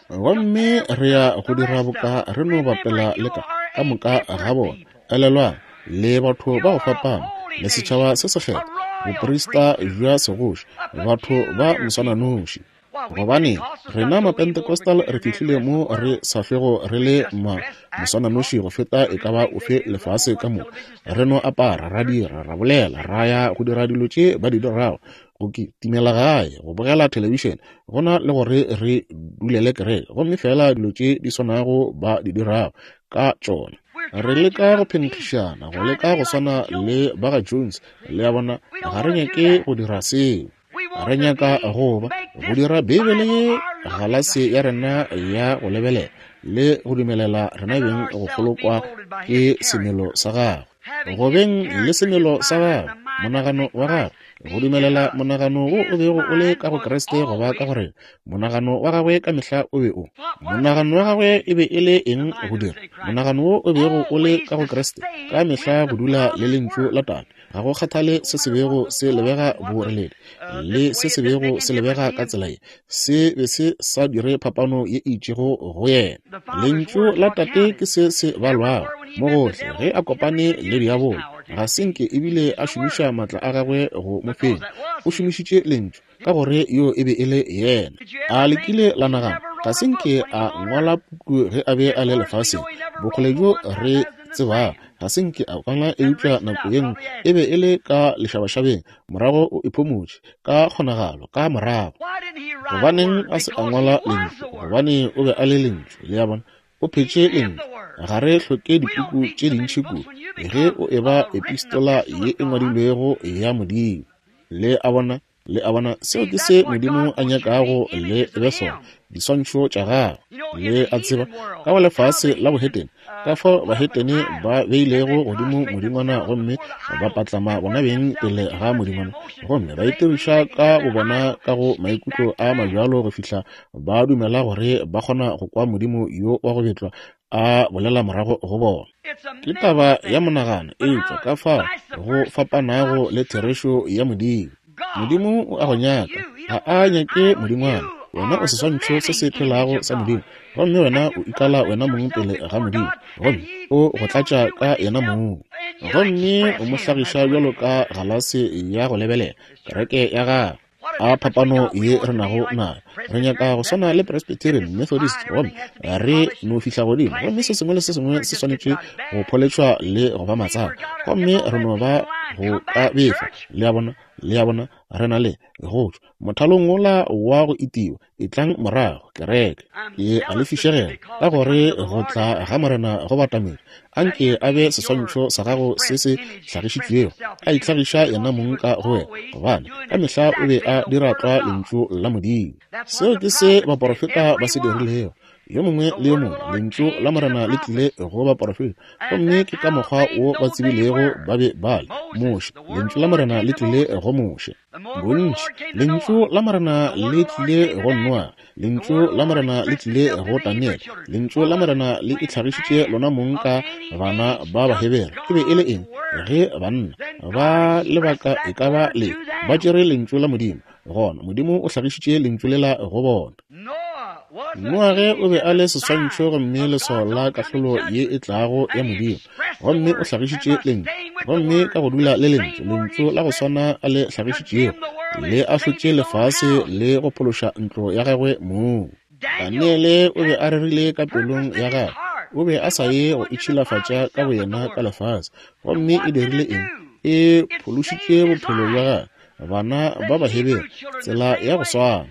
Speaker 2: Gomme re ya go dira boka re no bapela le ka, ka moka ga bona. Elelwang, le batho ba go fapana, le setšhaba se sekgethwa, boprista bja segoši, batho ba moswananoši. Gobane rena Mapentecostal re fihlile mo re sa hlwego re le ma moswananoši go feta e ka ba ofe lefase ka moka. Re no apara, ra dira, ra bolela, ra ya go dira dilo tše ba di dirago, go kitimela gae, go bogela thelebišene, go na le gore re dulele kereke, gomme feela dilo tše di swanago ba di dirago ka tšona. Re leka go phenkgišana, go leka go swana le ba ga Jones, le a bona, ga re nyake go dira seo. Re nyaka go ba go dira Beibele ye galase ya rena ya go lebelela le go dumelela rena beng go kgolokwa ke semelo sa gagwe. Go beng le semelo sa gagwe, monagano wa gagwe, go dumelela monagano wo o bego o le ka go Kriste go ba ka go rena. Monagano wa gagwe ka mehla o be o. Monagano wa gagwe e be e le eng go dira? Monagano wo o bego o le ka go Kriste ka mehla go dula le Lentšu la Tate. Ga go kgathale se se bego se lebega boreledi le se se bego se lebega ka tsela ye, se be se sa dire phapano ye e itšego go yena. Lentšu la Tate ke se se balwago mo gohle ge a kopane le diabolo. Ga se nke ebile a šomiša matla a gagwe go mo fenya. O šomišitše Lentšu, ka gore yo e be e le yena. A le kile la nagana? Ga se nke a ngwala puku ge a be a le lefaseng. Bokgole bjo re tsebago, ga se nke a ngwala eupša nako ye nngwe e be e le ka lešabašabeng, morago o iphomotše, ka kgonagalo, ka morago. Gobaneng a se a ngwala lentšu? Gobane o be a le lentšu. Le a bona? O phetše lentšu. Ga re hloke dipuku tše dintši kudu ge o eba epistola ye e ngwadilwego ya Modimo. Le a bona? Le a bona, seo ke se Modimo a nyakago le be sona, diswantšho tša gagwe. Le a tseba, ka go lefase la bohetene, ka fao bahetene ba beilego godimo modingwana gomme ba patlama bona beng pele ga modingwana, gomme ba itiriša ka bobona ka go maikutlo a mabjalo go fihla ba dumela gore ba kgona go kwa modimo yo wa go betlwa a bolela morago go bona. Ke taba ya monagano, eupša ka fao go fapanago le therešo ya Modimo. Modimo o a go nyaka, ga a nyake modingwana. Wena o seswantšho se se phelago sa Modimo, gomme wena o ikala wena mong pele ga Modimo, gomme o go tlatša ka yena mong, gomme o mo hlagiša bjalo ka galase ya go lebelela, kereke ya gagwe. A phapano ye re nago nayo! Re nyaka go swana le Presbyterian, Methodist, gomme re no fihla godimo, gomme se sengwe le se sengwe se swanetše go pholetšhwa le go ba matsaka, gomme re no ba go ka befa. Le a bona? Le a bona? Re na le go tšwa mothalong wola wa go itiwa. Etlang morago, kereke. Ke a le fišegela, ka gore go tla ga Morena go batamela. A nke a be seswantšho sa gago se se hlagišitšwego, a itlhagiša yena mong ka go wena, gobane ka mehla o be a dira tlwa Lentšu la Modimo. Seo ke se baporofeta ba se dirilego. Yo mongwe le yo mongwe, Lentšu la Morena le tlile go baporofeta, gomme ke ka mokgwa wo ba tsebilego ba be ba le. Moshe, Lentšu la Morena le tlile go Moshe. Bontši, Lentšu la Morena le tlile go Noa, Lentšu la Morena le tlile go Daniele, Lentšu la Morena le itlhagišitše lona mong ka bana ba Bahebere. E be e le eng? Ge banna ba lebaka e ka ba le ba tšere Lentšu la Modimo, Gona Modimo o hlagišitše Lentšu lela go bona. Noage o be a le seswantšho gomme leswao la kahlolo ye e tlago ya Modimo, gomme o hlagišitše Lentšu. Gomme ka go dula le Lentšu, Lentšu la go swana a le hlagišitšego, le ahlotše lefase le go phološa ntlo ya gagwe mong. Daniele o be a rerile ka pelong ya gagwe, o be a sa ye go itšhilafatša ka boyena ka lefase. Gomme e dirile eng? E phološitše bophelo bja gagwe. Bana ba Baheberu, tsela ya go swana.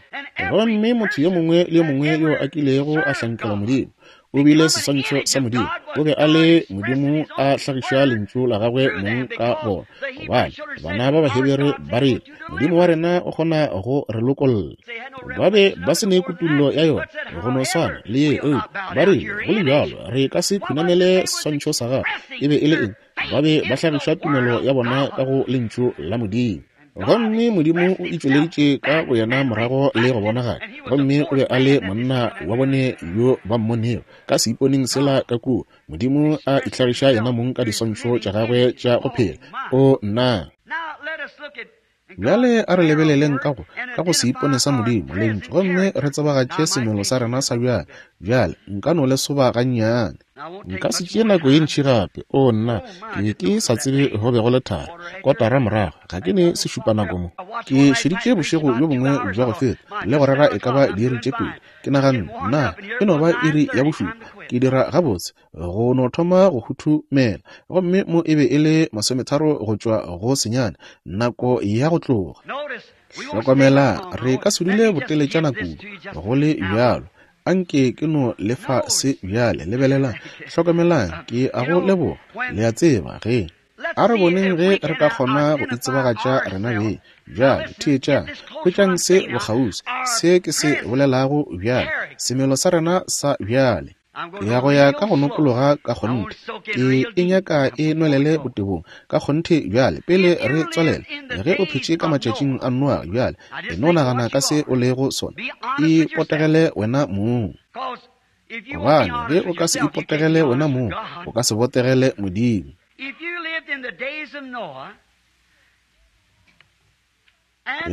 Speaker 2: Gomme motho yo mongwe le yo mongwe yo a kilego a hlankela Modimo, o bile seswantšho sa Modimo. O be a le Modimo a hlagiša Lentšu la Gagwe mong ka bona. Gobane, bana ba Baheberu ba rile, Modimo wa rena o kgona go re lokolla. Ba be ba se ne kutullo ya yona, go no swana le ye, eupša ba rile, go le bjalo, re ka se khunamele seswantšho sa gago. E be e le eng? Ba be ba hlagiša tumelo ya bona ka go Lentšu la Modimo. Gomme Modimo o itšweleditše ka boyena morago le go bonagala, gomme o be a le monna wa bone yo ba mmonego ka seiponeng sela ka kua, Modimo a itlhagiša yena mong ka diswantšho tša gagwe tša go phela. O nna! Bjale a re lebeleleng ka go, ka go seipone sa Modimo, Lentšu, gomme re tsebagatše semelo sa rena sa bjale. Bjale, nka no le soba gannyane. Nka se tšee nako ye ntši gape. Oo, nna, ke be ke sa tsebe go be go le thari. Kotara morago, ga ke ne sešupanako mo. Ke šeditše bošego bjo bongwe bja go feta, le go rera e ka ba diiri tše pedi. Ke naganne, Na e no ba iri ya bošupa? Ke dira gabotse. go no thoma go huthumela, gomme mo e be e le masometharo go tšwa go senyane, nako ya go tloga. Hlokomela, re ka se dule boteletšana kudu, go le bjalo. Anke ke no le fa se bjale. Lebelelang, hlokomelang, ke a go leboga. Le a tseba, ge. A re boneng ge re ka kgona go itsebagatša rena beng. Bjale, theetšang. Hwetšang se bokgauswi, se ke se bolelago bjale, semelo sa rena sa bjale. Ke ya go ya ka go nokologa ka kgonthe. Ke e nyaka e nwelele botebong ka kgonthe bjale, pele re tswalela. Ge o phetše ka matšatšing a Noa bjale, e no nagana ka se o lego sona. Ipotegele wena mong. Gobane ge o ka se ipotegele wena mong, o ka se botegele Modimo.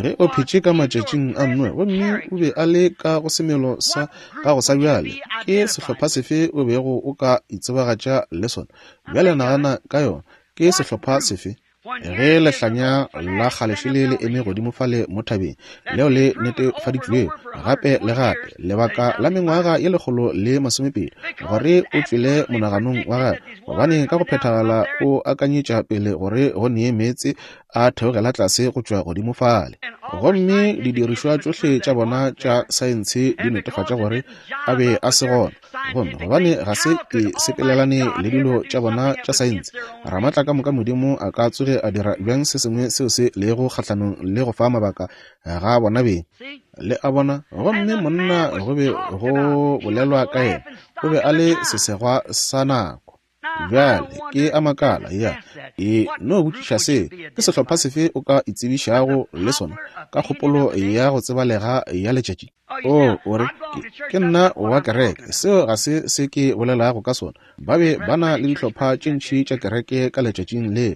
Speaker 2: Ge o phetše ka matšatšing a Noe gomme o be a le ka go semelo sa gago sa bjale, ke sehlopha sefe o bego o ka itsebagatša le sona? Bjale nagana ka yona. Ke sehlopha sefe? Ge lehlanya la kgale šele le eme godimo fale mo thabeng, leo le netefaditšwego gape le gape, lebaka la mengwaga ye 120, gore o tšwele monaganong wa gagwe, gobane ka go phethagala o akanyetša pele gore go nee meetse a theogela tlase go tšwa godimo fale. Gomme didirišwa tšohle tša bona tša saense di netefatša gore a be a se gona. Gomme gobane ga se e sepelelane le dilo tša bona tša saense, Ramatla ka moka Modimo a ka tsoge a dira bjang se sengwe seo se lego kgahlanong le go fa mabaka ga bona beng? Le a bona? Gomme monna go be go bolelwa ka yena, o be a le sesegwa sa nako. Bjale, ke a makala, ya, e no botšiša se, ke sehlopha sefe o ka itsebišago le sona ka kgopolo ya go tsebalega ya letšatši? O, o re, ke, ke nna wa kereke. Seo ga se se ke bolelago ka sona. Ba be ba na le dihlopha tše ntši tša kereke ka letšatšing leo,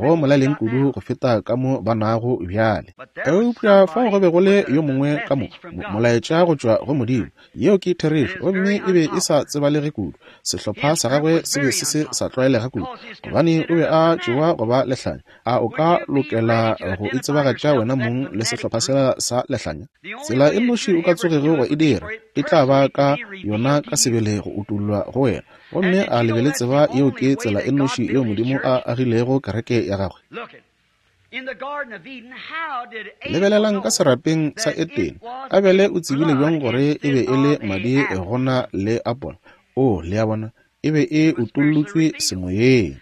Speaker 2: go molaleng kudu go feta ka mo ba nago bjale. Eupša fao go be go le yo mongwe ka mo, mo, molaetša go tšwa go Modimo, Yeo ke therešo, gomme e be e sa tsebalege kudu. Sehlopha sa gagwe se be se se sa tlwaelega kudu, gobane o be a tšewa go ba lehlanya. A o ka lokela go itsebagatša wena mong le sehlopha sela sa lehlanya? Tsela e nnoši o ka tsogego wa e dira, e tla ba ka yona ka sebele go utollwa go wena. Gomme a le be le tseba yeo ke tsela e nnoši yeo Modimo a agilego kereke ya Gagwe? Lebelelang ka serapeng sa Etene. Abele o tsebile bjang gore e be e le madi go na le apola? Oo, le a bona, e be e utollotšwe semoyeng.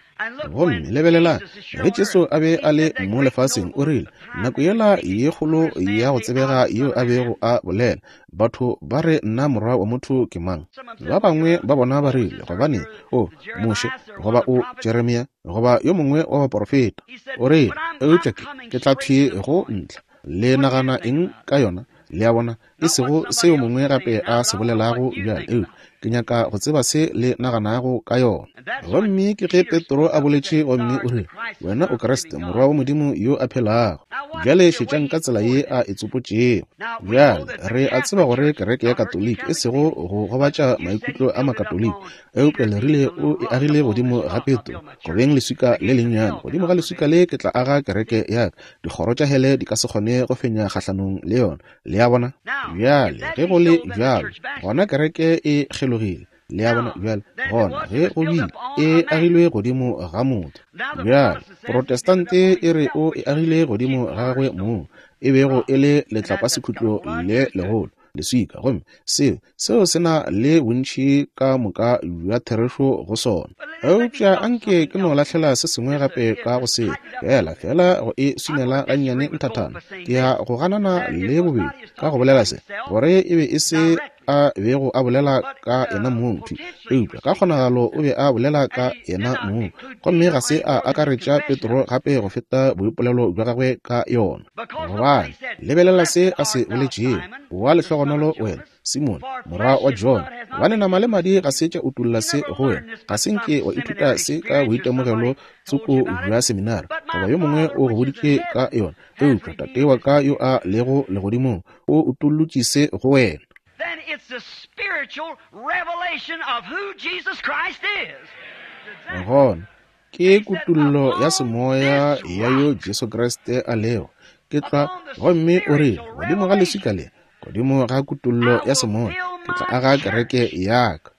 Speaker 2: Gomme lebelelang, ge Jesu a be a le mo lefaseng, o rile, nako yela ye kgolo ya go tsebega yeo a bego a bolela, batho ba re nna Morwa wa motho ke mang? Ba bangwe ba bona ba rile, gobane o Moshe, goba o Jeremia, goba yo mongwe wa baporofeta. O rile, Eupša ke, ke tla thwi go ntlha. Le nagana eng ka yona? Le a bona? E sego se yo mongwe gape a se bolelago bjale, eupša ke nyaka go tseba se le naganago ka yona. Gomme ke ge Petro a boletše gomme o rile, Wena o Kriste, Morwa wa Modimo yo a phelago. Bjale šetšang ka tsela ye a e tsopotšego. Bjale, re a tseba gore kereke ya Katoliki, e sego go gobatša maikutlo a Makatoliki, eupša le rile o e agile godimo ga Petro, go beng leswika le lennyane. Godimo ga leswika le ke tla aga kereke ya ka. Dikgoro tša hele di ka se kgone go fenya kgahlanong le yona. Le a bona? Bjale, ge go le bjalo, gona kereke e kgelogile. Le a bona? Bjale, gona, ge go bile, e agilwe godimo ga motho. Bjale, Protestante e re o e agile godimo ga gagwe mong, e bego e le letlapasekhutlo le legolo, leswika. Gomme seo, seo se na le bontši ka moka bja therešo go sona. Eupša anke ke no lahlela se sengwe gape ka go seo, feela, feela go e swinela gannyane nthathana. Ke ya go ganana le bobedi ka go bolela se, gore e be e se a bego a bolela ka yena mong thwi, eupša ka kgonagalo o be a bolela ka yena mong, gomme ga se a akaretša Petro gape go feta boipolelo bja gagwe ka yona. Gobane, lebelela se a se boletšego, Wa lehlogonolo wena, Simone, morwa wa Jona, gobane nama le madi ga se tša utolla se go wena. Ga se nke wa ithuta se ka boitemogelo tsoko bja seminari, goba yo mongwe o go boditše ka yona, eupša Tate wa ka yo a lego legodimong o utollotše se go wena.
Speaker 1: Then it's the spiritual revelation of who Jesus Christ is.
Speaker 2: Gona ke kutollo ya semoya ya yo Jesu Kriste a lego. Ke tla, gomme o rile, godimo ga leswika le, godimo ga kutollo ya semoya, ke tla aga kereke ya ka.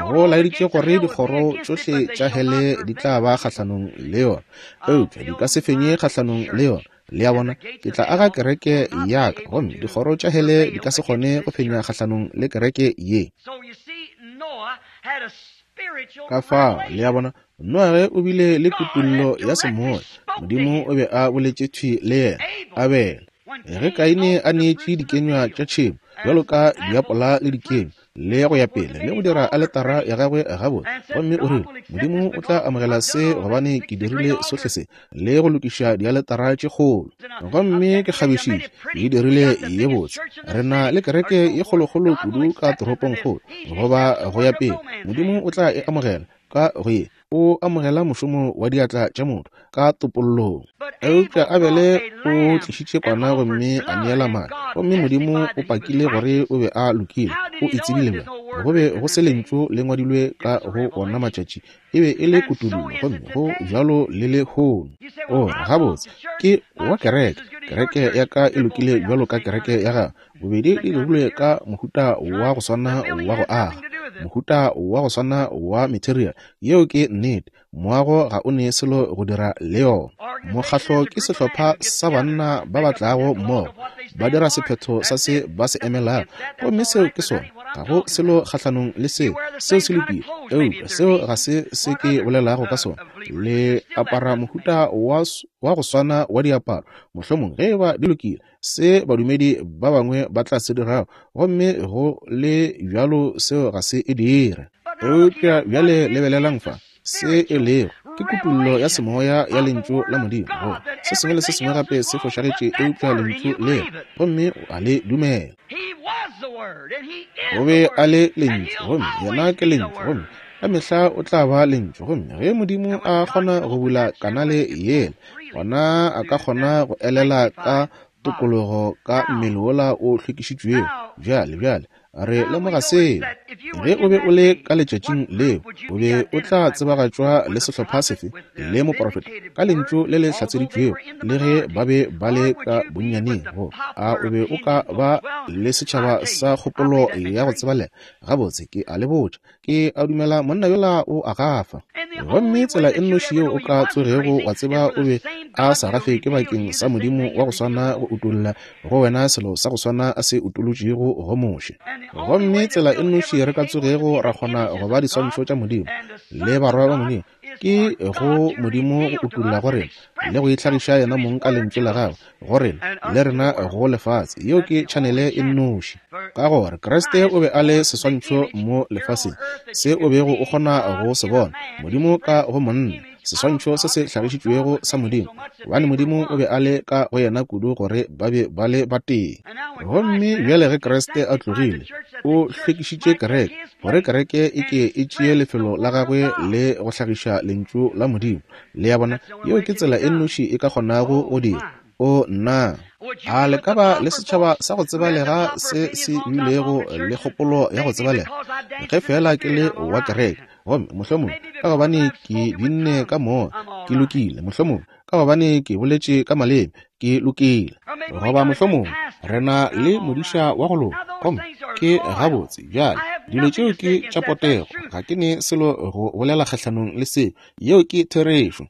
Speaker 2: Go laeditše gore dikgoro tšohle tša hele di tla ba kgahlanong le yona, eupša di ka se fenye kgahlanong le yona. Le a bona? Ke tla aga kereke ya ka, gomme dikgoro tša hele di ka se kgone go fenya kgahlanong le kereke ye. Ka fao, le a bona, Noage o bile le kutollo ya semoya. Modimo o be a boletše thwi le yena. Abele, ge Kaine a neetše dikenywa tša tšhemo, bjalo ka diapola le dikenywa, le go ya pele, le go dira aletara ya gagwe gabotse, gomme o rile, Modimo o tla amogela se gobane ke dirile sohle se, le go lokiša dialetara tše kgolo, gomme ke kgabišitše, ke e dirile ye botse. Re na le kereke ye kgolokgolo kudu ka toropongkgolo, goba go ya pele. Modimo o tla e amogela ka go ye. O amogela mošomo wa diatla tša motho ka topollong. Eupša Abele o tlišitše kwana gomme a neela madi, gomme Modimo o pakile gore o be a lokile. O e tsebile bjang? Go be go se lentšu le ngwadilwe ka go ona matšatši. E be e le kutollo, gomme go bjalo le lehono. O re, Gabotse, ke wa kereke. Kereke ya ka e lokile bjalo ka kereke ya gago. Bobedi di dirilwe ka mohuta wa go swana wa go aga, mohuta wa go swana wa material. Yeo ke nnete. Moago ga o ne selo go dira le yona. Mokgahlo ke sehlopha sa banna ba ba tlago mmogo, ba dira sephetho sa se ba se emelago, gomme seo ke sona. Ga go selo kgahlanong le seo, seo se lokile. Eupša seo ga se se ke bolelago ka sona. Le apara mohuta wa, wa go swana wa diaparo, mohlomong, ge eba di lokile, se badumedi ba bangwe ba tla se dirago, gomme go le bjalo seo ga se e dire. Eupša bjale lebelelang fa se e lego, ke kutollo ya semoya ya Lentšu la Modimo, gore se sengwe le se sengwe gape se fošagetše eupša Lentšu lela, gomme o a le dumela. O be a le Lentšu, gomme Yena ke Lentšu, gomme ka mehla o tla ba Lentšu. Gomme ge Modimo a kgona go bula kanale yela, gona a ka kgona go elela ka tokologo ka mmele wola o hlwekišitšwego. Bjale, bjale re lemoga seo. Ge o be o le ka letšatšing leo, o be o tla tsebagatšwa le sehlopha sefe, le moprofeta, ka lentšu le le hlatseditšwego, le ge ba be ba le ka bonnyaneng, go a o be o ka ba le setšhaba sa kgopolo ya go tsebalega. Gabotse, ke a le botša, Ke a dumela monna yola o a gafa. Gomme tsela e nnoši yeo o ka tsogego wa tseba o be a sa gafe ke bakeng sa Modimo wa go swana go utolla go wena selo sa go swana a se utolotšego go Moshe. Gomme tsela e nnoši re ka tsogego ra kgona go ba diswantšho tša Modimo le barwa ba Modimo ke go Modimo go utolla go rena le go itlhagiša yena mong ka Lentšu la Gagwe go rena le rena go lefase. Yeo ke tšhanele e nnoši, ka gore Kriste o be a le seswantšho mo lefaseng se o bego o kgona go se bona, Modimo ka go monna, seswantšho se se hlagišitšwego sa Modimo, gobane Modimo o be a le ka go yena kudu gore ba be ba le batee. Gomme bjale ge Kriste a tlogile, o hlwekišitše kereke, gore kereke e ke e tšee lefelo la gagwe le go hlagiša Lentšu la Modimo. Le a bona, yeo ke tsela e nnoši e ka kgonago go dira. O, nna! A le ka ba le setšhaba sa go tsebalega se se bilego le kgopolo ya go tsebalega? Ge feela ke le wa kereke, gomme mohlomongwe ka gobane ke binne ka moya, ke lokile. Mohlomongwe ka gobane ke boletše ka maleme, ke lokile. Goba mohlomongwe re na le modiša wa go loka, gomme ke gabotse. Bjale, dilo tšeo ke tša potego. Ga ke ne selo go bolela kgahlanong le seo. Yeo ke therešo.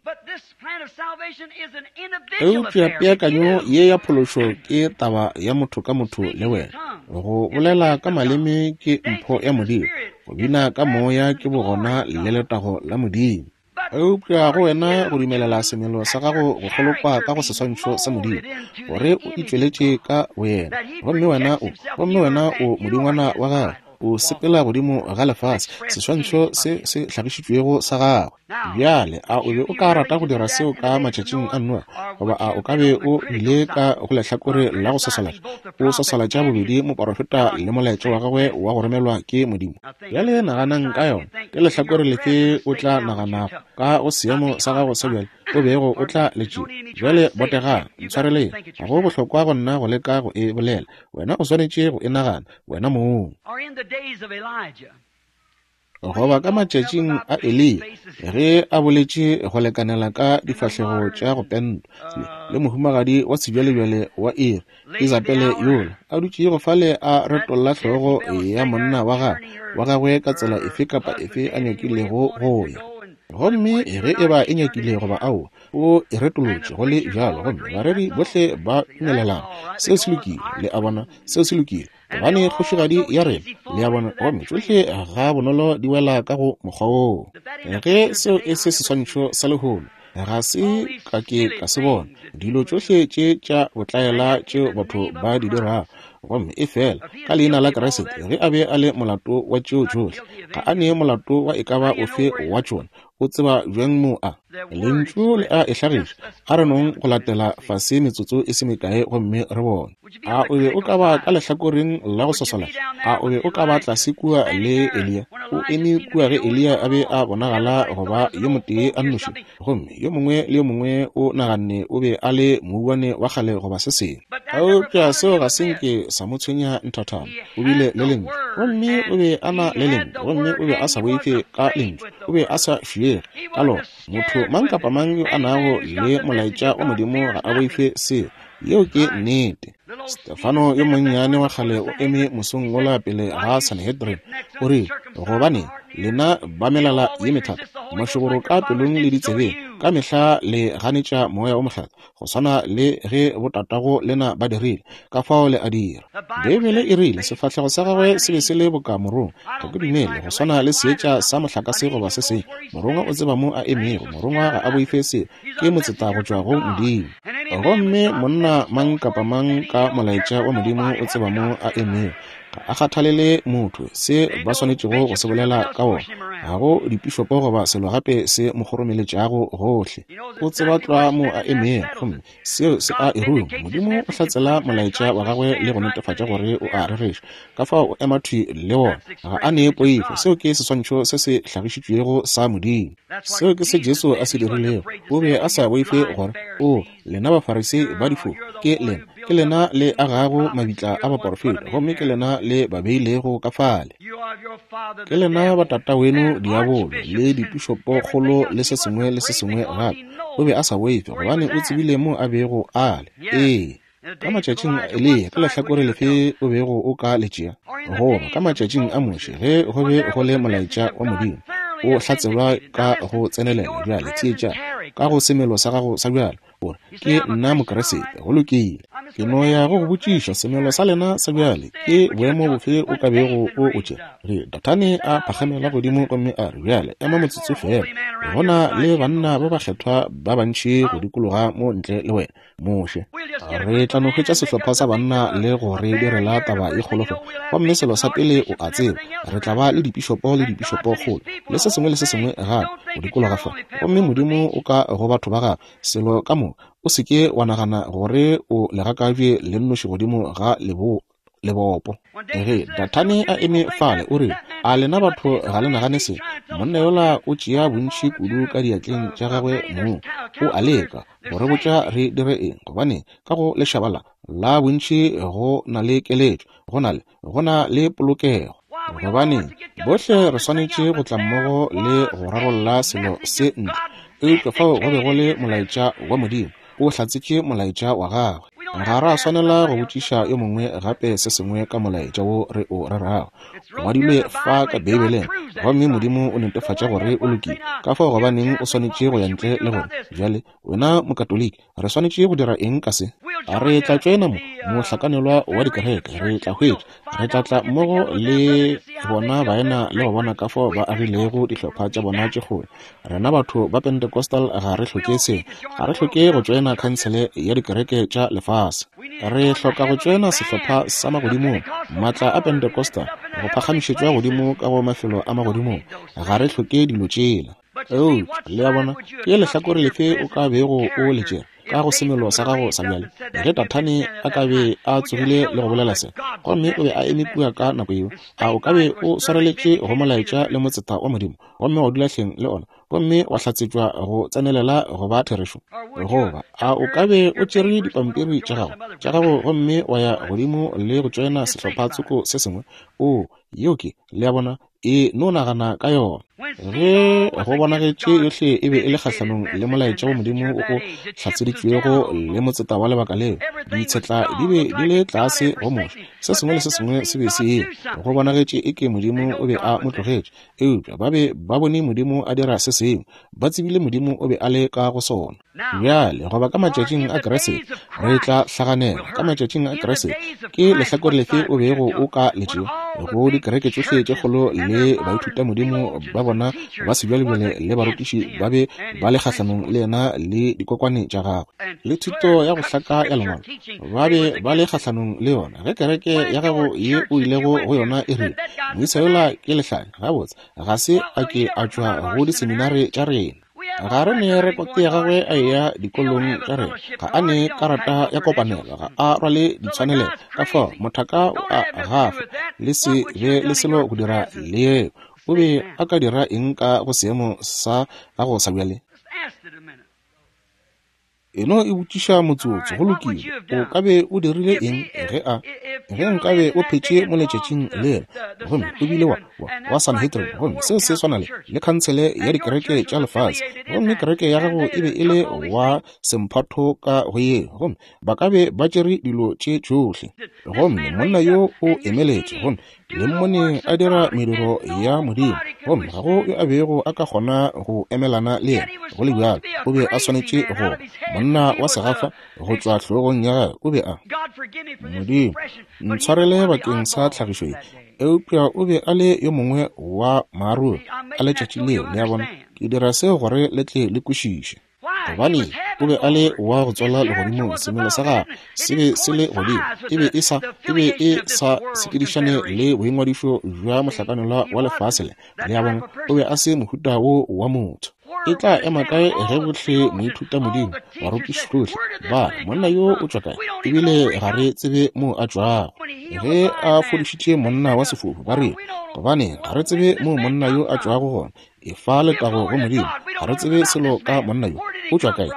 Speaker 2: Eupša peakanyo ye ya phološo ke taba ya motho ka motho le wena. Go bolela ka maleme ke mpho ya Modimo. Go bina ka moya ke bogona le letago la Modimo. Eupša go wena go dumelela semelo sa gago go kgolokwa ka go seswantšho sa Modimo, gore o itšweletše ka boyena, gomme wena o, gomme wena o modingwana wa gagwe, o sepela godimo ga lefase, seswantšho se se hlagišitšwego sa gagwe. Bjale, a o be o ka rata go dira seo ka matšatšing a Noa, goba a o ka be o bile ka go lehlakore la go swaswalatša, o swaswalatša bobedi moporofeta le molaetša wa gagwe wa go romelwa ke Modimo? Bjale naganang ka yona. Ke lehlakore lefe o tla naganago ka go seemo sa gago sa bjale o bego o tla le tšea? Bjale botegang, ntshwareleng. Ga go bohlokwa go nna go leka go e bolela. Wena o swanetše go e nagana, wena mong. Goba ka matšatšing a Eliya, ge a boletše go lekanela ka difahlego tša go pentwa, le mohumagadi wa sebjalebjale wa iri, Isabele yola, a dutšego fale a retolla hlogo ya monna wa gagwe, wa gagwe ka tsela efe kapa efe a nyakilego go ya. Gomme ge e ba e nyakile goba aowa, o e retolotše go le bjalo, gomme bareri bohle ba dumelelana. Seo se lokile, le a bona, seo se lokile, gobane kgošigadi ya rena, le a bona, gomme tšohle ga bonolo di wela ka go mokgwa woo. Ge seo e se seswantšho sa lehono, ga se ka ke ka se bona. Dilo tšohle tše tša botlaela tšeo batho ba di dirago, gomme efela ka leina la Kriste, ge a be a le molato wa tšeo tšohle, ga a ne molato wa e ka ba ofe wa tšona. O tseba bjang mo a Lentšu le a e hlagiša? A re nong go latela fase metsotso e se mekae gomme re bone. A o be o ka ba ka lehlakoreng la go swaswalatša? A o be o ka ba tlase kua le Eliya? O eme kua ge Eliya a be a bonagala go ba yo motee a nnoši, gomme yo mongwe le yo mongwe o naganne o be a le mouwane wa kgale goba se sengwe. Eupša seo ga se nke sa mo tshwenya nthathana. O bile le Lentšu, gomme o be a na le Lentšu, gomme o be a sa boife ka Lentšu. O be a sa fiege ka lona. Motho mang kapa mang yo a nago le molaetša wa Modimo ga a boife seo. Yeo ke nnete. Stefano yo monnyane wa kgale o eme mosong wola pele ga Sanhedrin, o rile, Gobaneng, lena ba melala ye methata, mašoboro ka pelong le ditsebeng, ka mehla le ganetša Moya wo Mokgethwa, go swana le ge botatago lena ba dirile, ka fao le a dira. Beibele e rile sefahlego sa gagwe se be se le boka morongwa. Ga ke dumele go swana le seetša sa mohlakase goba se sengwe. Morongwa o tseba mo a emego. Morongwa ga a boife seo. Ke motseta go tšwa go Modimo. Gomme monna mang kapa mang ka molaetša wa Modimo o tseba mo a emego. Ga a kgathalele motho, se ba swanetšego go se bolela ka wona. Ga go dipišopo goba selo gape se mo kgoromeletšago gohle. O tseba tlwa mo a emego, gomme seo se a e ruma. Modimo o hlatsela molaetša wa gagwe le go netefatša gore o a rereša. Ka fao o ema thwi le wona. Ga a nee poifo. Seo ke seswantšho se se hlagišitšwego sa Modimo. Seo ke se Jesu a se dirilego. O be a sa boife gore, O, lena Bafarisei ba difofu, ke lena, ke lena le agago mabitla a baporofeta, gomme ke lena le ba beilego ka fale. Ke lena ba tataweno diabolo, le dipišopokgolo le se sengwe le se sengwe gape. O be a sa boife, gobane o tsebile mo a bego a le. Ee. Ka matšatšing a Eliya, ka lehlakore lefe o bego o ka le tšea? Goba ka matšatšing a Moshe, ge go be go le molaetša wa Modimo, o hlatselwa ka go tsenelela. Bjale theetša, ka go semelo sa gago sa bjale, o re, Ke nna Mokriste. Go lokile. Ke no ya go go botšiša, semelo sa lena sa bjale, ke boemo bofe o ka bego o o tšea? Ge Dathane a phagamela godimo gomme a re, Bjale, ema motsotso feela. Go na le banna ba bakgethwa ba bantši go dikologa mo ntle le wena. Moshe. Re tla no hwetša sehlopha sa banna le go re direla taba ye kgolo fa. Gomme selo sa pele o a tseba, re tla ba le dipišopo le dipišopokgolo, le se sengwe le se sengwe gape, go dikologa fa. Gomme Modimo o ka go batho ba Gagwe, selo ka moka. O se ke wa nagana gore o legakabje le nnoši godimo ga leboa. lebopo. Ge Dathane a eme fale, o rile, A lena batho ga le nagane se? Monna yola o tšea bontši kudu ka diatleng tša gagwe mong. O a leka go re botša re dire eng, gobane ka go lešaba la, la bontši go na le keletšo, go na le, go na le polokego. Gobaneng, bohle re swanetše go tla mmogo le go rarolla selo se ntle. Eupša fao go be go le molaetša wa Modimo, o hlatsetše molaetša wa gagwe. Ga ra swanela go botšiša yo mongwe gape se sengwe ka molaetša wo re o rerago. O ngwadilwe fa ka Beibeleng, gomme Modimo o netefatša gore o lokile. Ka fao gobaneng o swanetše go ya ntle le gore, Bjale, wena Mokatoliki, re swanetše go dira eng ka se? Re tla tšoena mo, mohlakanelwa wa dikereke, re tla hwetša, re tla tla mmogo le bona baena le go bona ka fao ba agilego dihlopha tša bona tše kgolo. Rena batho ba Pentecostal ga re hloke se. Ga re hloke go tšoena khansele ya dikereke tša lefase. Re hloka go tšoena sehlopha sa magodimong, maatla a Pentecostal, go phagamišetšwa godimo ka go mafelo a magodimong. Ga re hloke dilo tšela. Eupša, le a bona, ke lehlakore lefe o ka bego o le tšere ka go semelo sa gago sa bjale? Ge Dathane a ka be a tsogile le go bolela se, gomme o be a eme kua ka nako yeo, a o ka be o swareletše go molaetša le motseta wa Modimo, gomme wa dula hleng le ona, gomme wa hlatsetšwa go tsenelela go ba therešo? Goba a o ka be o tšere dipampiri tša gago, tša gago gomme wa ya godimo le go tšoena sehlopha tsoko se sengwe? Oo, yeo ke, le a bona, e no nagana ka yona. Ge go bonagetše yohle e be e le kgahlanong le molaetša wa Modimo o o hlatseditšwego le motseta wa lebaka leo, ditshetla di be di le tlase go Moshe, se sengwe le se sengwe se be se eme, go bonagetše eke Modimo o be a mo tlogetše. Eupša ba be ba bone Modimo a dira se sengwe, ba tsebile Modimo o be a le ka go sona. Bjale, goba ka matšatšing a Kriste, re tla hlaganela. Ka matšatšing a Kriste, ke lehlakore lefe o bego o ka le tšea? Go dikereke tšohle tše kgolo le baithutamodimo ba bona ba sebjalebjale le barutiši ba be ba le kgahlanong le yena le dikokwane tša gagwe le thuto ya go hlaka ya Lengwalo, ba be ba le kgahlanong le yona. Ge kereke ya gago ye o ilego go yona e rile, Moisa yola ke lehlanya, gabotse, ga se a ke a tšwa go diseminare tša rena. Ga re ne rekote ya gagwe a eya dikolong tša rena. Ga a ne karata ya kopanelo, ga a rwale ditshwanelego. Ka fao, mothaka o a gafa, le se be le selo go dira le yeo. O be a ka dira eng ka go seemo sa gago sa bjale? E no e botšiša motsotso. Go lokile. O ka be o dirile eng ge a, ge nkabe o phetše mo letšatšing lela, gomme o bile wa, wa, wa Sanhedrin, gomme seo se swana le, le khansele ya dikereke tša lefase, gomme kereke ya gago e be e le wa semphatho ka go yeo, gomme ba ka be ba tšere dilo tše tšohle. Gomme monna yo o emeletše, gomme Le mmone a dira mediro ya Modimo, gomme ga go yo a bego a ka kgona go emelana le yena. Go le bjalo, o be a swanetše go monna wa segafa go tšwa hlogong ya gagwe. O be a Modimo, ntshwarele bakeng sa tlhagišo ye, eupša o be a le yo mongwe wa maaruri a letšatši leo. Le a bona, ke dira seo gore le tle le kwešiše. Gobane o be a le wa go tswala legodimong, semelo sa gagwe se be se le godimo, e be e sa, e be e sa sepedišane le boingwadišo bja mohlakanelwa wa lefase le. Le a bona, o be a se mohuta wo wa motho. E tla ema kae ge bohle moithutamodimo, barutišihlohle, ba re, Monna yo o tšwa kae? Ebile ga re tsebe moo a tšwago. Ge a fodišitše monna wa sefofu, ba rile, Gobane ga re tsebe moo monna yo a tšwago gona. Efa letago go Modimo. Ga re tsebe selo ka monna yo. O tšwa kae?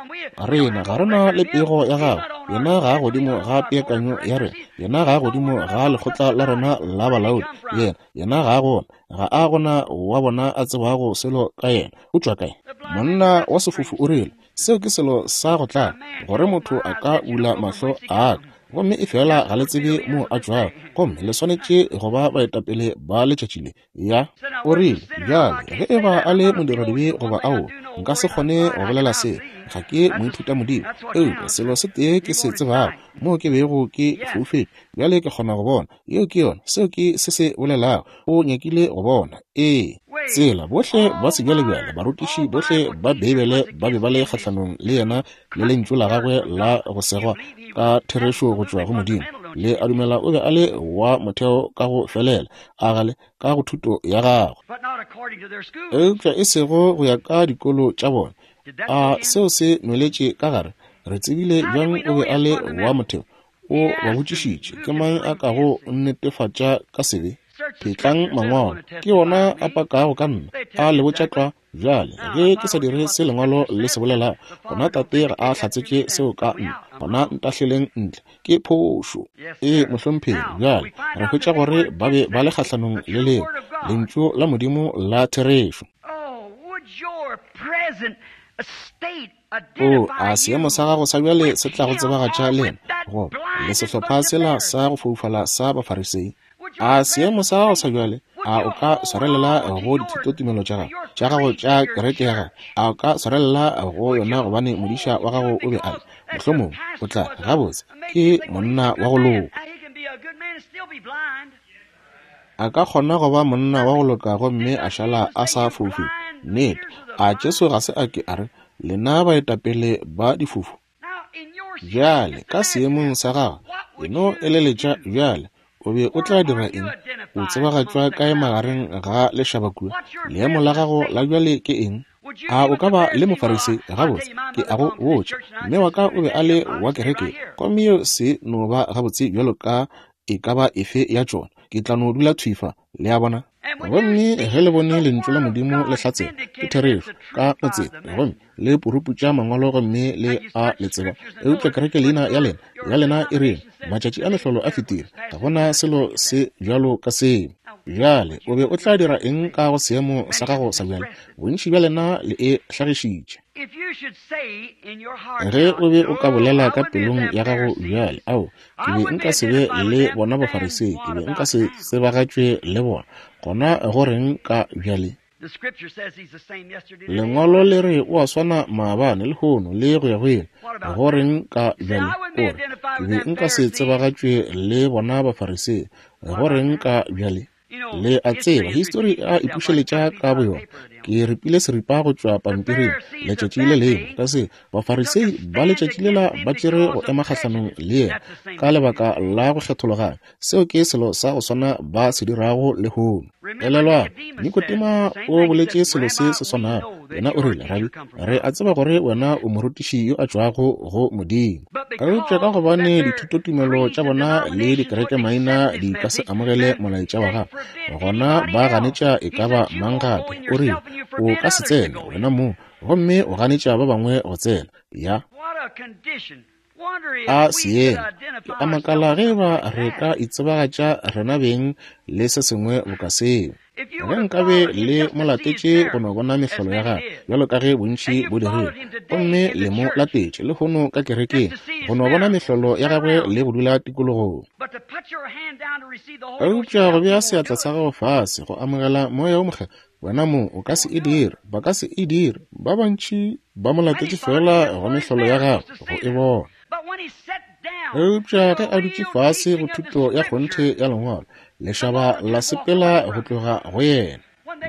Speaker 2: Rena ga re na le pego ya gagwe. Yena ga a godimo ga peakanyo ya rena. Yena ga a godimo ga lekgotla la rena la balaodi. Yena, yena ga a gona. Ga a gona wa bona a tsebago selo ka yena. O tšwa kae? Monna wa sefofu o rile, Seo ke selo sa go tlaba, gore motho a ka bula mahlo a ka. Gomme efela ga le tsebe moo a tšwago, gomme le swanetše go ba baetapele ba letšatši le. Ya, o rile, bjale, ge e ba a le modiradibe goba aowa, nka se kgone go bolela seo. Ga ke moithutamodimo. Eupša selo se tee ke se tsebago, moo ke bego ke foufetše, bjale ke kgona go bona. Yeo ke yona. Seo ke se se bolelago. O nyakile go bona. Ee. Tsela, bohle ba sebjalebjale, barutiši bohle ba Beibele ba be ba le kgahlanong le yena le lentšu la gagwe la go segwa ka therešo go tšwa go Modimo. Le a dumela o be a le wa motheo ka go felela, a gale ka go thuto ya gagwe, eupša e sego go ya ka dikolo tša bona. A seo se nweletše ka gare? Re tsebile bjang o be a le wa motheo? O ba botšišitše, Ke mang a kago nnetefatša ka sebe? Phetlang Mangwalo, ke wona a pakago ka nna, a le botša tlwa. Bjale, ge ke sa dire se Lengwalo le se bolelago, gona Tate ga a hlatsetše seo ka nna, gona ntahleleng ntle. Ke phošo. Ee, mohlomphegi. Bjale, re hwetša gore ba be ba le kgahlanong le leo, Lentšu la Modimo la therešo. Oo, a seemo sa gago sa bjale se tla go tsebagatša le yena, goba le sehlopha sela sa go foufala sa Bafarisei? A seemo sa gago sa bjale, a o ka swarelela go dithutotumelo tša gago, tša gago tša kereke ya gago? A o ka swarelela go yona gobane modiša wa gago o be a le, mohlomongwe, o tla re, Gabotse, ke monna wa go loka. A ka kgona go ba monna wa go loka gomme a šala a sa foufetše. Nnete. A Jesu ga se a ke a re, Lena baetapele ba difofu? Bjale, ka seemong sa gago, e no eleletša bjale, o be o tla dira eng? O tsebagatšwa kae magareng ga lešaba kua? Leemo la gago la bjale ke eng? A o ka ba le Mofarisei? Gabotse, ke a go botša, mme wa ka o be a le wa kereke, gomme yeo se no ba gabotse bjalo ka e ka ba efe ya tšona. Ke tla no dula thwi fa. Le a bona? Gomme ge le bone Lentšu la Modimo le hlatsela, ke therešo, ka motseta, gomme le puruputša Mangwalo gomme le a le tseba, eupša kereke leina ya lena, ya lena e reng, Matšatši a mehlolo a fetile, ga go na selo se bjalo ka seo. Bjale, o be o tla dira eng ka go seemo sa gago sa bjale? Bontši bja lena le e hlagišitše. Ge o be o ka bolela ka pelong ya gago bjale, Ao, ke be nka se be le bona Bafarisei, ke be nka se tsebagatšwe le bona. Gona go reng ka bjale? Lengwalo le re o a swana maabane, lehono, le go ya go ile. Go reng ka bjale? O re, ke be nka se tsebagatšwe le bona Bafarisei. Go reng ka bjale? Le a tseba, histori e a ipušeletša ka boyona. Ke ripile seripa go tšwa pampiring letšatši le lengwe, ka se Bafarisei ba letšatši lela ba tšere go ema kgahlanong le yena ka lebaka la go kgethologanya. Seo ke selo sa go swana ba se dirago lehono. Elelwang, Nikodema o boletše selo se se swanago. Yena o rile, Rabi, re a tseba gore wena o morutiši yo a tšwago go Modimo. Eupša ka gobane dithutotumelo tša bona le dikerekemaina di ka se amogele molaetša wa gagwe, gona ba ganetša e ka ba mang gape. O rile, O ka se tsene wena mong, gomme o ganetša ba bangwe go tsena. Ya. A seemo! Ke a makala ge eba re ka itsebagatša rena beng le se sengwe boka seo. Ge nkabe le mo latetše go no bona mehlolo ya gagwe, bjalo ka ge bontši bo dirile, gomme le mo latetše lehono ka kerekeng go no bona mehlolo ya gagwe le go dula tikologong. Eupša go bea seatla sa gago fase go amogela Moya wo Mokgethwa, Wena mo o ka se e dire, ba ka se e dire. Ba bantši ba mo latetše feela go mehlolo ya gagwe go e bona. Eupša ge a dutše fase go thuto ya kgonthe ya Lengwalo, lešaba la sepela go tloga go yena.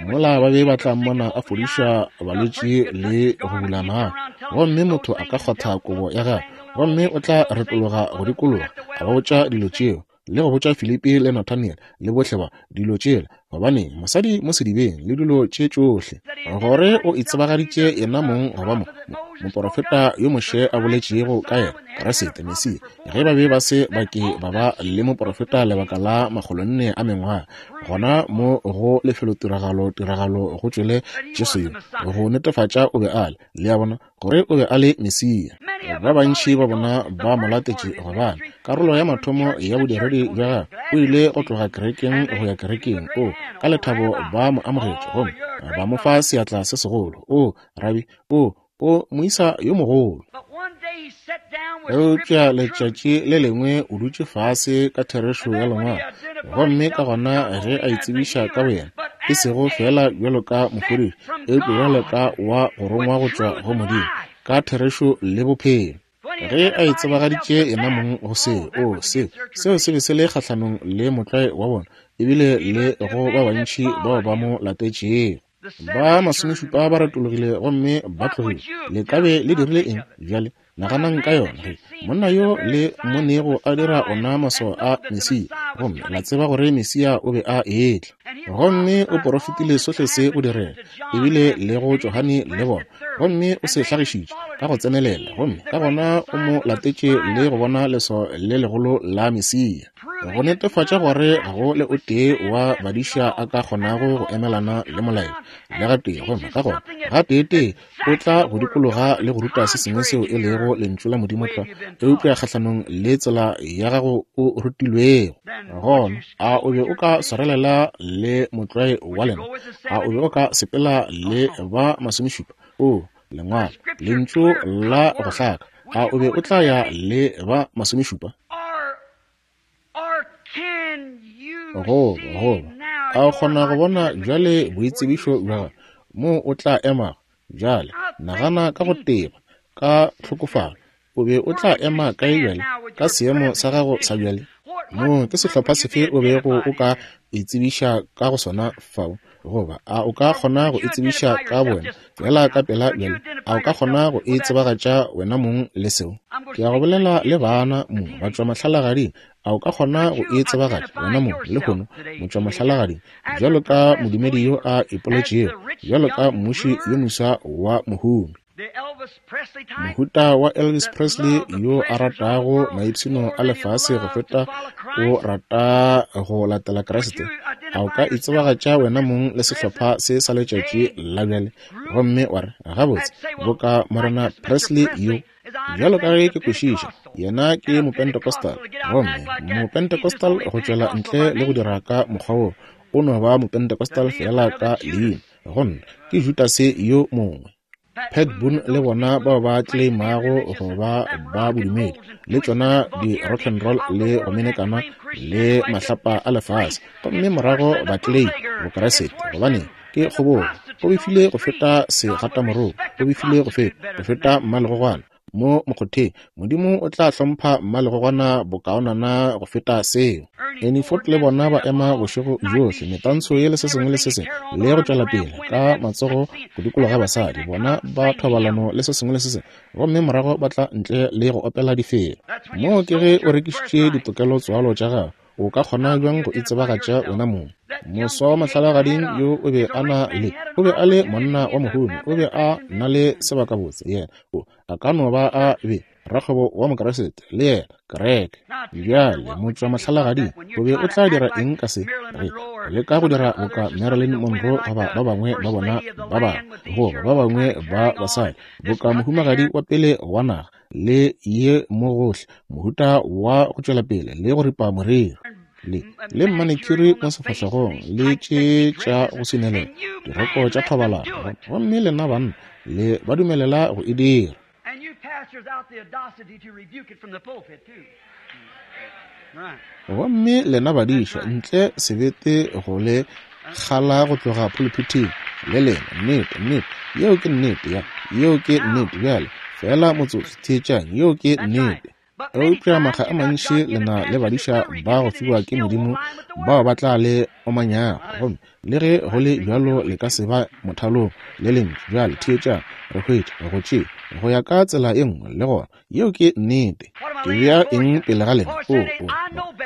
Speaker 2: Mola ba be ba tla mmona a fodiša balwetši le go bula mahlo, gomme motho a ka kgwatha kobo ya gagwe, gomme o tla retologa go dikologa, a ba botša dilo tšeo, le go botša Filipi le Nathaniel le bohle ba dilo tšela, gobaneng, mosadi mo sedibeng le dilo tše tšohle, gore o itsebagaditše yena mong go ba mo, mo, moporofeta yo Moshe a boletšego ka yena, Kriste, Mesia, ge ba be ba se ba ke ba ba le moporofeta lebaka la makgolonne a mengwaga, gona mo go lefelotiragalo tiragalo go tšwele Jesu yo, go netefatša o be a le, le a bona, gore o be a le Mesia. Ba bantši ba bona ba mo latetše gobane karolo ya mathomo ya bodiredi bja gagwe o ile go tloga kerekeng go ya kerekeng. O, ka lethabo ba mo amogetše gomme ba mo fa seatla se segolo. O, rabi, o, o moisa yo mogolo. Eupša letšatši le lengwe o dutše fase ka therešo ya Lengwalo, gomme ka gona ge a itsebiša ka boyena, e sego feela bjalo ka mofodiši, eupša bjalo ka wa go rongwa go tšwa go Modimo, ka therešo le bophelo. Ge a itsebagaditše yena mong go seo, oo, seo, seo se be se le kgahlanong le motlwae wa bona, ebile le go ba bantši bao ba mo latetšego. Ba masomešupa ba retologile gomme ba tlogile. Le ka be le dirile eng bjale? Naganang ka yona. Ge monna yo le mmonego a dira ona maswao a Mesia, Gomme la tseba gore Mesia o be a etla. Gomme o porofetile sohle se go direga, ebile le go Johane le bona. Gomme o se hlagišitše ka go tsenelela, gomme ka gona o mo latetše le go bona leswao le legolo la Mesia, go netefatša gore ga go le o tee wa badiša a ka kgonago go emelana le molaetša le gatee. Gomme ka gona gateetee o tla go dikologa le go ruta se sengwe seo e lego Lentšu la Modimo tlwa, eupša kgahlanong le tsela ya gago o rutilwego. Gona a o be o ka swarelela le motlwae wa lena? A o be o ka sepela le ba masomešupa? O Lengwalo, Lentšu la go hlaka, a o be o tla ya le ba masomešupa? Goba, goba, a o kgona go bona bjale boitsebišo bja gago, moo o tla emago? Bjale, nagana ka go teba, ka tlhokofalo. O be o tla ema kae bjale, ka seemo sa gago sa bjale? Moo ke sehlopha sefe o bego o ka itsebiša ka go sona fao? Goba a o ka kgona go itsebiša ka bowena feela ka pela bjale? A o ka kgona go itsebagatša wena mong le seo? Ke ya go bolela le bana mo batšwamahlalagading. A o ka kgona go itsebagatša wena mong lehono motšwamahlalagading bjalo ka modumedi yo a ipoletšego, bjalo ka mmuši yo moswa wa mohumi? Mohuta wa Elvis Presley yo a ratago maipshino a lefase go feta o rata go latela Kriste. A o ka itsebagatša wena mong le sehlopha se sa letšatši la bjale gomme wa re, Gabotse, boka Morena Presley yo, bjalo ka ge ke kwešiša, yena ke Mopentecostal, gomme Mopentecostal go tšwela ntle le go dira ka mokgwa wo, o no ba Mopentecostal feela ka leina, gomme ke Judase yo mongwe. Pat Boone le bona bao ba tleimago go ba ba bodumedi, le tšona di rock and roll le go menekana le mahlapa a lefase, gomme morago ba tlei Bokriste, gobane ke kgobogo. Go befile go feta segatamoroko, go befile go feta, go feta mmalegogwana mo mokgotheng. Modimo o tla hlompha mmalegogwana bokaonana go feta seo. Ernie Ford le bona ba ema bošego bjohle, metantsho ye le se sengwe le se sengwe, le go tšwela pele ka matsogo go dikologa basadi, bona ba thobalano le se sengwe le se sengwe, gomme morago ba tla ntle le go opela difela. Moo ke ge o rekišitše ditokelo tswalo tša gago. O ka kgona bjang go itsebagatša wena mong? Moswa wa mahlalagading yo o be a na le, o be a le monna wa mohumi, o be a na le sebakabotse, yena o, a ka no ba a be rakgwebo wa Mokriste, le yena, kereke. Bjale, motšwa mahlalagading, o be o tla dira eng ka se? Re leka go dira boka Marilyn Monroe goba ba bangwe ba bona ba bangwe, goba ba bangwe ba basadi, boka mohumagadi wa pele wa naga, le ye mo gohle, mohuta wa go tšwela pele le go ripa moriri, le, le manicure mo sefahlegong, le tše tša go swinelela, diroko tša thobalano, gomme lena banna le ba dumelela go e dira. Gomme lena badiša, ntle sebete go le kgala go tloga phuluphithing, le lena. Nnete, nnete, yeo ke nnete, ya, yeo ke nnete. Bjale, feela motsotso, theetšang, yeo ke nnete. Eupša makga a mantši le na le badiša ba go fiwa ke Modimo bao ba tla le omanyago, gomme le ge go le bjalo le ka se ba mothalong le Lentšu. Bjale theetšang, re hwetša go tše go ya ka tsela ye nngwe le gona. Yeo ke nnete. Ke bea eng pele ga lena? O, o,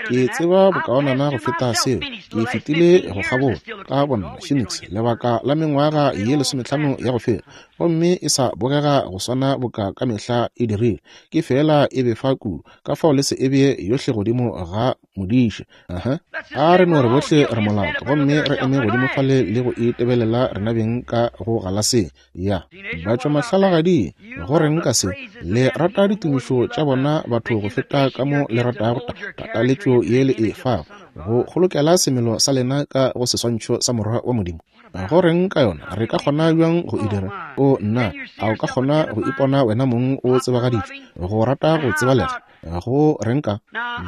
Speaker 2: ke tseba bokaonana go feta seo. Ke fetile go kgabola ka bonna Phoenix lebaka la mengwaga ye 15 ya go feta, gomme e sa bogega go swana boka ka mehla e dirile. Ke feela e befa kudu, ka fao le se e bee yohle godimo ga modiša. Aha. A re no re bohle re molato, gomme re eme godimo fale le go itebelela rena beng ka go galaseng. Ya batšwamahlalagading, go reng ka se? Le rata ditumišo tša bona batho go feta ka mo le ratago tataletšo ye le e fago go kgolokela semelo sa lena ka go seswantšho sa Morwa wa Modimo. Go reng ka yona? Re ka kgona bjang go e dira? O nna, a o ka kgona go ipona wena mong o tsebagaditšwe go rata go tsebalega? Go reng ka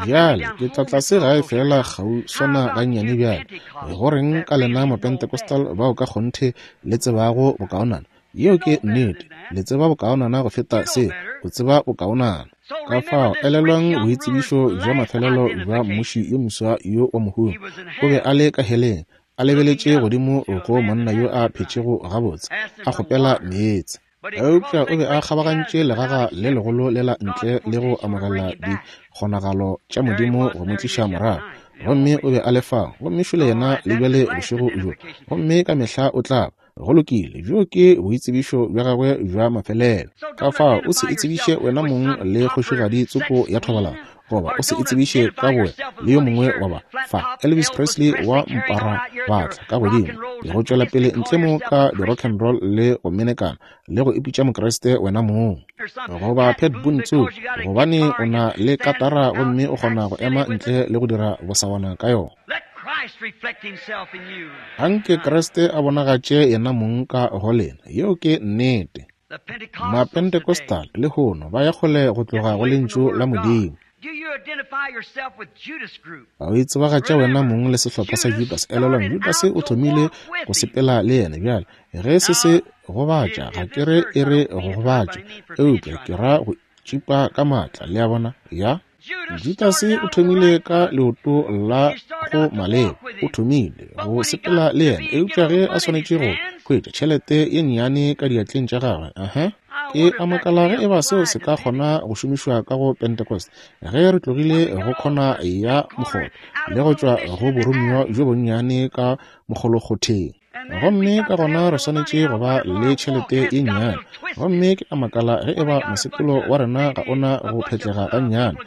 Speaker 2: bjale? Ke tla tlase gae feela kgauswana gannyane bjale. Go reng ka lena Mapentecostal bao ka kgonthe le tsebago bokaonana? Yeo ke nnete. Le tseba bokaonana go feta se. O tseba bokaonana. Ka fao, elelwang boitsebišo bja mafelelo bja mmuši yo moswa yo wa mohumi. O be a le ka heleng, a lebeletše godimo go monna yo a phetšego gabotse, a kgopela meetse. Eupša o be a kgabagantše legaga le legolo lela ntle le go amogela dikgonagalo tša Modimo go mo tliša morago. Gomme o be a le fao, gomme šole yena le bjale bošego bjo, gomme ka mehla o tla ba. Go lokile, bjo ke boitsebišo bja gagwe bja mafelelo. Ka fao o se itsebiše wena mong le kgošigadi tsoko ya thobalano, goba o se itsebiše ka bowe le yo mongwe wa ba fa Elvis Presley wa mpara batla ka godimo le go tšwela pele ntle mo ka di-rock and roll le go menekana le go ipitša Mokriste wena mong, goba Pat Boone tsoko gobane o na le katara gomme o kgona go ema ntle le go dira bosawana ka yona. Anke Kriste a bonagatše yena mong ka go lena. Yeo ke nnete. Mapentecostal lehono ba ya kgole go tloga go Lentšu la Modimo. A o itsebagatša wena mong le sehlopha sa Judas? Elelwang, Judas o thomile go sepela le yena. Bjale, ge se se gobatša, ga ke re e re go gobatša, eupša ke ra go tšipa ka maatla. Le a bona? Ya. Judase o thomile ka leoto la go maleba, o thomile go sepela le yena, eupša ge a swanetše go hwetša tšhelete ye nnyane ka diatleng tša gagwe, aha, ke a makala ge eba seo se ka kgona go šomišwa ka go Pentecost, ge re tlogile go khona ya mokgotho le go tšwa go boromiwa bjo bonnyane ka mokgolokgotheng. Gomme ka gona re swanetše go ba le tšhelete ye nnyane. Gomme ke a makala ge eba mosepelo wa rena ga o na go phetlega gannyane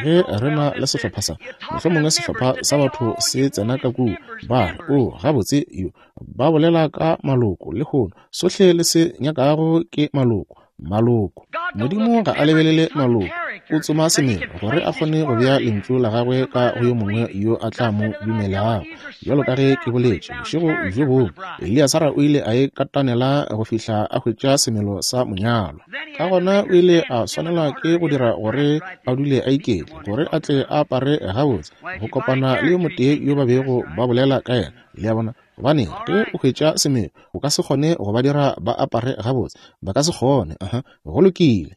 Speaker 2: ge re na le sehlopha sa, mohlomongwe sehlopha sa batho se tsena ka kua, ba re, O, gabotse, yo, ba bolela ka maloko lehono, sohle le se nyakago ke maloko. Maloko. Modimo ga a lebelele maloko. O tsoma semelo gore a kgone go bea lentšu la gagwe ka go yo mongwe yo a tla mo dumelago. Bjalo ka ge ke boletše bošego bjo bongwe, Eliasara o ile a e katanela go fihla a hwetša semelo sa monyalwa. Ka gona o ile a swanelwa ke go dira gore a dule a iketle, gore a tle a apare gabotse, go kopana le yo motee yo ba bego ba bolela ka yena. Le a bona? Gobane ge o hwetša semelo, o ka se kgone go ba dira ba apare gabotse. Ba ka se kgone. Aha, go lokile.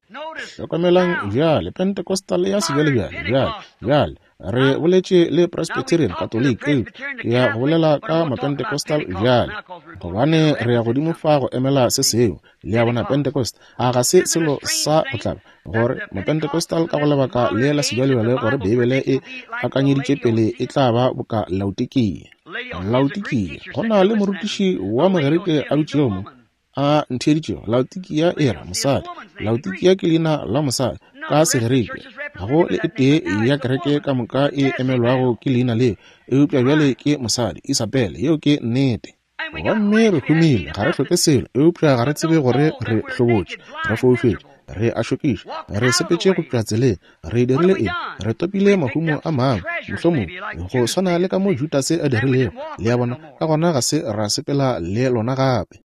Speaker 2: Hlokomelang bjale, Pentecostal ya sebjalebjale. Bjale, bjale, re boletše le Presbyterian, Katoliki, eupša ke ya go bolela ka Mapentecostal bjale, gobane re ya godimo fa go emela se sengwe. Le a bona, Pentecost, a ga se selo sa go tlaba gore Mapentecostal ka go lebaka le la sebjalebjale gore Beibele e akanyeditše pele e tla ba boka Laodikia. Laodikia, go na le morutiši wa Mogerike a dutšego mo, a ntheeditšego. Laodikia e ra mosadi. Laodikia ke leina la mosadi ka Segerike. Ga go le e tee ya kereke ka moka e emelwago ke leina leo, eupša bjale ke mosadi, Isabele. Yeo ke nnete. Gomme re humile, ga re hloke selo, eupša ga re tsebe gore re hlobotše, re foufetše, re a šokiša, re sepetše go tšwa tseleng. Re dirile eng? Re topile mahumo a mangwe, mohlomongwe, go swana le ka mo Judase a dirilego. Le a bona? Ka gona ga se ra sepela le lona gape.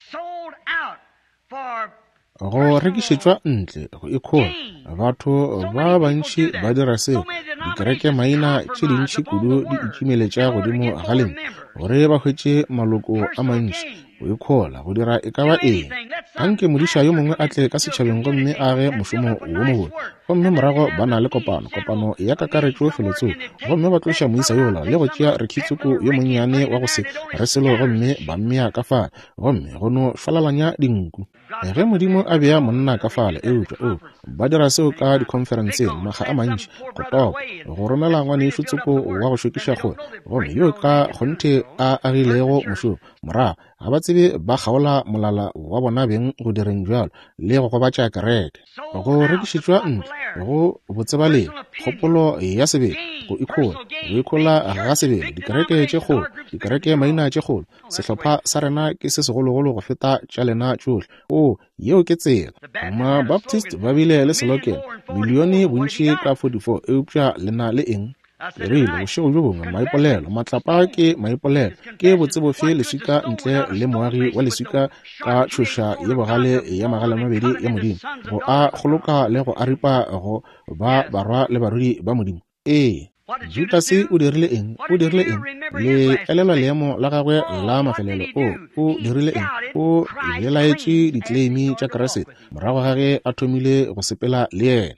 Speaker 2: Go rekišetšwa ntle, go ikhola. Batho ba bantši ba dira seo. Dikereke maina tše dintši kudu di itšimeletša godimo ga lentšu gore ba hwetše maloko a mantši. Go ikhola, go dira e ka ba eng. Anke modiša yo mongwe a tle ka setšhabeng gomme a age mošomo wo mobotse, gomme morago ba na le kopano, kopano ya kakaretšo felotsoko, gomme ba tloša moisa yola le go tšea rekhitsoko yo monnyane wa go se re selo gomme ba mmea ka fale, gomme go no šwalalanya dinku. Ge Modimo a bea monna ka fale, eupša o ba dira seo ka dikhonferenseng makga a mantši, go topa, go romela ngwanešu tsoko wa go šokiša kgole, gomme yo ka kgonthe a agilego mošomo, morago ga ba tsebe ba kgaola molala wa bona beng go direng bjalo le go gobatša kereke. Go rekišetšwa ntle go botsebalegi, kgopolo ya sebele, go ikhola, go ikhola ga sebele, dikereke tše kgolo, dikereke maina tše kgolo, Sehlopha sa rena ke se segologolo go feta tša lena tšohle. Oo, yeo ke tsela. Mabaptist ba bile le selokelo, milione bontši ka 44, eupša le na le eng? Ke rile, bošego bjo bongwe, maipolelo, matlapa ke maipolelo. Ke botse bofe leswika ntle le moagi wa leswika ka tšhoša ye bogale ya magalemabedi ya Modimo, go a kgoloka le go a ripa go ba barwa le barwedi ba Modimo? Ee. Judase o dirile eng? O dirile eng? Le elelwa leemo la gagwe la mafelelo. O, o dirile eng? O belaetše ditleimi tša Kriste morago ga ge a thomile go sepela le yena.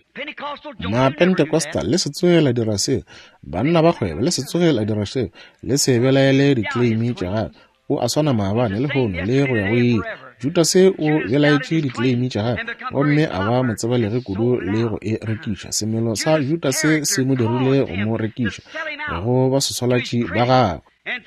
Speaker 2: Mapentecostal, le se tsoge la dira seo. Banna ba kgwebo, le se tsoge la dira seo. Le se belaele ditleimi tša gagwe. O a swana maabane, lehono, le go ya go ile. Judase o belaetše ditleimi tša gagwe gomme a ba motsebalegi kudu le go e rekiša. Semelo sa Judase se mo dirile go mo rekiša. go baswaswalatši ba gagwe.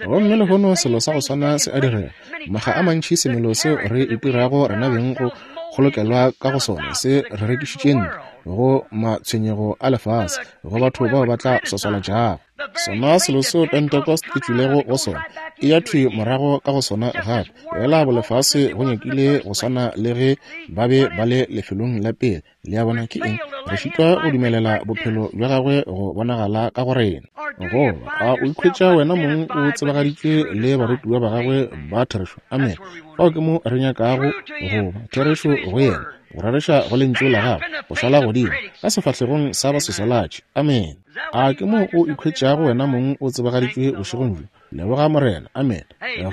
Speaker 2: Gomme lehono selo sa go swana se a direga. Makga a mantši semelo seo re itirago rena beng go kgolokelwa ka go sona se re rekišitše ntle go matshwenyego a lefase, go batho bao ba tla swaswalatšago. Sona selo seo Pentecost e tšwilego go sona, e ya thwi morago ka go sona gape. Fela bolefase go nyakile go swana le ge ba be ba le lefelong la pele. Le a bona ke eng? Re šitwa go dumelela bophelo bja gagwe go bonagala ka go rena. Goba a o ikhwetša wena mong o tsebagaditšwe le barutiwa ba gagwe ba therešo? Amen. Fao ke mo re nyakago go ba, therešo go yena, go rereša go lentšu la gagwe, go šala godimo ka sefahlegong sa baswaswalatši. Amen. A ke mo o ikhwetšago wena mong o tsebagaditšwe bošegong bjo? Leboga Morena. Amen.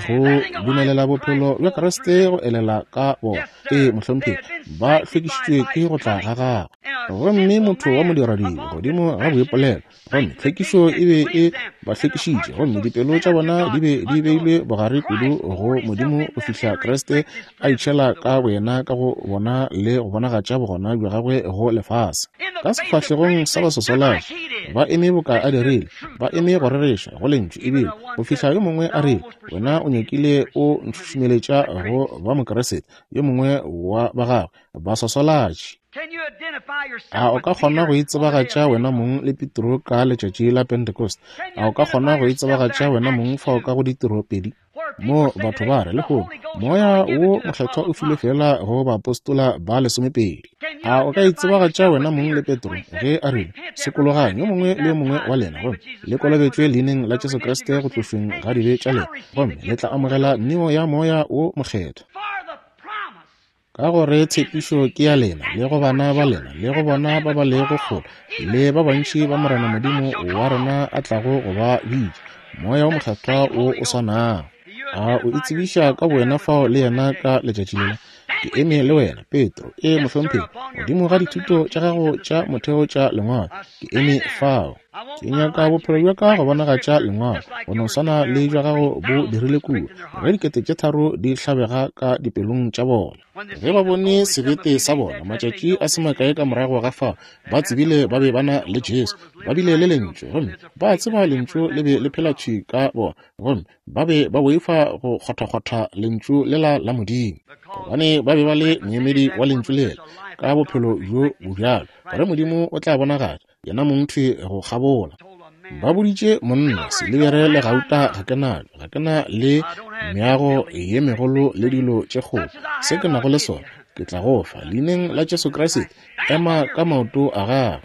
Speaker 2: Go dumelela bophelo bja Kriste go elela ka bona. Ee, mohlomphegi, ba hlwekišitšwe ke go tla ga gagwe. Gomme motho wa modiradibe godimo ga boipolelo, gomme tlhwekišo e be e ba hlwekišitše, gomme dipelo tša bona di be di beilwe bogare kudu go Modimo go fihla Kriste a itšhela ka boyena ka go bona le go bonagatša bogona bja gagwe go lefase. Ka sefahlegong sa baswaswalatši ba eme boka a dirile, ba eme go rereša go lentšu, ebile go fihla yo mongwe a rile, Wena o nyakile o ntšhušumeletša go ba Mokeresete, yo mongwe wa ba gagwe baswaswalatši. A o ka kgona go itsebagatša wena mong le Petro ka letšatši la Pentecost? A o ka kgona go itsebagatša wena mong fao ka go ditiro pedi? Mo batho ba re lehono Moya wo Mokgethwa o filwe feela go baapostola ba lesomepedi. A o ka itsebagatša wena mong le Petro ge a rile, Sokologang yo mongwe le yo mongwe wa lena gomme le kolobetšwe leineng la Jesu Kriste go tlošweng ga dibe tša lena, gomme le tla amogela neo ya Moya wo Mokgethwa. Ka gore tshepišo ke ya lena, le go bana ba lena, le go bona ba ba lego kgole, le ba bantši ba Morena Modimo wa rena a tlago go ba bitša, Moya wo Mokgethwa wo o swanago. A o itsebiša ka bowena fao le yena ka letšatši lela? Ke eme le wena, Petro, ee, mohlomphegi, godimo ga dithuto tša gago tša motheo tša Lengwalo. Ke eme fao. Ke nyaka bophelo bja ka go bonagatša Lengwalo, go no swana le bja gago bo dirile kua, ge 3000 di hlabega ka dipelong tša bona. Ge ba bone sebete sa bona, matšatši a se makae ka morago ga fao, ba tsebile ba be ba na le Jesu. Ba bile le Lentšu, gomme ba tseba Lentšu le be le phela thwi ka bona, gomme ba be ba boifa go kgwathakgwatha Lentšu lela la Modimo, gobane ba be ba le moemedi wa Lentšu lela ka bophelo bjo bobjalo, gore Modimo o tla bonagatša yena mong thwi go kgabola. Ba boditše monna, silibere le gauta ga ke nalo, ga ke na le meago ye megolo le dilo tše kgolo. Se ke nago le sona, ke tla go fa. Leineng la Jesu Kriste, ema ka maoto a gago.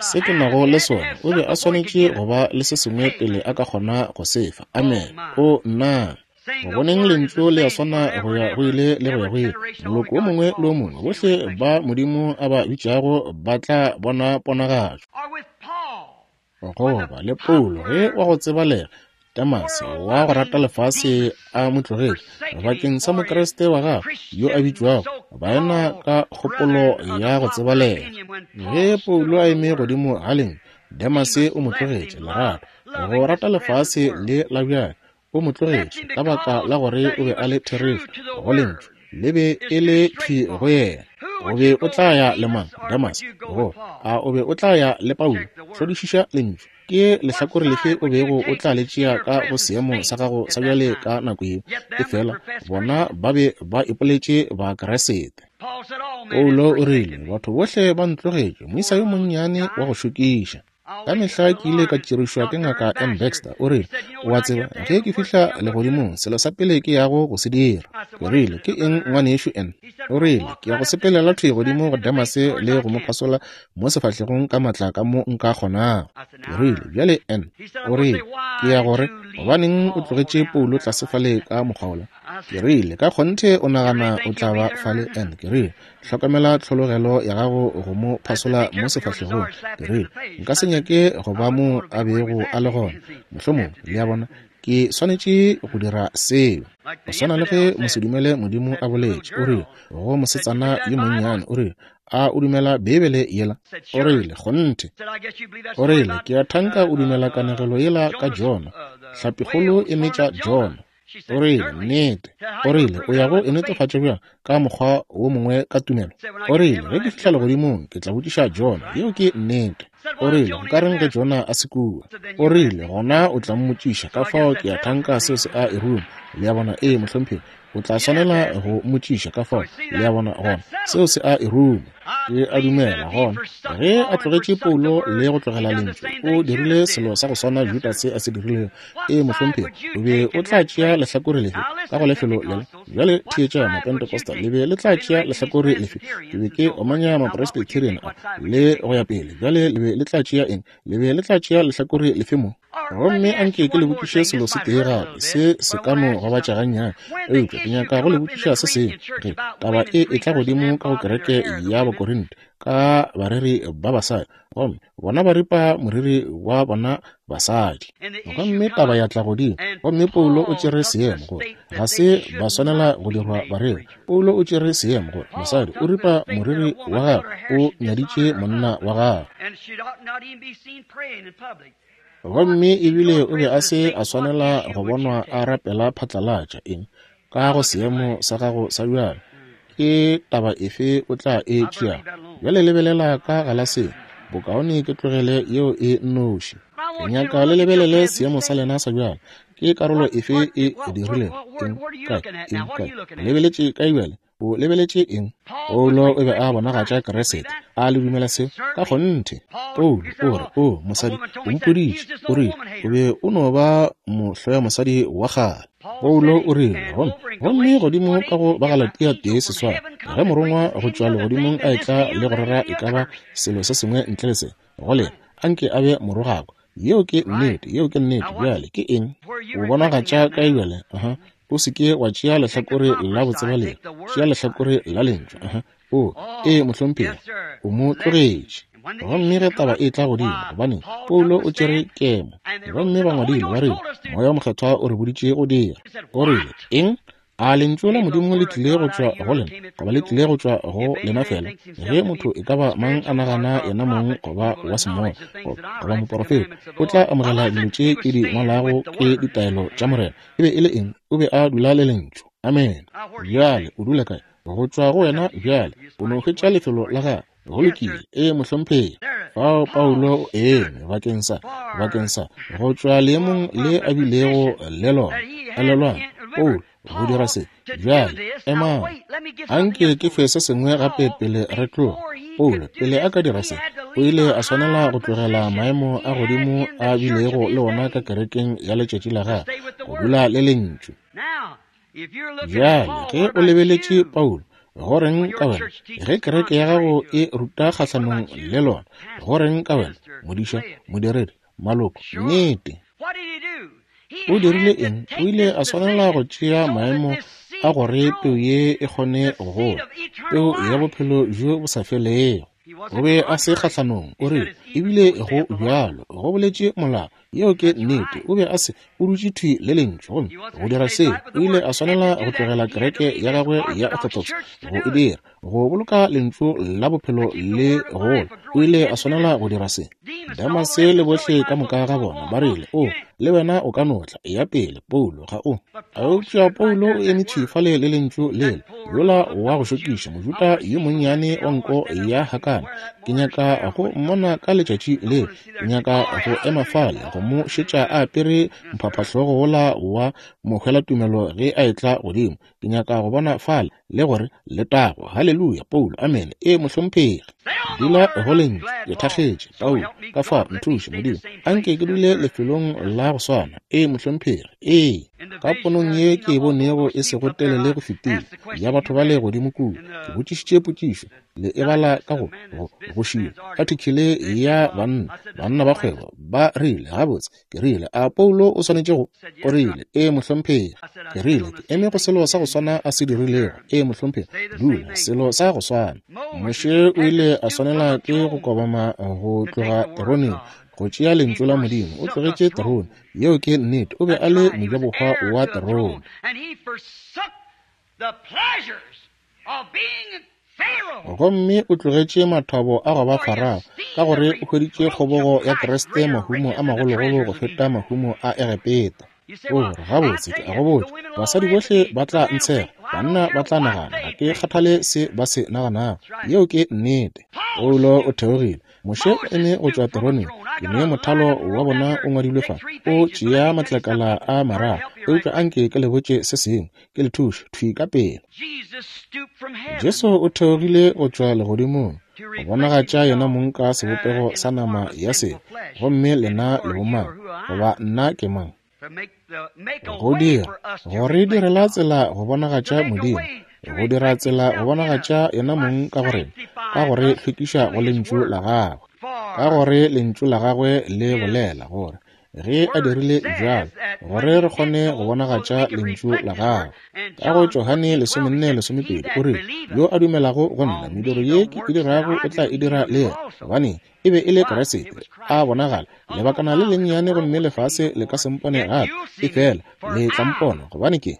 Speaker 2: Se ke nago le sona, o be a swanetše go ba le se sengwe pele a ka kgona go se fa. Amen. O nna. Go boneng Lentšu le a swana go ya go ile le go ya go ile. Moloko o mongwe le o mongwe, bohle ba Modimo a ba bitšago ba tla bona ponagatšo. Goba le Paulo ge wa go tsebalega Demase wa go rata lefase a mo tlogetše bakeng sa Mokriste wa gagwe yo a bitšwago baena ka kgopolo ya go tsebalega. Ge Paulo a eme godimo ga lengwe, Demase o mo tlogetše, lerato, go rata lefase le la bjale, o mo tlogetše ka baka la gore o be a le therešo go Lentšu, le be e le thwi go yena. O be o tla ya le mang, Demase? Go a o be o tla ya le Paulo? Hlodišiša Lentšu. Ke lehlakore lefe o bego o tla le tšea ka go seemo sa gago sa bjale ka nako yeo? Efela bona ba be ba ipoletše Bakriste. Paulo o rile, Batho bohle ba ntlogetše, moisa yo monnyane wa go šokiša. Ka mehla ke ile ka tšerišwa ke Ngaka M. Baxter. O rile, O a tseba, ge ke fihla legodimong, selo sa pele ke yago go se dira. Ke rile, Ke eng, Ngwanešu N? O rile, Ke ya go sepelela thwi godimo go Demase le go mo phasola mo sefahlegong ka matla ka mo nka kgonago. Ke rile, Bjale, N. O rile, Ke ya gore, gobaneng o tlogetše Paulo tlase fale ka mokgwa wola? Ke rile, Ka kgonthe o nagana o tla ba fale, N. Ke rile, Hlokomela tlhologelo ya gago go mo phasola mo sefahlegong. Ke rile, Nka se nyake go ba mo a bego a le gona. Mohlomongwe, le a bona, ke swanetše go dira seo. Go swana le ge mosedumele Modimo a boletše, o rile go mosetsana yo monnyane, o rile, A o dumela Beibele yela? O rile, Kgonthe. O rile, Ke a thanka o dumela kanegelo yela ka Jona, hlapikgolo e metša Jona. O rile, Nnete. O rile, O ya go e netefatša bjang ka mokgwa wo mongwe ka tumelo? O rile, Ge ke fihla legodimong, ke tla botšiša Jona. Yeo ke nnete. O rile, Nkareng ge Jona a se kua? O rile, Gona o tla mmotšiša. Ka fao ke a thanka seo se a e ruma. Le a bona? Ee, mohlomphegi. O tla swanela go mmotšiša. Ka fao, le a bona, gona seo se a e ruma. Ke a dumela gona ge a tlogetše Paulo le go tlogela Lentšu, o dirile selo sa go swana Judase a se dirilego. Ee, mohlomphegi. O be o tla tšea lehlakore lefe ka go lefelo lela? Bjale theetša, Mapentecostal, le be le tla tšea lehlakore lefe? Ke be ke omanya Mapresbyterian a le go ya pele. Bjale le be le tla tšea eng? Le be le tla tšea lehlakore lefe mo? Gomme anke ke le botšiše selo se tee gape, se se ka no gobatša gannyane, eupša ke nyaka go le botšiša se sengwe. Ge taba e etla godimo ka go kereke ya Bakorinte ka bareri ba basadi, gomme bona ba ripa moriri wa bona basadi, gomme taba ya tla godimo, gomme Paulo o tšere seemo gore ga se ba swanela go dirwa bareri. Paulo o tšere seemo gore mosadi o ripa moriri wa gagwe, o nyaditše monna wa gagwe. Gomme ebile o be a se a swanela go bonwa a rapela phatlalatša. Eng? Ka go seemo sa gago sa bjalo, ke taba efe o tla e tšeago? Bjale lebelela ka galaseng, bokaone ke tlogele yeo e nnoši. Ke nyaka le lebelele seemo sa lena sa bjalo. Ke karolo efe e dirilego? Eng? Kae? Eng? Kae? Lebeletše kae bjale? O lebeletše eng? Paulo o be a bonagatša Kriste. A le dumela seo? Ka kgonthe. Paulo o re, O, mosadi, o mpoditše. O rile, O be o no ba mohloya mosadi wa kgale. Paulo o rile, Gomme, gomme godimo ka go Bagalatia 1:8, ge morongwa go tšwa legodimong a etla le go rera e ka ba selo se sengwe ntle le se, go lena, anke a be morogakwa. Yeo ke nnete, yeo ke nnete. Bjale ke eng? O bonagatša kae bjale? Aha. O se ke wa tšea lehlakore la botsebalegi, tšea lehlakore la Lentšu. Aha. O, ee, mohlomphegi, o mo tlogetše. Gomme ge taba e tla godimo, gobaneng, Paulo o tšere kemo. Gomme ba ngwadile, ba rile, Moya wo Mokgethwa o re boditše go dira. O rile, Eng? A lentšu la Modimo le tlile go tšwa go lena, goba le tlile go tšwa go lena fela? Ge motho e ka ba mang a nagana yena mong goba wa semoya goba moporofeta, o tla amogela dilo tše ke di ngwalago ke ditaelo tša Morena. E be e le eng? O be a dula le Lentšu. Amene. Bjale o dula kae? Go tšwa go wena bjale. O no hwetša lefelo la gago. Go lokile. Ee, mohlomphegi. Fao Paulo o eme bakeng sa, bakeng sa, go tšwa leemong le a bilego le lona. Elelwang, Paulo, go dira se. Bjale, emang. Anke ke fe se sengwe gape pele re tloga. Paulo, pele a ka dira se, o ile a swanela go tlogela maemo a godimo a bilego le ona ka kerekeng ya letšatši la gagwe, go dula le Lentšu. Bjale, ge o lebeletše Paulo, go reng ka wena? Ge kereke ya gago e ruta kgahlanong le lona, go reng ka wena, modiša, modiredi, maloko? Nnete. O dirile eng? O ile a swanela go tšea maemo a gore peu ye e kgone go gola, peu ya bophelo bjo bo sa felego. O be a se kgahlanong, o rile, ebile go bjalo, go boletše molao. Yeo ke nnete. O be a se, o dutše thwi le Lentšu. Gomme go dira seo, o ile a swanela go tlogela kereke ya gagwe ya Orthodox go e dira, go boloka Lentšu la bophelo le gola. O ile a swanela go dira se. Damase le bohle ka moka ga bona ba rile, O, le wena o ka no tla, eya pele, Paulo, ga o. Eupša Paulo o eme thwi fale le Lentšu lela, yola wa go šokiša, Mojuda yo monnyane wa nko ya hakana. Ke nyaka go mmona ka letšatši leo. Ke nyaka go ema fale go mo šetša a apere mphaphahlogo wola wa mohwelatumelo ge a etla godimo. Ke nyaka go bona fale le gore letago, haleluya, Paulo, amene, ee, mohlomphegi. Dula go Lentšu, ke thakgetše, Paulo, ka fao nthuše, Modimo, anke ke dule lefelong la go swana. Ee, mohlomphegi, ee. Ka ponong ye ke e bonego e sego telele go fetile, ya batho bale godimo kua, ke botšišitše potšišo, le e bala ka go go go šila athikele ya banna banna ba kgwebo ba rile gabotse ke rile a Paulo o swanetše go o rile ee mohlomphegi ke rile ke eme go selo sa go swana a se dirilego ee mohlomphegi dula selo sa go swana Moshe o ile a swanela ke go kobama go tloga teroneng go tšea lentšu la Modimo o tlogetše terone yeo ke nnete o be a le mojabohwa wa terone. Gomme o tlogetše mathabo a go ba Farao, ka gore o hweditše kgobogo ya Kriste mahumo a magologolo go feta mahumo a Egepeta. O re, Gabotse, ke a go botša, basadi bohle ba tla ntshega, banna ba tla nagana, ga ke kgathale se ba se naganago. Yeo ke nnete. Paulo o theogile. Moshe o eme go tšwa teroneng. Ke ne mothalo wa bona o ngwadilwe fa. O tšea matlakala a mararo. Eupša anke ke le botše se sengwe, ke le thuše thwi ka pele. Jesu o theogile go tšwa legodimong go bonagatša yena mong ka sebopego sa nama ya sebe. Gomme lena le bomang, goba nna ke mang? Go dira, go re direla tsela go bonagatša Modimo, go dira tsela go bonagatša yena mong ka go rena, ka go re hlwekiša go Lentšu la Gagwe, ka gore Lentšu la Gagwe le bolela gore ge a dirile bjalo, gore re kgone go bonagatša Lentšu la Gagwe. Ka go Johane 14:12 o rile, Yo a dumelago go nna, mediro ye ke e dirago o tla e dira le yena, gobane e be e le Kriste a bonagala lebakana le lennyane, gomme lefase le ka se mpone gape, efela le tla mpona, gobane ke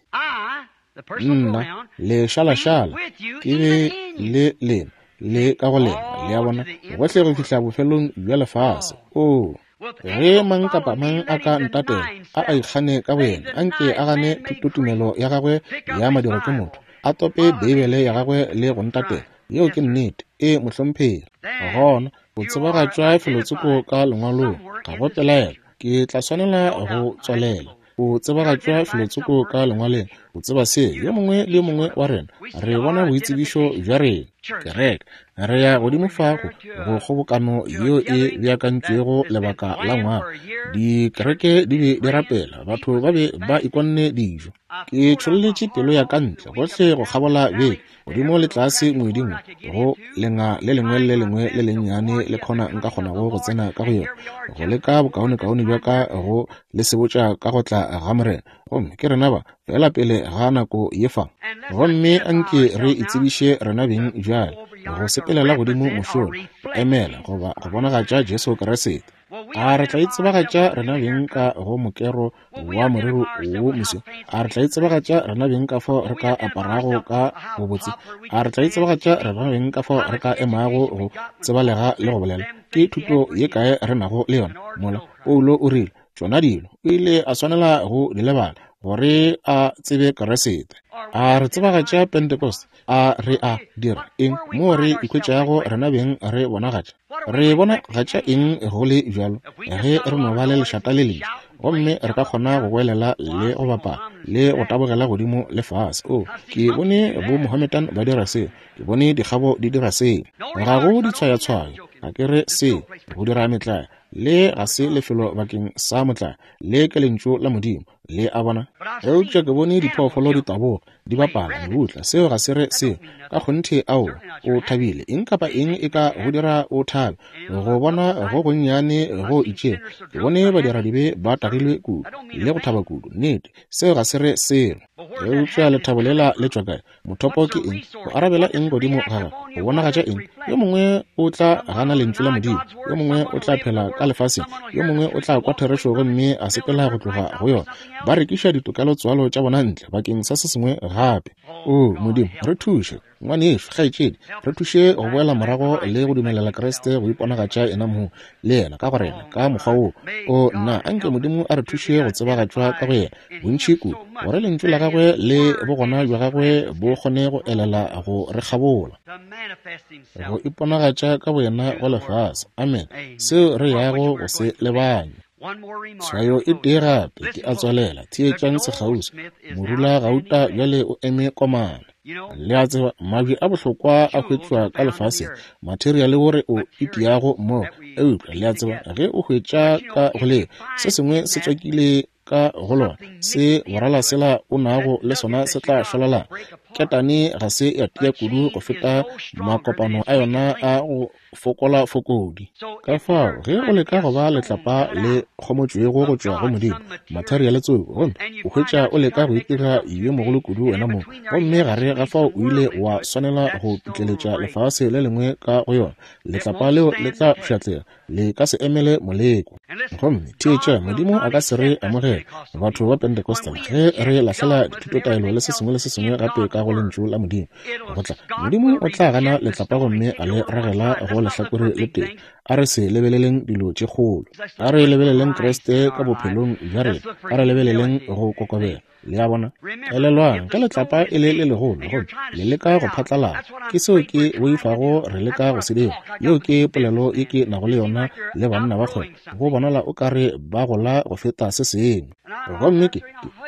Speaker 2: nna lešalašala ke be le lena le ka go lena, le a bona, gohle go fihla bofelong bja lefase. Oo, ge mang kapa mang a ka ntatela, a a ikgane ka boyena, anke a gane thutotumelo ya gagwe ya madiro ke motho, a tope Beibele ya gagwe le go ntatela. Yeo ke nnete. E, mohlomphegi. Gona o tsebagatšwa felotsoko ka lengwalong, ga go pelaelo. Ke tla swanela go tswalela. O tsebagatšwa felotsoko ka lengwaleng. O tseba se, yo mongwe le yo mongwe wa rena re bona boitsebišo bja rena. Kereke, re ya godimo fa go go kgobokano yeo e beakantšwego lebaka la ngwaga. Dikereke di be di rapela, batho ba be ba ikonne dijo. Ke tšholletše pelo ya ka ntle gohle go kgabola beke, godimo le tlase ngweding, go lenga le lengwe le lengwe le lennyane le khona nka kgonago go tsena ka go yona, go leka bokaonekaone bja ka go le sebotša ka go tla ga Morena. Gomme ke rena ba, fela pele ga nako ye fa. Gomme anke re itsebiše rena beng bjale, go sepelela godimo mošola, go emela goba go bonagatša Jesu Kriste. A re tla itsebagatša rena beng ka go mokero wa morero wo moswi? A re tla itsebagatša rena beng ka fao re ka aparago ka bobotse? A re tla itsebagatša rena beng ka fao re ka emago go tsebalega le go bolela? Ke thuto ye kae re nago le yona? Mola Paulo o rile, tšona dilo o ile a swanela go di lebala gore a tsebe Kriste. A re tsebagatša Pentecost? A re a dira eng mo re ikhwetšago rena beng re bonagatša? Re bonagatša eng go le bjalo ge re no ba le lešata le lentši, gomme re ka kgona go goelela le go bapala le go tabogela godimo le fase? O, ke bone bo Mohammedan ba dira seo, ke bone dikgabo di dira seo. Ga go ditshwayatshwayo, ga ke re seo go dira metlae, le ga se lefelo bakeng sa motlae, le ke Lentšu la Modimo, le a bona. Eupša ke bone diphoofolo di taboga, di bapala mebutla, seo ga se re seo ka kgonthe. Ao, o thabile, eng kapa eng e ka go dira o thabe, go bona go gonnyane go itšego. Ke bone badiradibe ba tagilwe kudu le go thaba kudu, nnete, seo ga se re selo. Eupša lethabo lela le tšwa kae? Mothopo ke eng? Go arabela eng godimo ga gagwe? Go bonagatša eng? Yo mongwe o tla gana Lentšu la Modimo, yo mongwe o tla phela ka lefaseng, yo mongwe o tla kwa therešo gomme a sepela go tloga go yona. Ba rekiša ditokelotswalo tša bona ntle bakeng sa se sengwe gape. O Modimo, re thuše, ngwanešu, kgaetšedi, re thuše go boela morago le go dumelela Kriste go iponagatša yena mong le yena ka go rena ka mokgwa wo. O nna, anke Modimo a re thuše go tsebagatšwa ka go yena bontši kudu, gore Lentšu la gagwe le bogona bja gagwe bo kgone go elela go re kgabola, go iponagatša ka boyena go lefase. Amen. Seo re yago go se lebanya. Tshwayo e tee gape ke a tswalela. Theetšang sekgauswi. Morula gauta bjale o eme komana. Le a tseba, mabje a bohlokwa a hwetšwa ka lefaseng, materiale wo re o itiago mmogo. Eupša le a tseba, ge o hwetša ka go le se sengwe se tswakile ka go lona, se borala sela o nago le sona se tla šwalalana. Ketane ga se ya tia kudu go feta makopano a yona a go fokola fokodi. Ka fao ge o leka go ba letlapa le kgomotšwego go tšwa go Modimo, materiale tsoko, gomme o hwetša o leka go itira yo mogolo kudu wena mong, gomme gare ga fao o ile wa swanela go pitleletša lefase le lengwe ka go yona, letlapa leo le tla pšhatlega, le ka se emele moleko. Gomme theetša, Modimo a ka se re amogele batho ba Pentecostal ge re lahlela dithutotaelo le se sengwe le se sengwe gape ka go Lentšu la Modimo. Go tla, Modimo o tla gana letlapa gomme a le ragela go lehlakore le tee. A re se lebeleleng dilo tše kgolo. A re lebeleleng Kriste ka bophelong bja rena. A re lebeleleng go kokobela. Le a bona? Elelwang, ge letlapa e le le legolo gomme le leka go phatlalala, ke seo ke boifago re leka go se dira. Yeo ke polelo ye ke nago le yona le banna ba kgwebo. Go bonala o ka re ba gola go feta se sengwe. Gomme ke,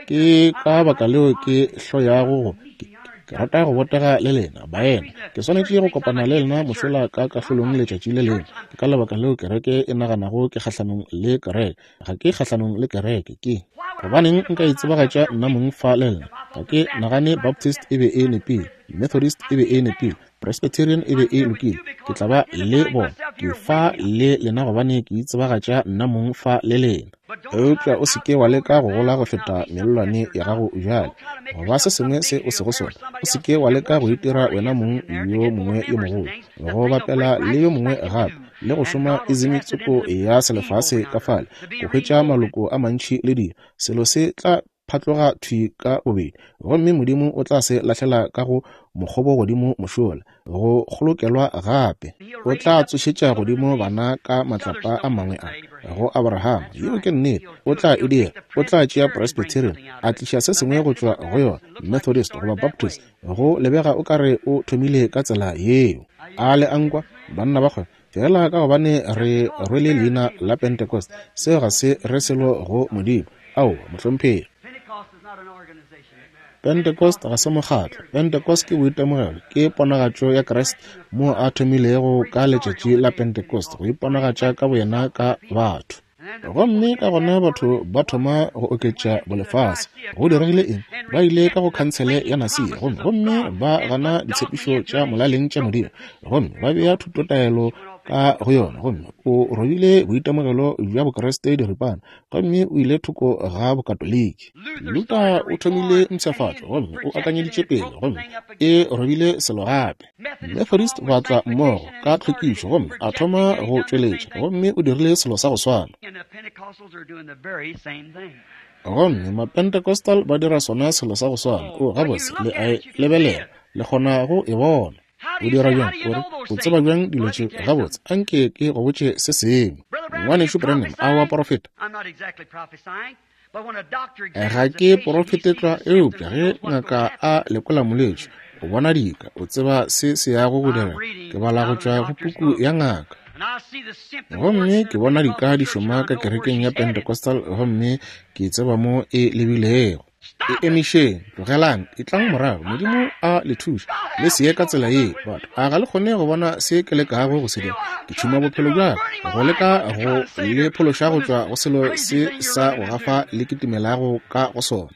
Speaker 2: ke ka baka leo ke hloyago go, ke, ke rata go botega le lena, baena. Ke swanetše go kopana le lena mošola ka kahlolong letšatši le lengwe. Ke ka lebaka leo kereke e naganago ke kgahlanong le kereke. Ga ke kgahlanong le kereke. Ke gobaneng nka itsebagatša nna mong fa le lena? Ga ke nagane Baptist e be e nepile, Methodist e be e nepile, Presbyterian e be e lokile. Ke tla ba le bona. Ke fa le lena gobane ke itsebagatša nna mong fa le lena. Eupša o se ke wa leka go gola go feta mellwane ya gago bjale, goba se sengwe se o sego sona. O se ke wa leka go itira wena mong yo mongwe yo mogolo, go bapela le yo mongwe gape, le go šoma ism tsoko ya selefase ka fale, go hwetša maloko a mantši le dilo. Selo se tla phatloga thwi ka bobedi, gomme Modimo o tla se lahlela ka go mokgobo godimo mošola, go kgolokelwa gape. O tla tsošetša godimo bana ka matlapa a mangwe a go Abrahama. Yeo ke nnete. O tla e dira. O tla tšea Presbyterian, a tliša se sengwe go tšwa go yona, Methodist goba Baptist. Go lebega o ka re o thomile ka tsela yeo. A le a nkwa, banna ba kgwebo? Feela ka gobane re rwele leina la Pentecost, seo ga se re selo go Modimo. Aowa, mohlomphegi. Pentecost ga se mokgatlo. Pentecost ke boitemogelo, ke ponagatšo ya Kriste moo a thomilego ka letšatši la Pentecost go iponagatša ka boyena ka batho. Gomme ka gona batho ba thoma go oketša bolefase. Go diregile eng? Ba ile ka go khansele ya Nasia gomme, gomme ba gana ditshepišo tša molaleng tša Modimo, gomme ba bea thutotaelo ka go yona, gomme o robile boitemogelo bja Bokriste diripana, gomme o ile thoko ga Bokatoliki. Luther o thomile mpshafatšo gomme o akanyeditše pele, gomme e robile selo gape. Methodist ba tla mmogo ka tlhwekišo gomme a thoma go tšweletša, gomme o dirile selo sa go swana. Gomme Mapentecostal ba dira sona selo sa go swana. O, gabotse, le a e lebelela, le kgona go e bona. O dira bjang? O re, o tseba bjang dilo tše? Gabotse, anke ke go botše se sengwe. Ngwanešu Branham, a wa porofeta? Ga ke porofete tlwa, eupša ge ngaka a lekola molwetši, o bona dika, o tseba se se yago go direga. Ke bala go tšwa go puku ya ngaka. Gomme ke bona dika di šoma ka kerekeng ya Pentecostal, gomme ke tseba mo e lebilego. E emišeng, tlogelang, etlang morago. Modimo a le thuše. Le se ye ka tsela ye, batho. A ga le kgone go bona se ke lekago go se dira? Ke tšhuma bophelo bja ka go leka go le phološa go tšwa go selo se sa go gafa le kitimelago ka go sona.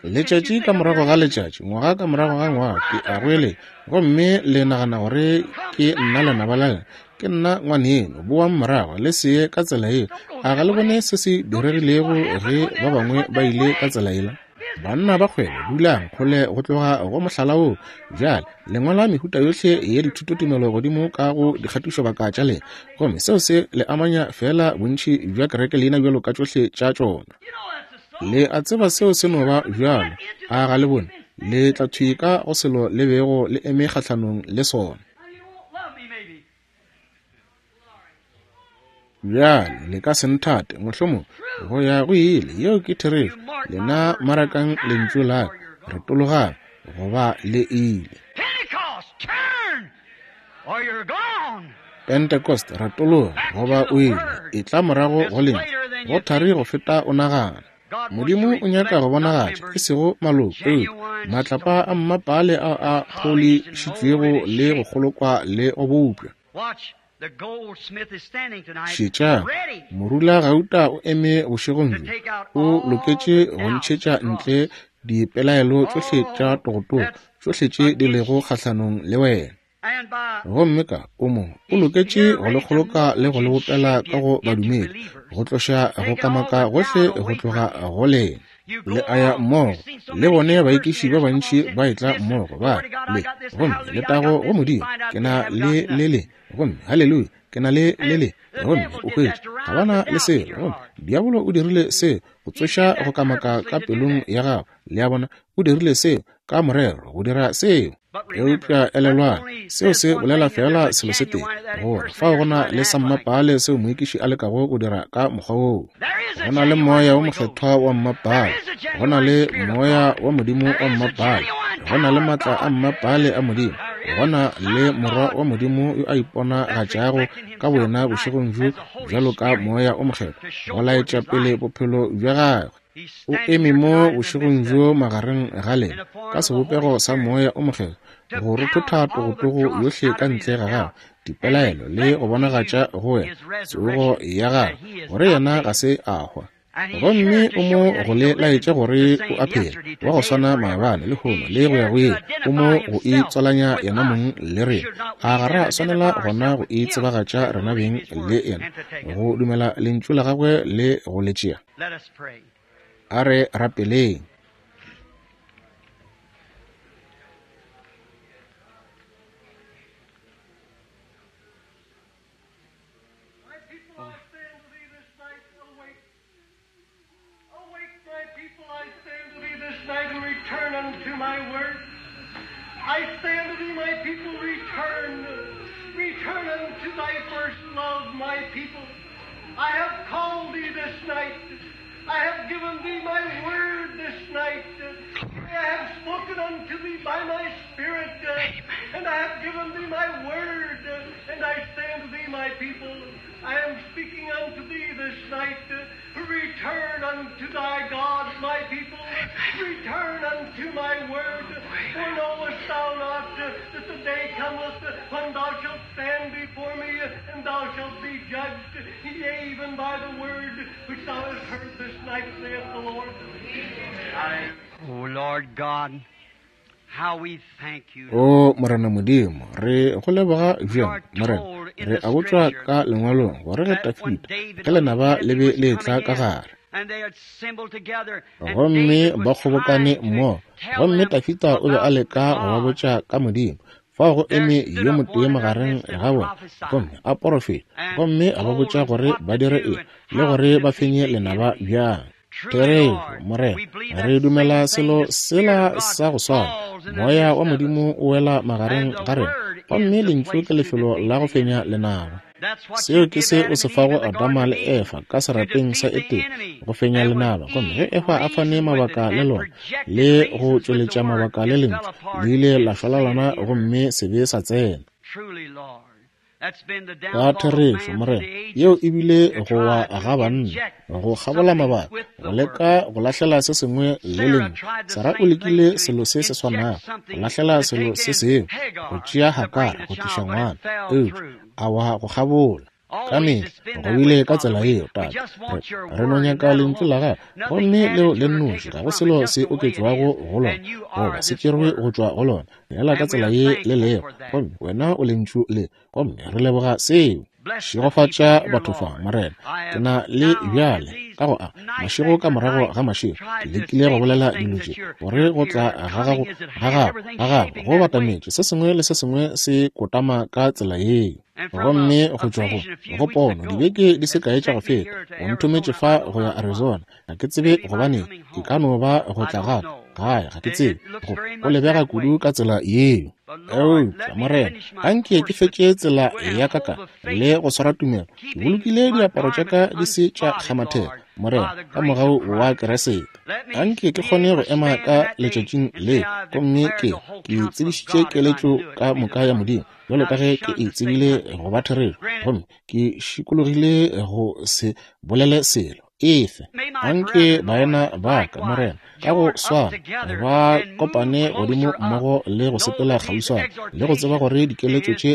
Speaker 2: Letšatši ka morago ga letšatši, ngwaga ka morago ga ngwaga, ke a goeletša, gomme le nagana gore ke nna lenaba la lena. Ke nna ngwaneno, boang morago, le se ye ka tsela yeo. A ga le bone se se diregilego ge ba bangwe ba ile ka tsela yela? Banna ba kgwebo, dulang kgole go tloga go mohlala woo. Bjale, le ngwala mehuta yohle ya dithutotumelo godimo ka go dikgatišobaka tša lena, gomme seo se le amanya feela bontši bja kereke leina bjalo ka tšohle tša tšona. Le a tseba seo se no ba bjalo, a ga le bone? Le tla thwi ka go selo le bego le eme kgahlanong le sona. Bjale le ka se nthate, mohlomong, go ya go ile. Yeo ke therešo. Lena marakang lentšu la ka, retologang, goba le ile. Pentecost, retologa, goba o ile. Etla morago go lentšu. Go thari go feta o nagana. Modimo o nyaka go bonagatša, e sego maloko, eupša matlapa a mmapaale ao a pholišitšwego le go kgolokwa le go bopša. Šetšang, morulagauta o eme bošegong bjo, o loketše go ntšhetša ntle dipelaelo tšohle tša togotogo, tšohle tše di lego kgahlanong le wena. Gomme ka o mo o loketše go le kgoloka le go le bopela ka go badumedi, go tloša go kamaka gohle go tloga go lena. Le a ya mmogo le bone baekiši ba bantši ba etla mmogo, ba le, gomme letago go Modimo, ke na le le le, gomme haleluya. Ke na le le le. Gomme o hwetše ga ba na le selo. Gomme diabolo o dirile seo go tsoša go kamaka ka pelong ya gago. Le a bona, o dirile seo ka morero go dira seo. Eupša elelwang, seo se bolela feela selo se tee, gore fao go na le sammapaale seo moekiši a lekago go dira ka mokgwa woo. Go na le Moya wo Mokgethwa wa mmapaale, go na le Moya wa Modimo wa mmapaale, go na le maatla a mmapaale a Modimo, go na le Morwa wa Modimo yo a iponagatšago ka boyena bošegong bjo bjalo ka Moya o Mokgethwa, go laetša pele bophelo bja gagwe. O eme mo bošegong bjo magareng ga lena ka sebopego sa Moya o Mokgethwa, go rothotha togotogo yohle ka ntle ga gagwe, dipelaelo, le go bonagatša go wena tsogo ya gagwe, gore yena ga se a hwa. Gomme o mo go le laetša gore o a phela, wa go swana maabane, lehono, le go ya go ile. O mo go itswalanya yena mong le rena. A ga ra swanela gona go itsebagatša rena beng le yena, go dumela lentšu la gagwe le go le tšea? A re rapeleng.
Speaker 3: My people, I say unto thee this night, awake. Awake, my people, I say unto thee this night, and return unto my word. I say unto thee, my people, return. Return unto thy first love, my people. I have called thee this night. I have given thee my word this night. I have spoken unto thee by my Spirit, and I have given thee my word, and I say unto thee, my people, I am speaking unto thee this night. Return unto thy God, my people. Return unto my word. For knowest thou not that the day cometh when thou shalt stand before me, and thou shalt be judged, yea, even by the word which thou hast heard this night, saith the Lord.
Speaker 1: Oh, Lord God, how we thank you.
Speaker 2: O Morena Modimo, re go leboga bjang, Morena. Re a botšwa ka lengwalong gore ge Dafida ge lenaba le be le etla ka gare, gomme ba kgobokane mmogo, gomme Dafida o be a leka go ba botša ka Modimo. Fao go eme yo motee magareng ga bona, gomme a porofeta, gomme a ba botša gore ba dire eng le gore ba fenye lenaba bjang. Therešo, Morena, re dumela selo sela sa go swana. Moya wa Modimo o wela magareng ga rena, gomme lentšu ke lefelo la go fenya lenaba. Seo ke se o se fago Adama le Efa ka serapeng sa Etene, go fenya lenaba. Gomme ge Efa a fane mabaka le lona le go tšweletša mabaka le lentšu, le ile la šwalalana gomme sebe sa tsena. Ka therešo, Morena, yeo e bile go wa ga banna, go kgabola mabaka, go leka go lahlela se sengwe le lentšu. Sara o lekile selo se se swanago, go lahlela selo se sengwe, go tšea Hakara go tliša ngwana, eupša a wa go kgabola. Ka mehla go bile ka tsela yeo, Tate. Re no nyaka lentšu la gago, gomme leo le nnoši, ga go selo se oketšwago go lona goba se tšerwe go tšwa go lona, feela ka tsela ye le lego, gomme wena o lentšu le, gomme re leboga seo. Šegofatša batho fa, Morena. Ke na le bjale ka go a mašego ka morago ga mašego ke lekile go bolela dilo tše, gore go tla ga gago ga gago ga gago go batametše, se sengwe le se sengwe se kotama ka tsela yeo. Gomme go tšwa go pono dibeke di se kae tša go feta, o nthometše fa go ya Arizona. Ga ke tsebe gobaneng, e ka no ba go tla gape gae, ga ke tsebe. Go lebega kudu ka tsela yeo. Eupša Morena, anke ke fetše tsela ya ka ka le go swara tumelo, ke bolokile diaparo tša ka di se tša kgamathega, Morena, ka mogau wa Keresete. Anke ke kgone go ema ka letšatšing le, gomme ke tsebišitše keletšo ka moka ya Modimo, bjalo ka ge ke e tsebile go ba therešo, gomme ke šikologile go se bolele selo efe. Anke baena ba ka, Morena, ka go swana ba kopane godimo mmogo le go sepela kgauswana, le go tseba gore dikeletšo tše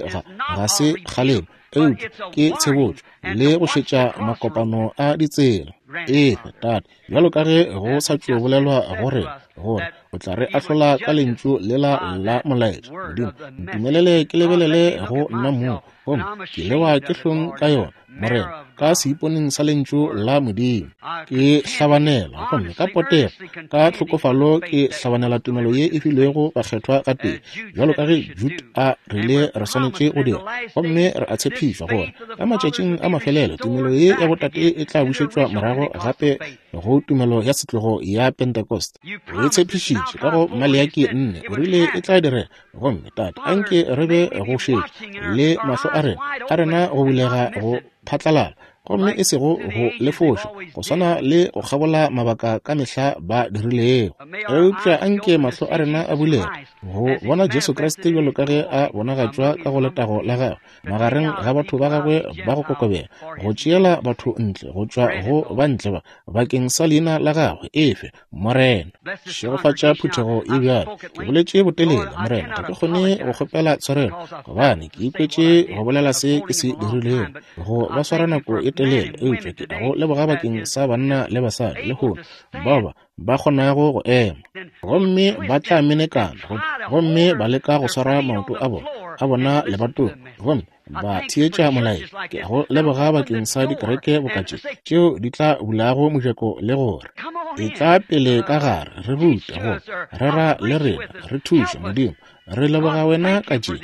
Speaker 2: ga se kgalemo, eupša ke tshebotšo, le go šetša makopano a ditsela. Efe, Tate, bjalo ka ge go sa tšo bolelwa gore gore o tla re ahlola ka lentšu lela la molaetša. Modimo, ntumelele ke lebelele go nna mong, gomme ke lewa ke hlong ka yona. Morena, ka seiponeng sa Lentšu la Modimo. Ke hlabanela, gomme ka potego, ka tlhokofalo ke hlabanela tumelo ye e filwego bakgethwa gatee, bjalo ka ge Jude a rile re swanetše go dira. Gomme re a tshepišwa gore ka matšatšing a mafelelo tumelo ye ya botate e tla bušetšwa morago gape go tumelo ya setlogo ya Pentecost. O e tshepišitše ka go Maleaki 4, o rile e tla direga. Gomme Tate, anke re be go šetša le mahlo a rena, a rena go bulega go phatlalala, gomme e sego go lefoša, go swana le go kgabola mabaka ka mehla ba dirilego. Eupša anke mahlo a rena a bulege go bona Jesu Kriste bjalo ka ge a bonagatšwa ka go letago la gagwe magareng ga batho ba gagwe ba go kokobela, go tšeela batho ntle go tšwa go ba ntle ba bakeng sa leina la gagwe. Efe, Morena. Šegofatša phuthego ye bjalo. Ke boletše botelele, Morena, ga ke kgone go kgopela tshwarelo, gobane ke ikwetše go bolela se ke se dirilego, go ba swara nako e telele. Eupša ke a go leboga bakeng sa banna le basadi lehono bao ba ba kgonago go ema, gomme ba tla menekana, gomme ba leka go swara maoto a bona, a bona lebatong, gomme ba theetša molaetša. Ke a go leboga bakeng sa dikereke boka tše, tšeo di tla bulago mojako le gore e tla pele ka gare, re rute, go rera le rena, re thuše. Modimo, re leboga wena ka tše.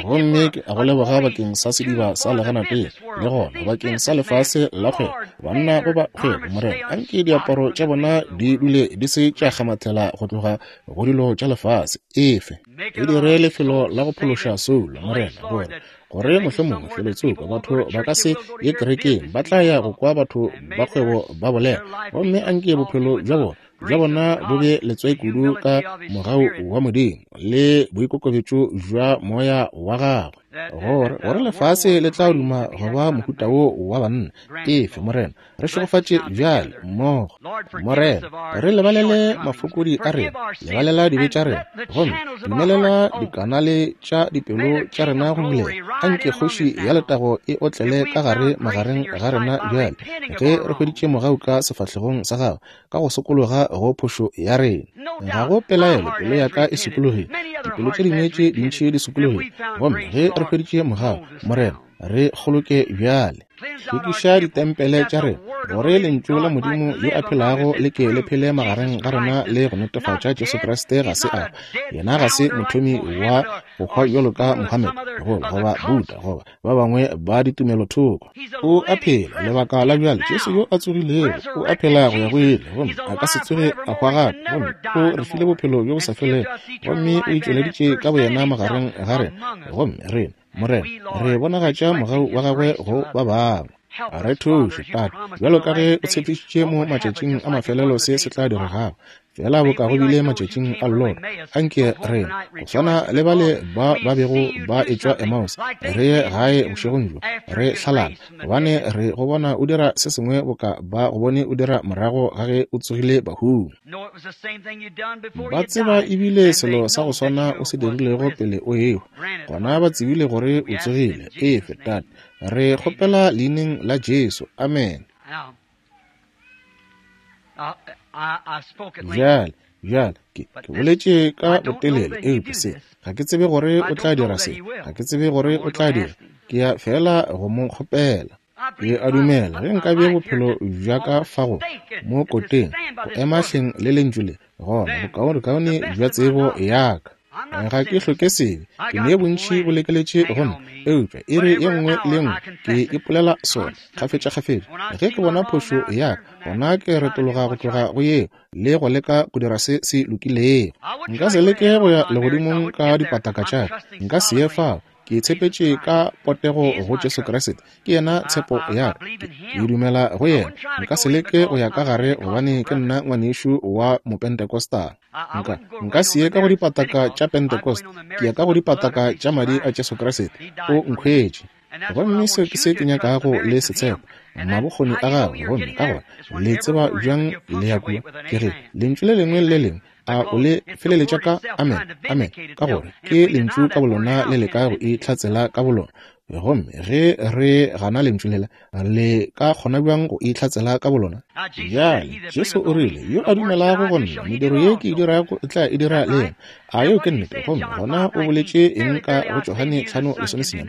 Speaker 2: Gomme ke a go leboga bakeng sa sediba sa leganateng, le gona bakeng sa lefase la kgwebo, banna goba kgwebo. Morena, anke diaparo tša bona di dule di se tša kgamathela go tloga go dilo tša lefase. Efe. E dire lefelo la go phološa soulo, Morena, gore, gore mohlomongwe felotsoko batho ba ka se ye kerekeng, ba tla ya go kwa batho ba kgwebo ba bolela, gomme anke bophelo bja bona, bja bona bo be letswai kudu ka mogau wa Modimo le boikokobetšo bja Moya wa gagwe, gore, gore lefase le tla duma go ba mohuta wo wa banna. Efe, Morena, re šegofatše bjale mmogo. Morena, re lebalele mafokodi a rena, lebalela dibe tša rena, gomme dumelela dikanale tša dipelo tša rena go bulega. Anke Kgoši ya Letago e otlele ka gare magareng ga rena bjale, ge re hweditše mogau ka sefahlegong sa Gago, ka go sokologa go phošo ya rena. Ga go pelaelo pelo ya ka e sokologile, dipelo tše dingwe tše dintši di sokologile, gomme ge re hweditše mogau, Morena, re kgoloke bjale. Hlwekiša ditempele tša rena, gore Lentšu la Modimo yo a phelago le ke le phele magareng ga rena le go netefatša Jesu Kriste ga se a hwa. Yena ga se mothomi wa go hwa bjalo ka Mohammed, goba, goba Buddha, goba ba bangwe ba ditumelothoko. O a phela lebaka la bjale. Jesu yo a tsogilego o a phela go ya go ile, gomme a ka se tsoge a hwa gape, gomme o re file bophelo bjo bo sa felego, gomme o itšweleditše ka boyena magareng ga rena, gomme rena, Morena, re bonagatša mogau wa gagwe go ba bangwe. Re thuše, Tate, bjalo ka ge o tshepišitše mo matšatšing a mafelelo se se tla diregago, feela boka go bile matšatšing a Lota. Anke rena, go swana le bale ba ba bego ba etšwa Emmaus, re ye gae bošegong bjo, re hlalala, gobane re go bona o dira se sengwe boka ba go bone o dira morago ga ge o tsogile bahung. Ba tseba ebile selo sa go swana o se dirilego pele o ehwa, gona ba tsebile gore o tsogile. Efe, Tate, re kgopela Leineng la Jesu. Amene. Bjale, bjale, ke, ke boletše ka botelele, eupša se, ga ke tsebe gore o tla dira se, ga ke tsebe gore o tla dira. Ke ya feela go mo kgopela. Ke a dumela ge nka bea bophelo bja ka fa go mo koteng, go ema hleng le Lentšu le, gona bokaonekaone bja tsebo ya ka. Ga ke hloke sebe, ke ne bontši bo lekeletše go nna, eupša iri ye nngwe le ye nngwe ke ipolela sona kgafetšakgafetša. Ge ke bona phošo ya ka, gona ke retologa go tloga go yeo le go leka go dira se se lokilego. Nka se leke go ya legodimong ka dipataka tša ka, nka se ye fao. Ke tshepetše ka potego go Jesu Kriste. Ke yena tshepo ya ka. Ke, ke dumela go yena. Nka se leke go ya ka gare gobane ke nna ngwanešu wa Mopentecostal. Nka, nka se ye ka go dipataka tša Pentecost. Ke ya ka go dipataka tša madi a Jesu Kriste. O nkhwetše. Gomme seo ke se ke nyakago le se tshepa, mabokgoni a gagwe. Gomme ka gona le tseba bjang le ya kua? Ke ge Lentšu le lengwe le le lengwe a o le feleletša ka amen, amen, ka gore ke Lentšu ka bolona le leka go itlhatsela ka bolona. Gomme ge re gana Lentšu lela, le ka kgona bjang go itlhatsela ka bolona? Bjale, Jesu o rile, Yo a dumelago go Nna, mediro ye Ke e dirago o tla e dira le yena. A yeo ke nnete? Gomme gona o boletše eng ka go Johane 5:19?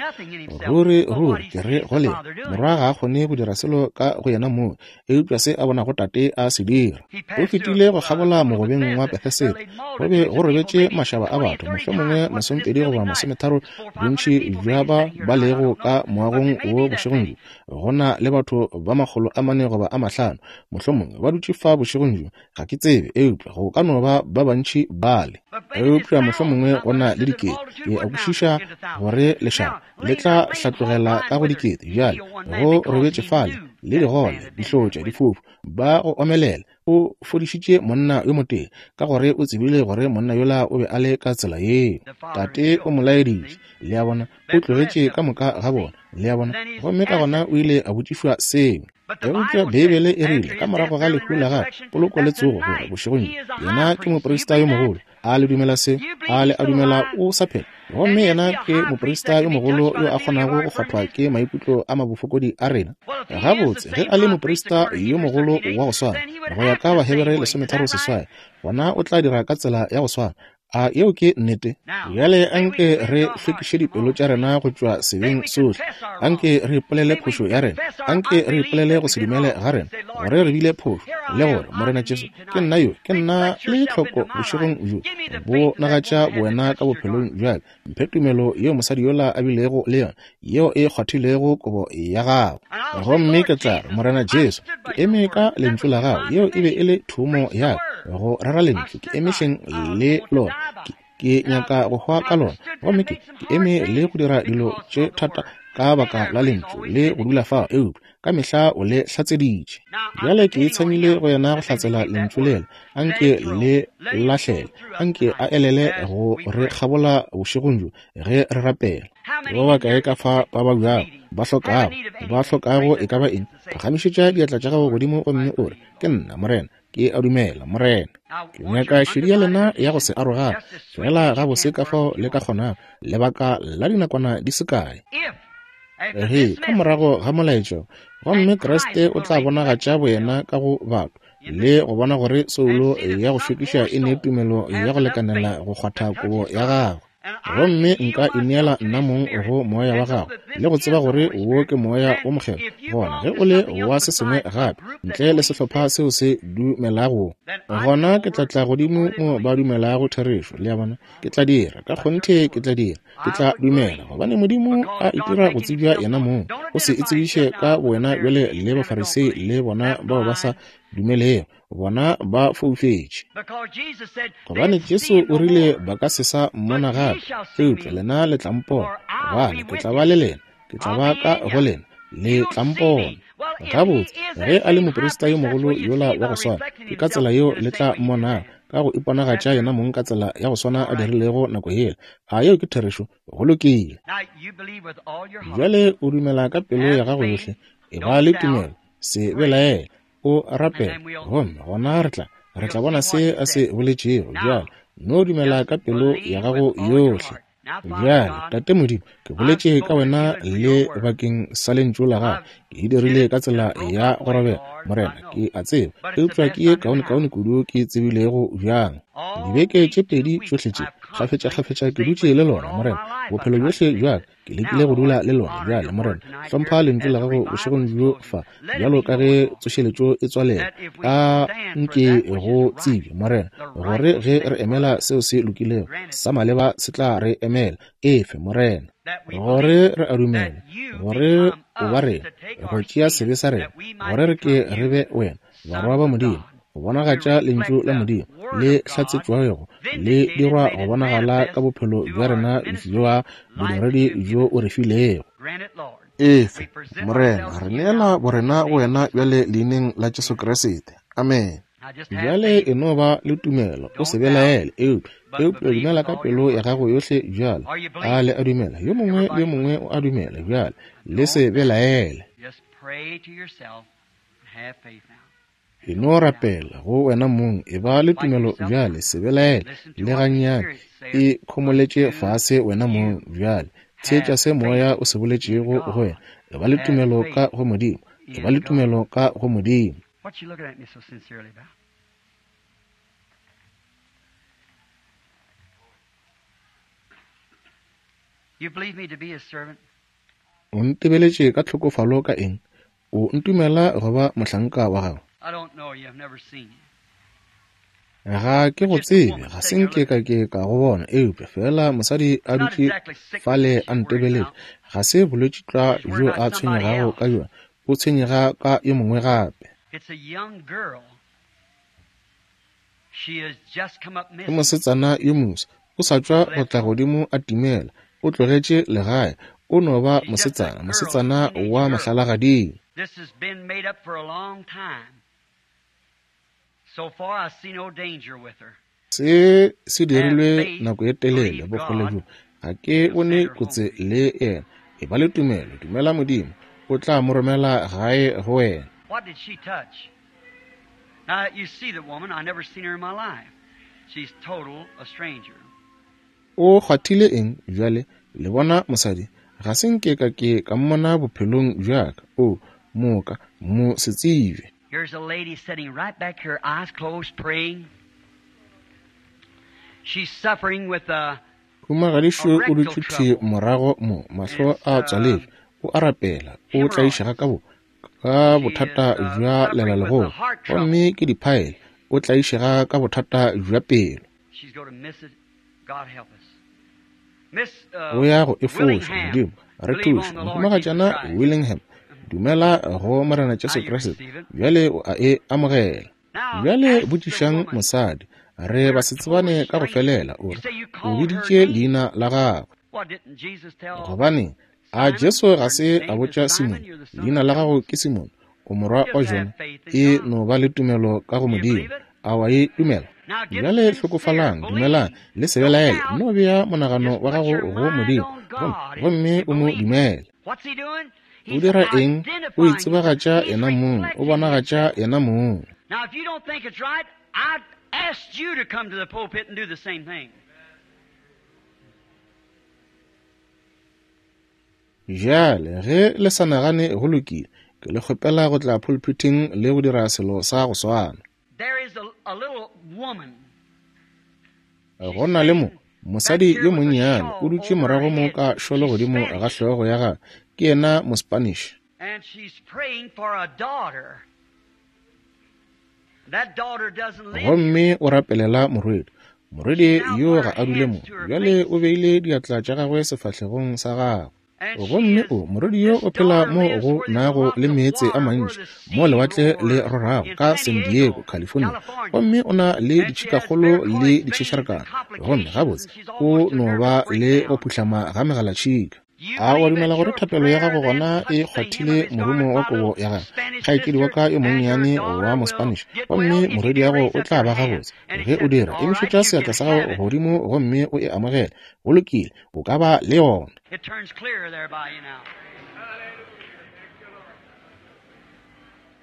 Speaker 2: Ruri, ruri, Ke re go lena, Morwa ga a kgone go dira selo ka go yena mong, eupša se a bonago Tate a se dira. O fetile go kgabola mogobeng wa Betheseda. Go be go robetše mašaba a batho, mohlomongwe 20 goba 30, bontši bja ba ba lego ka moagong wo bošegong bjo. Go na le batho ba 400 goba a 500, mohlomongwe, ba dutše fa bošegong bjo. Ga ke tsebe, eupša go ka no ba ba bantši bale. Eupša mohlomongwe go na le dikete. Ke a kwešiša gore lešaba le tla hlatlogela ka go dikete. Bjale, go robetše fale le digole, dihlotša, difofu, ba go omelela. O fodišitše monna yo motee, ka gore o tsebile gore monna yola o be a le ka tsela yeo. Tate o mo laeditše. Le a bona, o tlogetše ka moka ga bona. Le a bona? Gomme ka gona o ile a botšišwa seo. Eupša Beibele e rile, ka morago ga lehu la gagwe, poloko le tsogo, gore bošegong bjo, yena ke moprista yo mogolo. A le dumela se? A le a dumela o sa phela? Gomme yena ke moprista yo mogolo yo a kgonago go kgwathwa ke maikutlo a mabofokodi a rena. Gabotse, ge a le moprista yo mogolo wa go swana, go ya ka Bahebere 13:8, gona o tla dira ka tsela ya go swana. A yeo ke nnete? Bjale anke re hlwekiše dipelo tša rena go tšwa sebeng sohle. Anke re ipolele phošo ya rena. Anke re ipolele go se dumele ga rena, gore re bile phošo, le gore, Morena Jesu, ke nna yo, ke nna le tlhoko bošegong bjo. Bonagatša bowena ka bophelong bja ka. Mphe tumelo yeo mosadi yola a bilego le yona, yeo e kgwathilego kobo ya gago. Gomme ke tla re, Morena Jesu, ke eme ka Lentšu la Gago. Yeo e be e le thomo ya ka, go rera Lentšu. Ke eme hleng le lona. Ke, ke nyaka go hwa ka lona. Gomme ke, ke eme le go dira dilo tše thata ka baka la Lentšu, le go dula fao, eupša ka mehla o le hlatseditše. Bjale ke itshamile go yena go hlatsela lentšu lela. Anke le lahlele, anke a elele go re kgabola bošegong bjo ge re rapela. Ke ba bakae ka fa ba babjago, ba hlokago, ba hlokago e ka ba eng? Phagamišetša diatla tša gago godimo gomme o re, Ke nna, Morena. Ke a dumela, Morena. Ke nyaka šedi ya lena ya go se arogane, feela gabose ka fao le ka kgonago, lebaka la dinakwana di se kae. Ge, ka morago ga molaetšo, gomme Kriste o tla bonagatša boyena ka go batho, le go bona gore soulo ya go šokiša e ne tumelo ya go lekanela go kgwatha kobo ya gagwe. Gomme nka ineela nna mong go moya wa gago, le go tseba gore wo ke moya wo mokgethwa. Gona ge o le wa se sengwe gape ntle le sehlopha seo se dumelago, gona ke tla tla godimo mo ba dumelago therešo. Le a bona? Ke tla dira, ka kgonthe ke tla dira. Ke tla dumela, gobane Modimo a itira go tsebja yena mong. O se itsebiše ka bowena bjale le Bafarisei le bona bao ba sa dumelego, bona ba foufetše. Gobane Jesu o rile ba ka se sa mmona gape, eupša lena le tla mpona, gobane ke tla ba le lena, ke tla ba ka go lena, le tla mpona. Gabotse, ge a le moprista yo mogolo yola wa go swana, ke ka tsela yeo le tla mmonago, ka go iponagatša yena mong ka tsela ya go swana a dirilego nako yela. A yeo ke therešo? Go lokile. Bjale o dumela ka pelo ya gago yohle, e ba le tumelo, se belaele, o rapele, gomme gona re tla, re tla bona se a se boletšego. Bjale no dumela ka pelo ya gago yohle. Bjale, Tate Modimo, ke boletše ka Wena le bakeng sa Lentšu la Gago. Ke e dirile ka tsela ya go robega, Morena, ke a tseba, eupša ke ye kaonekaone kudu ke tsebilego bjang. Dibeke tše pedi tšohle tše, kgafetšakgafetša ke dutše le Lona, Morena, bophelo bjohle bja ka. Ke lekile go dula le Lona. Bjale, Morena, hlompha Lentšu la Gago bošegong bjo fa, bjalo ka ge tsošeletšo e tswalela. A nke go tsebje, Morena, gore ge re emela seo se lokilego, sa maleba se tla re emela. Efe, Morena, gore re a dumela gore o ba rena, go tšea sebe sa rena, gore re ke re be wena, barwa ba Modimo, go bonagatša Lentšu la Modimo le hlatsetšwego le dirwa go bonagala ka bophelo bja rena bja bodiredi bjo o re filego. Efe, Morena, re neela borena go wena bjale Leineng la Jesu Kriste. Amene. Bjale e no ba le tumelo, o se belaele, eupša, eupša dumela ka pelo ya gago yohle bjale. A le a dumela? Yo mongwe le yo mongwe o a dumela bjale. Le se belaele. E no rapela go wena mong, e ba le tumelo bjale, se belaele le gannyane, e khomoletše fase wena mong bjale. Theetša se Moya o se boletšego go wena. E ba le tumelo ka go Modimo. E ba le tumelo ka go Modimo.
Speaker 1: What you looking at me so sincerely about? You believe me to be his servant?
Speaker 2: O ntebeletše ka tlhokofalo ka eng? O ntumela go ba mohlanka wa gago?
Speaker 1: I don't know you. I've never seen you.
Speaker 2: Ga ke go tsebe, ga se nke ka ke ka go bona, eupša fela mosadi a dutše fale a ntebeletše. Ga se bolwetši tlwa bjo a tshwenyegago ka bjona, o tshwenyega ka yo mongwe gape.
Speaker 1: It's a young girl. She has just come up
Speaker 2: Ke
Speaker 1: missing.
Speaker 2: mosetsana yo moswa, o sa tšwa go tla godimo a timela, o tlogetše legae, o no ba mosetsana, mosetsana wa mahlalagading.
Speaker 1: This has been made up for a long time. So far, I see no danger with her.
Speaker 2: Se se dirilwe nako ye telele, bokgole bjo ga ke bone kotsi le yena. E ba le tumelo, dumela Modimo, o tla mo romela gae go wena.
Speaker 1: What did she touch? Now, you see the woman. I never seen her in my life. She's total a stranger.
Speaker 2: O kgwathile eng bjale? Le bona mosadi, ga se nke ka ke ka mmona bophelong bja ka. O moka mo se tsebe.
Speaker 1: Here's a lady sitting right back here, eyes closed, praying. She's suffering with a
Speaker 2: Humagadišo o dutše thwi morago mo, mahlo a tswaletšwe, o a rapela, o tlaišega ka bo ka bothata bja lelalegolo, gomme ke diphaele, o tlaišega ka bothata bja pelo.
Speaker 1: She's going to miss it. God help us. Miss
Speaker 2: O ya go e foša,
Speaker 1: Willingham,
Speaker 2: Modimo re
Speaker 1: believe
Speaker 2: thuše.
Speaker 1: on the Lord Jesus
Speaker 2: Mohumagatšana
Speaker 1: Christ.
Speaker 2: Willingham, dumela go Morena Jesu Kriste, bjale o a e amogela.
Speaker 1: Now,
Speaker 2: Bjale
Speaker 1: ask the
Speaker 2: botšišang
Speaker 1: woman.
Speaker 2: mosadi, re ba se tsebane ka go felela, o re o biditše leina la gagwe.
Speaker 1: What didn't Jesus tell?
Speaker 2: Gobane a Jesu ga se a botša Simone, leina la gago ke Simone, o morwa wa Jona, e no ba le tumelo ka go Modimo. A wa e dumela?
Speaker 1: Now get
Speaker 2: Bjale
Speaker 1: sincere.
Speaker 2: hlokofalang,
Speaker 1: Believe.
Speaker 2: dumelang, le se
Speaker 1: Don't
Speaker 2: belaele,
Speaker 1: doubt.
Speaker 2: no bea monagano
Speaker 1: Just
Speaker 2: wa
Speaker 1: put
Speaker 2: gago
Speaker 1: your
Speaker 2: go
Speaker 1: mind
Speaker 2: Modimo,
Speaker 1: on God
Speaker 2: gomme
Speaker 1: and
Speaker 2: o mo
Speaker 1: believe.
Speaker 2: dumele.
Speaker 1: What's he doing?
Speaker 2: O
Speaker 1: He's
Speaker 2: dira eng? O
Speaker 1: identifying
Speaker 2: itsebagatša
Speaker 1: himself. He's
Speaker 2: yena mong, o
Speaker 1: reflecting
Speaker 2: bonagatša
Speaker 1: himself.
Speaker 2: yena mong.
Speaker 1: Now, if you don't think it's right, I asked you to come to the pulpit and do the same thing.
Speaker 2: Bjale ge le sa nagane go lokile, ke le kgopela go tla pulpiting le go dira selo sa go swana.
Speaker 1: There is a little woman.
Speaker 2: Go na le mo mosadi yo monnyane o dutše morago mo ka šolo godimo ga hlogo ya gagwe, ke yena Mospanish.
Speaker 1: And she's praying for a daughter. That daughter doesn't live here.
Speaker 2: Gomme o rapelela morwedi. Morwedi yo ga a dule mo. Bjale o beile diatla tša gagwe sefahlegong sa gagwe.
Speaker 1: And she
Speaker 2: Gomme
Speaker 1: is,
Speaker 2: o morwedi yo
Speaker 1: this
Speaker 2: o phela
Speaker 1: daughter
Speaker 2: mo
Speaker 1: lives
Speaker 2: go
Speaker 1: where there's
Speaker 2: nago
Speaker 1: lots
Speaker 2: le
Speaker 1: of
Speaker 2: meetse a
Speaker 1: water, where
Speaker 2: mantši,
Speaker 1: the
Speaker 2: mo
Speaker 1: sea
Speaker 2: lewatle le
Speaker 1: roars
Speaker 2: rorago
Speaker 1: in
Speaker 2: ka
Speaker 1: San
Speaker 2: San
Speaker 1: Diego,
Speaker 2: Diego, California.
Speaker 1: California.
Speaker 2: Gomme o na le
Speaker 1: And she has
Speaker 2: ditšhikakgolo le
Speaker 1: varicose veins and
Speaker 2: ditšhešarekana. Gomme
Speaker 1: complications,
Speaker 2: gabotse
Speaker 1: and she's
Speaker 2: o
Speaker 1: almost to
Speaker 2: no
Speaker 1: nervous
Speaker 2: ba le go
Speaker 1: breakdown.
Speaker 2: phuhlama ga megalatšhika.
Speaker 1: You
Speaker 2: A wa
Speaker 1: believe
Speaker 2: dumela
Speaker 1: that
Speaker 2: gore
Speaker 1: your
Speaker 2: thapelo ya
Speaker 1: prayer
Speaker 2: gago
Speaker 1: then
Speaker 2: gona e
Speaker 1: touched the hem of
Speaker 2: kgwathile
Speaker 1: his
Speaker 2: morumo
Speaker 1: garment,
Speaker 2: wa
Speaker 1: my
Speaker 2: kobo
Speaker 1: little
Speaker 2: ya gagwe?
Speaker 1: Spanish
Speaker 2: Kgaetšedi wa
Speaker 1: sister,
Speaker 2: ka yo
Speaker 1: and your
Speaker 2: monnyane wa
Speaker 1: daughter will
Speaker 2: Mospanish,
Speaker 1: get
Speaker 2: gomme
Speaker 1: well if you
Speaker 2: morwedi
Speaker 1: can
Speaker 2: yago
Speaker 1: raise
Speaker 2: o
Speaker 1: up
Speaker 2: tla
Speaker 1: your
Speaker 2: ba
Speaker 1: hand
Speaker 2: gabotse.
Speaker 1: and
Speaker 2: Ge o
Speaker 1: accept it.
Speaker 2: dira,
Speaker 1: All right,
Speaker 2: emišetša
Speaker 1: you
Speaker 2: seatla
Speaker 1: can
Speaker 2: sa
Speaker 1: have
Speaker 2: gago
Speaker 1: it.
Speaker 2: godimo gomme o e amogele. Go lokile, o ka ba le yona.
Speaker 1: It turns clear there by you now.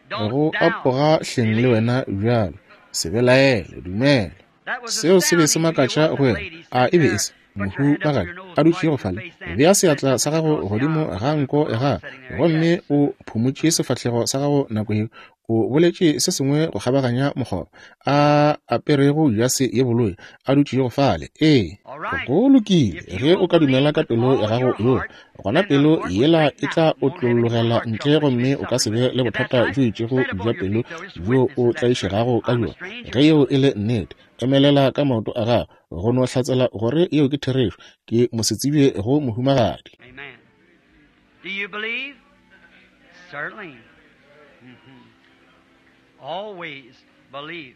Speaker 1: Don't
Speaker 2: Go
Speaker 1: doubt.
Speaker 2: apoga hleng le
Speaker 1: Believe.
Speaker 2: wena bjalo, se belaele, dumela.
Speaker 1: That was
Speaker 2: Seo se be se
Speaker 1: astounding to you,
Speaker 2: makatša
Speaker 1: wasn't
Speaker 2: go
Speaker 1: it,
Speaker 2: yena?
Speaker 1: lady
Speaker 2: A
Speaker 1: sitting
Speaker 2: e be e
Speaker 1: there?
Speaker 2: se
Speaker 1: Put your hand up to
Speaker 2: mohumagadi
Speaker 1: your nose
Speaker 2: a
Speaker 1: and
Speaker 2: dutšego
Speaker 1: wipe your
Speaker 2: fale?
Speaker 1: face then.
Speaker 2: Bea
Speaker 1: That
Speaker 2: seatla sa
Speaker 1: something
Speaker 2: gago
Speaker 1: across the
Speaker 2: godimo
Speaker 1: aisle.
Speaker 2: ga nko ya
Speaker 1: Girl
Speaker 2: gagwe,
Speaker 1: sitting there,
Speaker 2: gomme
Speaker 1: yes.
Speaker 2: o phumotše sefahlego sa gago nako yeo. O boletše se sengwe go kgabaganya mokgoba, a aperego jase ye boloi, a dutšego fale. Ee,
Speaker 1: All right.
Speaker 2: go lokile.
Speaker 1: If you
Speaker 2: Ge
Speaker 1: will
Speaker 2: o ka dumela
Speaker 1: believe
Speaker 2: ka
Speaker 1: with
Speaker 2: pelo ya
Speaker 1: all
Speaker 2: gago
Speaker 1: your
Speaker 2: yohle,
Speaker 1: heart,
Speaker 2: gona
Speaker 1: then the
Speaker 2: pelo
Speaker 1: heart will
Speaker 2: yela
Speaker 1: break
Speaker 2: e tla
Speaker 1: out. Won't have any more
Speaker 2: otlologela
Speaker 1: heart
Speaker 2: ntle,
Speaker 1: trouble that you've
Speaker 2: gomme
Speaker 1: been
Speaker 2: o ka se
Speaker 1: suffering
Speaker 2: be
Speaker 1: with.
Speaker 2: le
Speaker 1: If that's
Speaker 2: bothata
Speaker 1: right,
Speaker 2: bjo itšego
Speaker 1: stand up
Speaker 2: bja
Speaker 1: on your
Speaker 2: pelo
Speaker 1: feet, though. Just
Speaker 2: bjo
Speaker 1: witness
Speaker 2: o
Speaker 1: that that's true.
Speaker 2: tlaišegago ka
Speaker 1: I'm a
Speaker 2: bjona.
Speaker 1: stranger.
Speaker 2: Ge yeo e le nnete, emelela ka maoto a gago go no hlatsela gore yeo ke therešo. Ke mosetsebje go mohumagadi.
Speaker 1: Amen. Do you believe? Certainly. Always believe.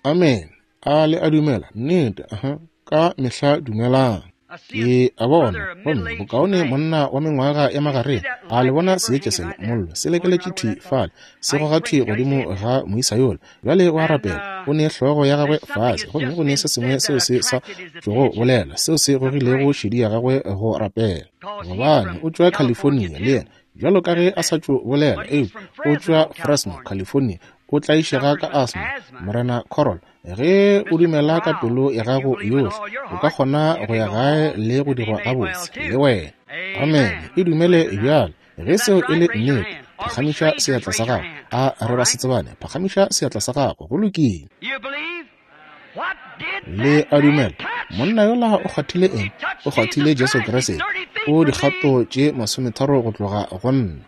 Speaker 2: Amen. A le a dumela? Nnete, aha, ka mehla dumelang.
Speaker 1: I see a
Speaker 2: Ke a bona,
Speaker 1: brother, a
Speaker 2: gomme
Speaker 1: middle-aged
Speaker 2: bokaone
Speaker 1: man.
Speaker 2: monna wa mengwaga ya
Speaker 1: You see
Speaker 2: magareng.
Speaker 1: that
Speaker 2: A le
Speaker 1: light
Speaker 2: bona
Speaker 1: ember
Speaker 2: seetša
Speaker 1: hanging
Speaker 2: sela
Speaker 1: right there,
Speaker 2: mollo se
Speaker 1: going right
Speaker 2: lekeletše
Speaker 1: where
Speaker 2: thwi
Speaker 1: that
Speaker 2: fale, se
Speaker 1: I ain't
Speaker 2: goga thwi
Speaker 1: praying, I
Speaker 2: godimo
Speaker 1: said.
Speaker 2: ga moisa yola. Bjale o a
Speaker 1: And
Speaker 2: rapela, o ne hlogo ya gagwe
Speaker 1: there's something
Speaker 2: fase,
Speaker 1: that's
Speaker 2: gomme
Speaker 1: just
Speaker 2: go ne
Speaker 1: been
Speaker 2: se sengwe
Speaker 1: said
Speaker 2: seo
Speaker 1: that
Speaker 2: se sa
Speaker 1: attracted his
Speaker 2: tšogo
Speaker 1: attention
Speaker 2: bolela, seo se
Speaker 1: to
Speaker 2: gogilego
Speaker 1: pray.
Speaker 2: šedi ya gagwe go rapela.
Speaker 1: Because he's
Speaker 2: Gobane
Speaker 1: from
Speaker 2: o tšwa
Speaker 1: California
Speaker 2: California le
Speaker 1: too.
Speaker 2: yena, bjalo ka ge
Speaker 1: That's
Speaker 2: a sa
Speaker 1: that.
Speaker 2: tšo bolela,
Speaker 1: But he's
Speaker 2: eupša
Speaker 1: from
Speaker 2: o
Speaker 1: Fresno,
Speaker 2: tšwa Fresno,
Speaker 1: California.
Speaker 2: California. O tlaišega ka asma, Morena Corral. Ge o dumela ka pelo ya gago yohle, o ka kgona go ya gae le go dirwa gabotse, le wena. Amene. E dumele bjale. Ge seo e le nnete, phagamiša seatla sa gago. A re ba se tsebane? Phagamiša seatla sa gago. Go lokile. Le a dumela? Monna yola o kgwathile eng? O kgwathile Jesu Kriste. O dikgato tše 30 go tloga go nna.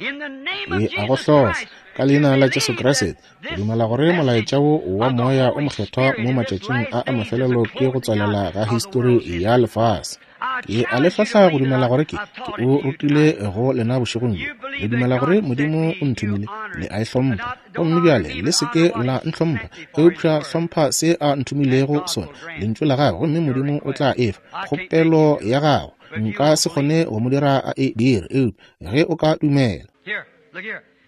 Speaker 2: Ke a go hlohla, ka Leina la Jesu Kriste, go dumela gore molaetša wo wa Moya o Mokgethwa mo matšatšing a a mafelelo ke go tswalela ga histori ya lefase. Ke a le hlohla go dumela gore ke, ke o rutile go lena bošegong bjo. Le dumela gore Modimo o nthomile, le a e hlompha. Gomme bjale le se ke la ntlhompha, eupša hlompha se a nthomilego sona, Lentšu la Gagwe, gomme Modimo o tla e fa kgopelo ya gago. Nka se kgone go mo dira a e dire, eupša ge o ka dumela.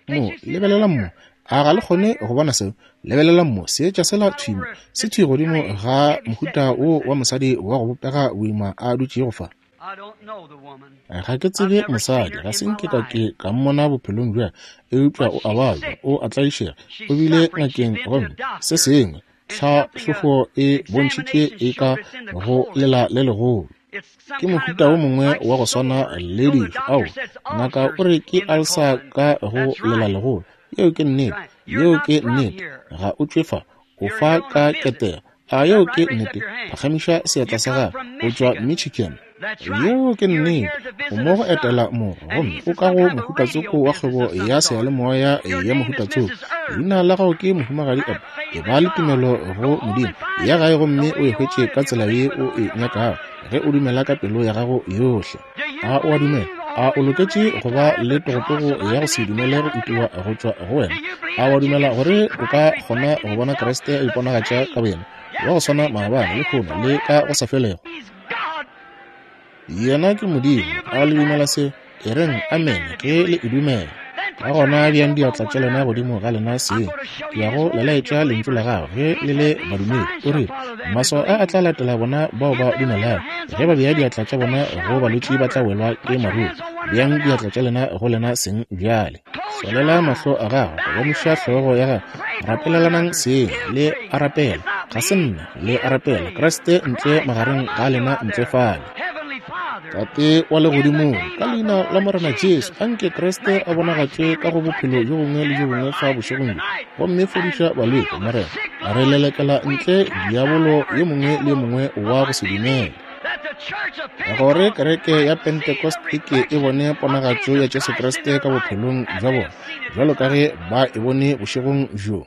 Speaker 2: Mo, lebelelang mo. A ga le kgone go bona seo? Lebelelang mo, seetša sela thwi mo, se thwi godimo ga mohuta wo wa mosadi wa go bopega boima a dutšego fa. Ga ke tsebe mosadi, ga se nke ka ke ka mmona bophelong bja, eupša o a babja, o a tlaišega, o bile ngakeng gomme se sengwe, tlhahlobo e bontšhitše e ka go lela le legolo. Ke mohuta wo mongwe wa go swana le dijo. Ao, ngaka o re ke alsa ka go lela legolo. Yeo ke nnete. Yeo ke nnete. Ga o tšwe fa. O fa ka ketego. A yeo ke nnete? Phagamiša seatla sa gago. O tšwa Michigan. Yeo ke nnete. O mo go etela morwa, gomme o ka go mohutatsoko wa kgwebo ya seyalemoya ya mohutatsoko. Leina la gago ke Mohumagadi Eb. E ba le tumelo go Modimo. Ya gae gomme o e hwetše ka tsela ye o e nyakago, ge o dumela ka pelo ya gago yohle. A o a dumela? A o loketše go ba le togotogo ya go se dumele go itiwa go tšwa go wena? A o a dumela gore o ka kgona go bona Kriste a iponagatša ka boyena, wa go swana maabane, lehono, le ka go sa felego? Yena ke Modimo. A le dumela seo? E reng amene ge le e dumela. Ka gona beang diatla tša lena godimo ga lena seng. Ke ya go le laetša Lentšu la Gagwe ge le le badumedi. O rile, Maswao a a tla latela bona bao ba dumelago. Ge ba bea diatla tša bona go balwetši ba tla welwa ke maruru. Beang diatla tša lena go lena seng bjale. Tswalela mahlo a gago, gomiša hlogo ya gago, rapelelanang seng, le a rapela. Ga se nna, le a rapela. Kriste ntle magareng ga lena ntle fale. Tate wa Legodimong, ka Leina la Morena Jesu, a nke Kriste a bonagatšwe ka go bophelo bjo bongwe le bjo bongwe fa bošegong bjo, gomme fodiša balwetši, Morena. Re lelekela ntle diabolo yo mongwe le yo mongwe wa go se dumele. Gore kereke ya Pentecost e ke e bone ponagatšo ya Jesu Kriste ka bophelong bja bona, bjalo ka ge ba e bone bošegong bjo.